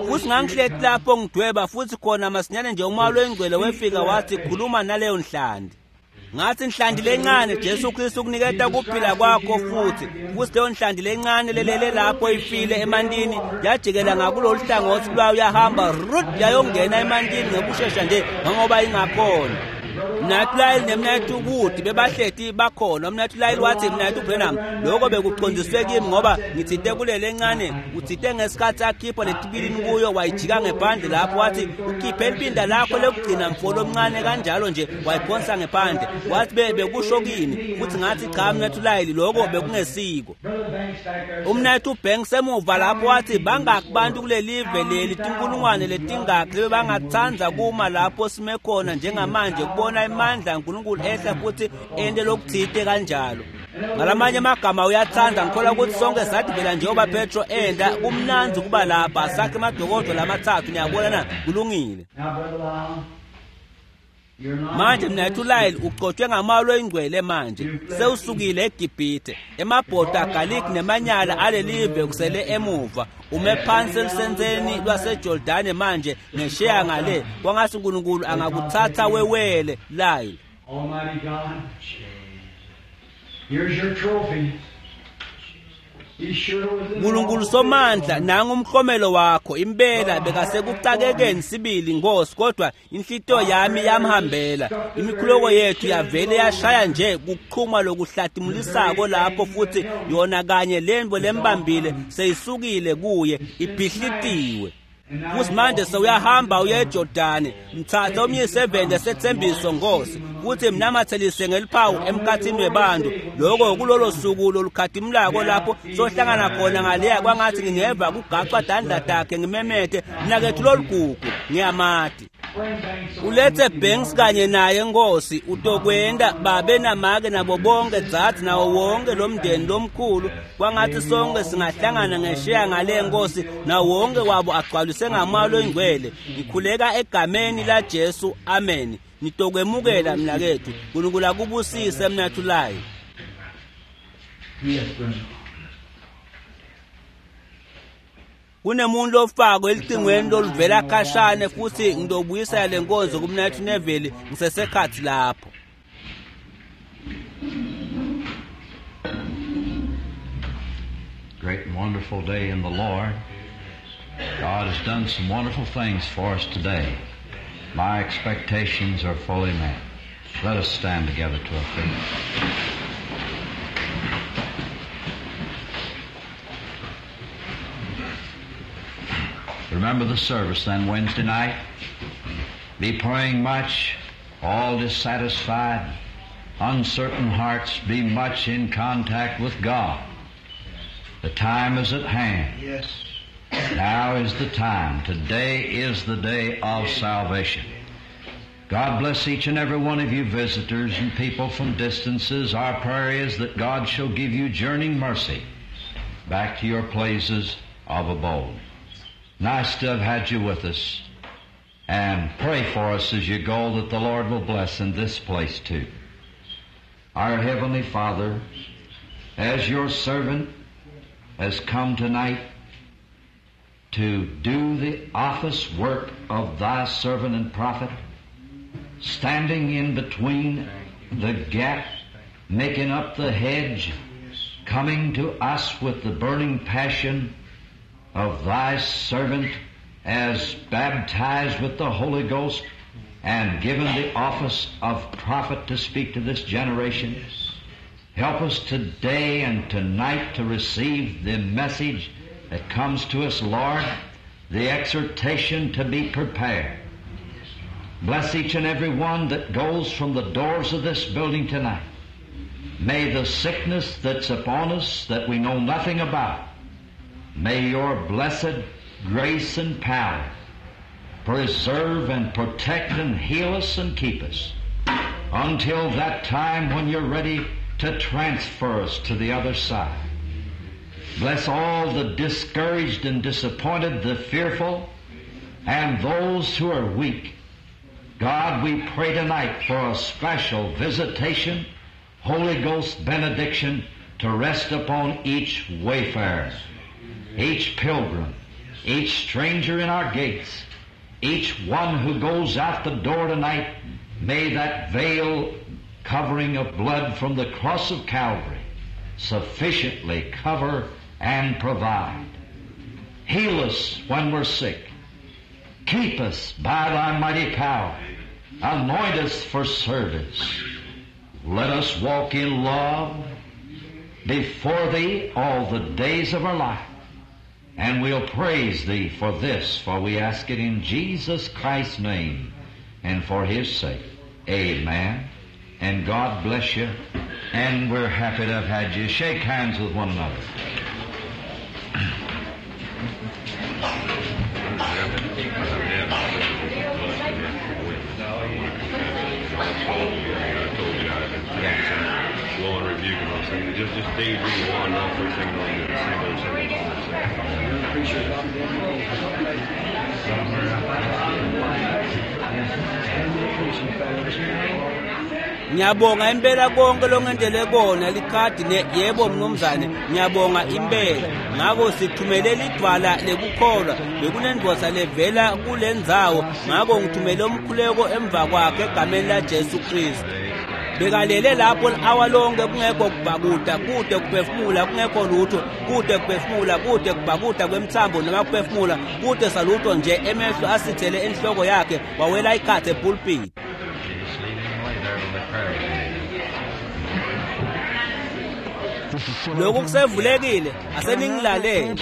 Futhi ngangihleti lapho ngidweba futhi khona masinyane nje umoya oyingcwele wefika wathi khuluma naleyo nhlanti. Ngathi nhlanti lencane Jesu Kristu ukuniketa kuphila kwakho futhi futhi leyo nhlanti lencane lelele lapho ifile emantini yajikela ngakulolu hlangothi lwayo yahamba rut yayongena emantini ngekushesha nje ngoba ingakhona. Mnathu Lyle nemnathu Wood bebahleti bakhona. Mnathu Lyle wathi mnathu Branham lokho bekuqondiswe kimi ngoba ngithinte kulele encane uthinte ngesikhathi akhipha letibilini kuyo wayijika ngephandle lapho wathi ukhiphe impinda lakho lekugcina mfolo omncane kanjalo nje wayiphonsa ngephandle wathi bekusho kini futhi ngathi cha mnathu Lyle lokho bekungesiko. Umnathu Banks emuva lapho wathi bangaki bantu kulelive leli tinkulungwane letingaki bebangathanda kuma lapho sime khona njengamanje kubona imandla kaNkulunkulu ehla futhi ente lokuthite kanjalo. Ngalamanye amagama uyathanda ngikholwa ukuthi sonke sadibela njengoba Petro enda kumnandzi kuba lapha sakhe emadokodo lamathathu niyabona na kulungile. Manje mnathu Lyle uqotshwe ngamalo oyingcwele manje sewusukile eGibhithe emabhodo agaliki nemanyala alelive kusele emuva ume phansi elusenzeni lwaseJordani manje ngesheya ngale kwangathi uNkulunkulu angakuthatha wewele Lyle.
Almighty God, here's your trophy.
Nkulunkulu somandla nangu umklomelo wakho impela bekasekucakekeni sibili Nkosi kodwa inhlitiyo yami yamhambela imikhuleko yethu yavele yashaya nje kuqhuma lokuhlatimulisako lapho futhi yona kanye lembo lembambile seyisukile kuye ibhihlitiwe futhi manje sewuyahamba uye eJordani mthatha umyise evende sethembiso Nkosi futhi mnamathelise ngeliphawu emkhathini webantu lokho kulolo suku lolukhatimulako lapho sohlangana khona ngaleya kwangathi ngingeva kugacwa dandla takhe ngimemethe mnakethu lolugugu ngiyamati ulethe Banks kanye naye Nkosi utokwenda babe namake nabo bonke dzadzi nawo wonke lomndeni lomkhulu kwangathi sonke singahlangana ngesheya ngale Nkosi nawo wonke wabo agcwaliswe ngamoya oyingcwele ngikhuleka egameni laJesu amen. Nitokwemukela mnakethu uNkulunkulu akubusise mnathu Lyle.
Yes, brother.
Kunemuntu lofako elicingweni loluvela khashane futhi ngidobuyisela lenkonzo kuMnathu Neville ngisesekhathi lapho.
Great and wonderful day in the Lord. God has done some wonderful things for us today. My expectations are fully met. Let us stand together to our feet. Remember the service then Wednesday night. Be praying much, all dissatisfied, uncertain hearts, be much in contact with God. The time is at hand.
Yes.
Now is the time. Today is the day of salvation. God bless each and every one of you visitors and people from distances. Our prayer is that God shall give you journeying mercy back to your places of abode. Nice to have had you with us. And pray for us as you go that the Lord will bless in this place too. Our Heavenly Father, as your servant has come tonight to do the office work of thy servant and prophet, standing in between the gap, making up the hedge, coming to us with the burning passion of thy servant as baptized with the Holy Ghost and given the office of prophet to speak to this generation. Help us today and tonight to receive the message that comes to us, Lord, the exhortation to be prepared. Bless each and every one that goes from the doors of this building tonight. May the sickness that's upon us that we know nothing about, may your blessed grace and power preserve and protect and heal us and keep us until that time when you're ready to transfer us to the other side. Bless all the discouraged and disappointed, the fearful, and those who are weak. God, we pray tonight for a special visitation, Holy Ghost benediction to rest upon each wayfarer, each pilgrim, each stranger in our gates, each one who goes out the door tonight. May that veil covering of blood from the cross of Calvary sufficiently cover and provide. Heal us when we're sick. Keep us by thy mighty power. Anoint us for service. Let us walk in love before thee all the days of our life. And we'll praise thee for this, for we ask it in Jesus Christ's name and for his sake. Amen. And God bless you. And we're happy to have had you. Shake hands with one another.
Just, just daydream one off first thing on the single, single,
Ngiyabonga impela konke longendele kona likhadi ne yebo mnumzane ngiyabonga impela ngako sithumele lidwala lekukholwa bekunendoda levela kulendzawo ngako ngithumele umkhuleko emva kwakhe egameni la Jesu Kristu bekalele lapho li-awa lonke kungekho kubhakuda kude kuphefumula kungekho lutho kude kuphefumula kude kubhakuda kwemthambo noma kuphefumula kude salutho nje emehlo asithele enhloko yakhe wawela ikhathe epulpit. Lokhu kusevulekile aseningilalele.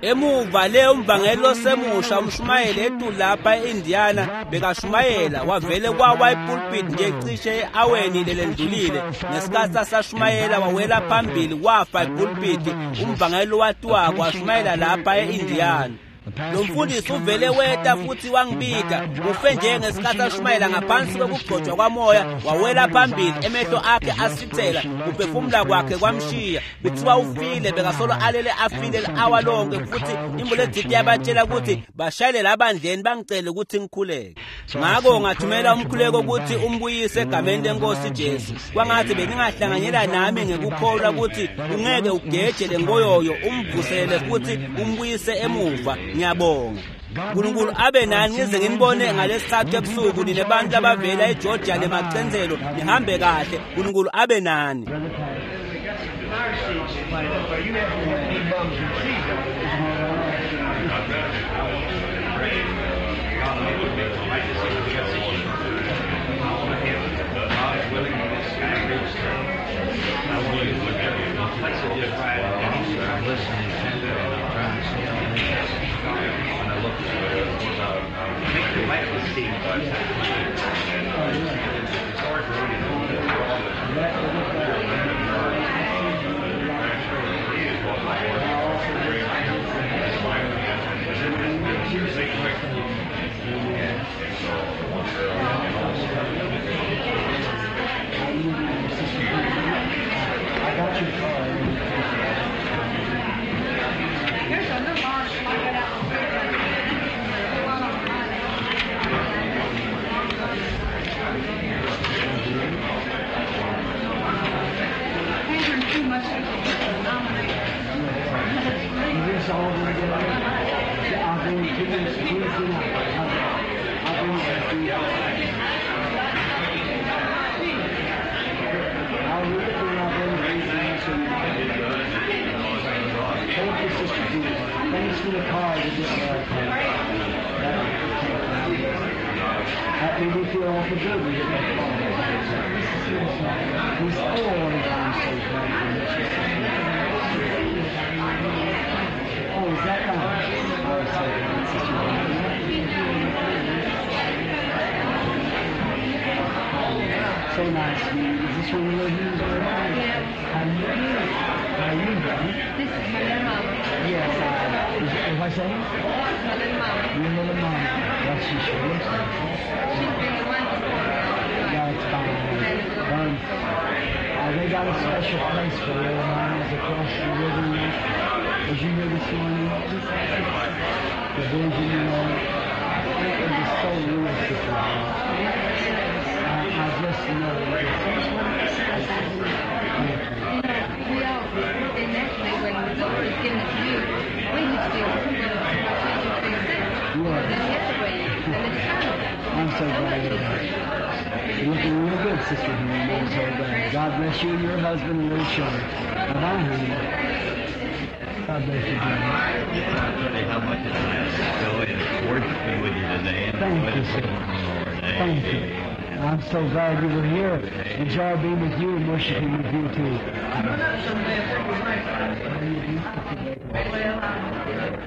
Emuva le umvangeli osemusha umshumayeli ethu lapha eIndiana bekashumayela wavele kwawa ipulpit nje cishe eaweni lelendlulile ngesikhathi asashumayela wawela phambili wafa ipulpit umvangeli watiwako washumayela lapha eIndiana. Lo mfundisi uvele weta futhi wangibita ufe njengesikhathi ashumayela ngaphansi kwekugcotshwa kwamoya wawela phambili emehlo akhe asithela kuphefumula kwakhe kwamshiya bethiwa ufile bekasolo alele afile li-awa lonke futhi imbuledidi yabatshela ukuthi bashayele labandleni bangicele ukuthi ngikhuleke. Ngakho ngathumela umkhuleko ukuthi umbuyise egameni lenkosi Jesu. Kwangathi beningahlanganyela nami ngekukholwa ukuthi ungeke ugeje lengoyoyo umvusele futhi umbuyise emuva. Ngiyabonga. uNkulunkulu abe nani ngize nginibone ngalesithathu ebusuku nine bantu abavela eGeorgia lemacenzelo nihambe kahle. uNkulunkulu abe nani.
I got your card.
There's a little article I got out. Too much to nominate.
Is this all going to get out? I'll bring it to this Tuesday night. I'll bring it to you. I'll read it and I'll bring it to you. Thank you, Sister Jean. Thanks for the card. You just That made me feel awful good when you get that card. He's oh, I'm so glad. Oh, is that right? Oh, so glad, Sister Jean. So nice to meet you. Is this one of your Hughes?
Yeah.
How you doing? How you doing?
This is my little mama.
Yes, I. Is, what's that?
My little mama.
Your little mama. Well, she sure looks like it.
She's been the one before me all her life.
That's fine. Um, uh, they got a special place for little mamas across the river. Was you here this morning? The vision, you know. It was so real, Sister. I, I just know.
You know, we all, and naturally, when the Lord has given it to you, we would still want to change things
Yes.
Then the other way, and it's time.
I'm so glad you're here. You're looking real good, Sister Henry. I'm so glad. God bless you and your husband and little children. Bye-bye, honey. God bless you, brother.
I tell you how much it's nice to go and worshiping with you today. And
Thank you, sir. Thank you. I'm so glad you were here. Enjoy being with you and worshiping with you, too.
Well, I'm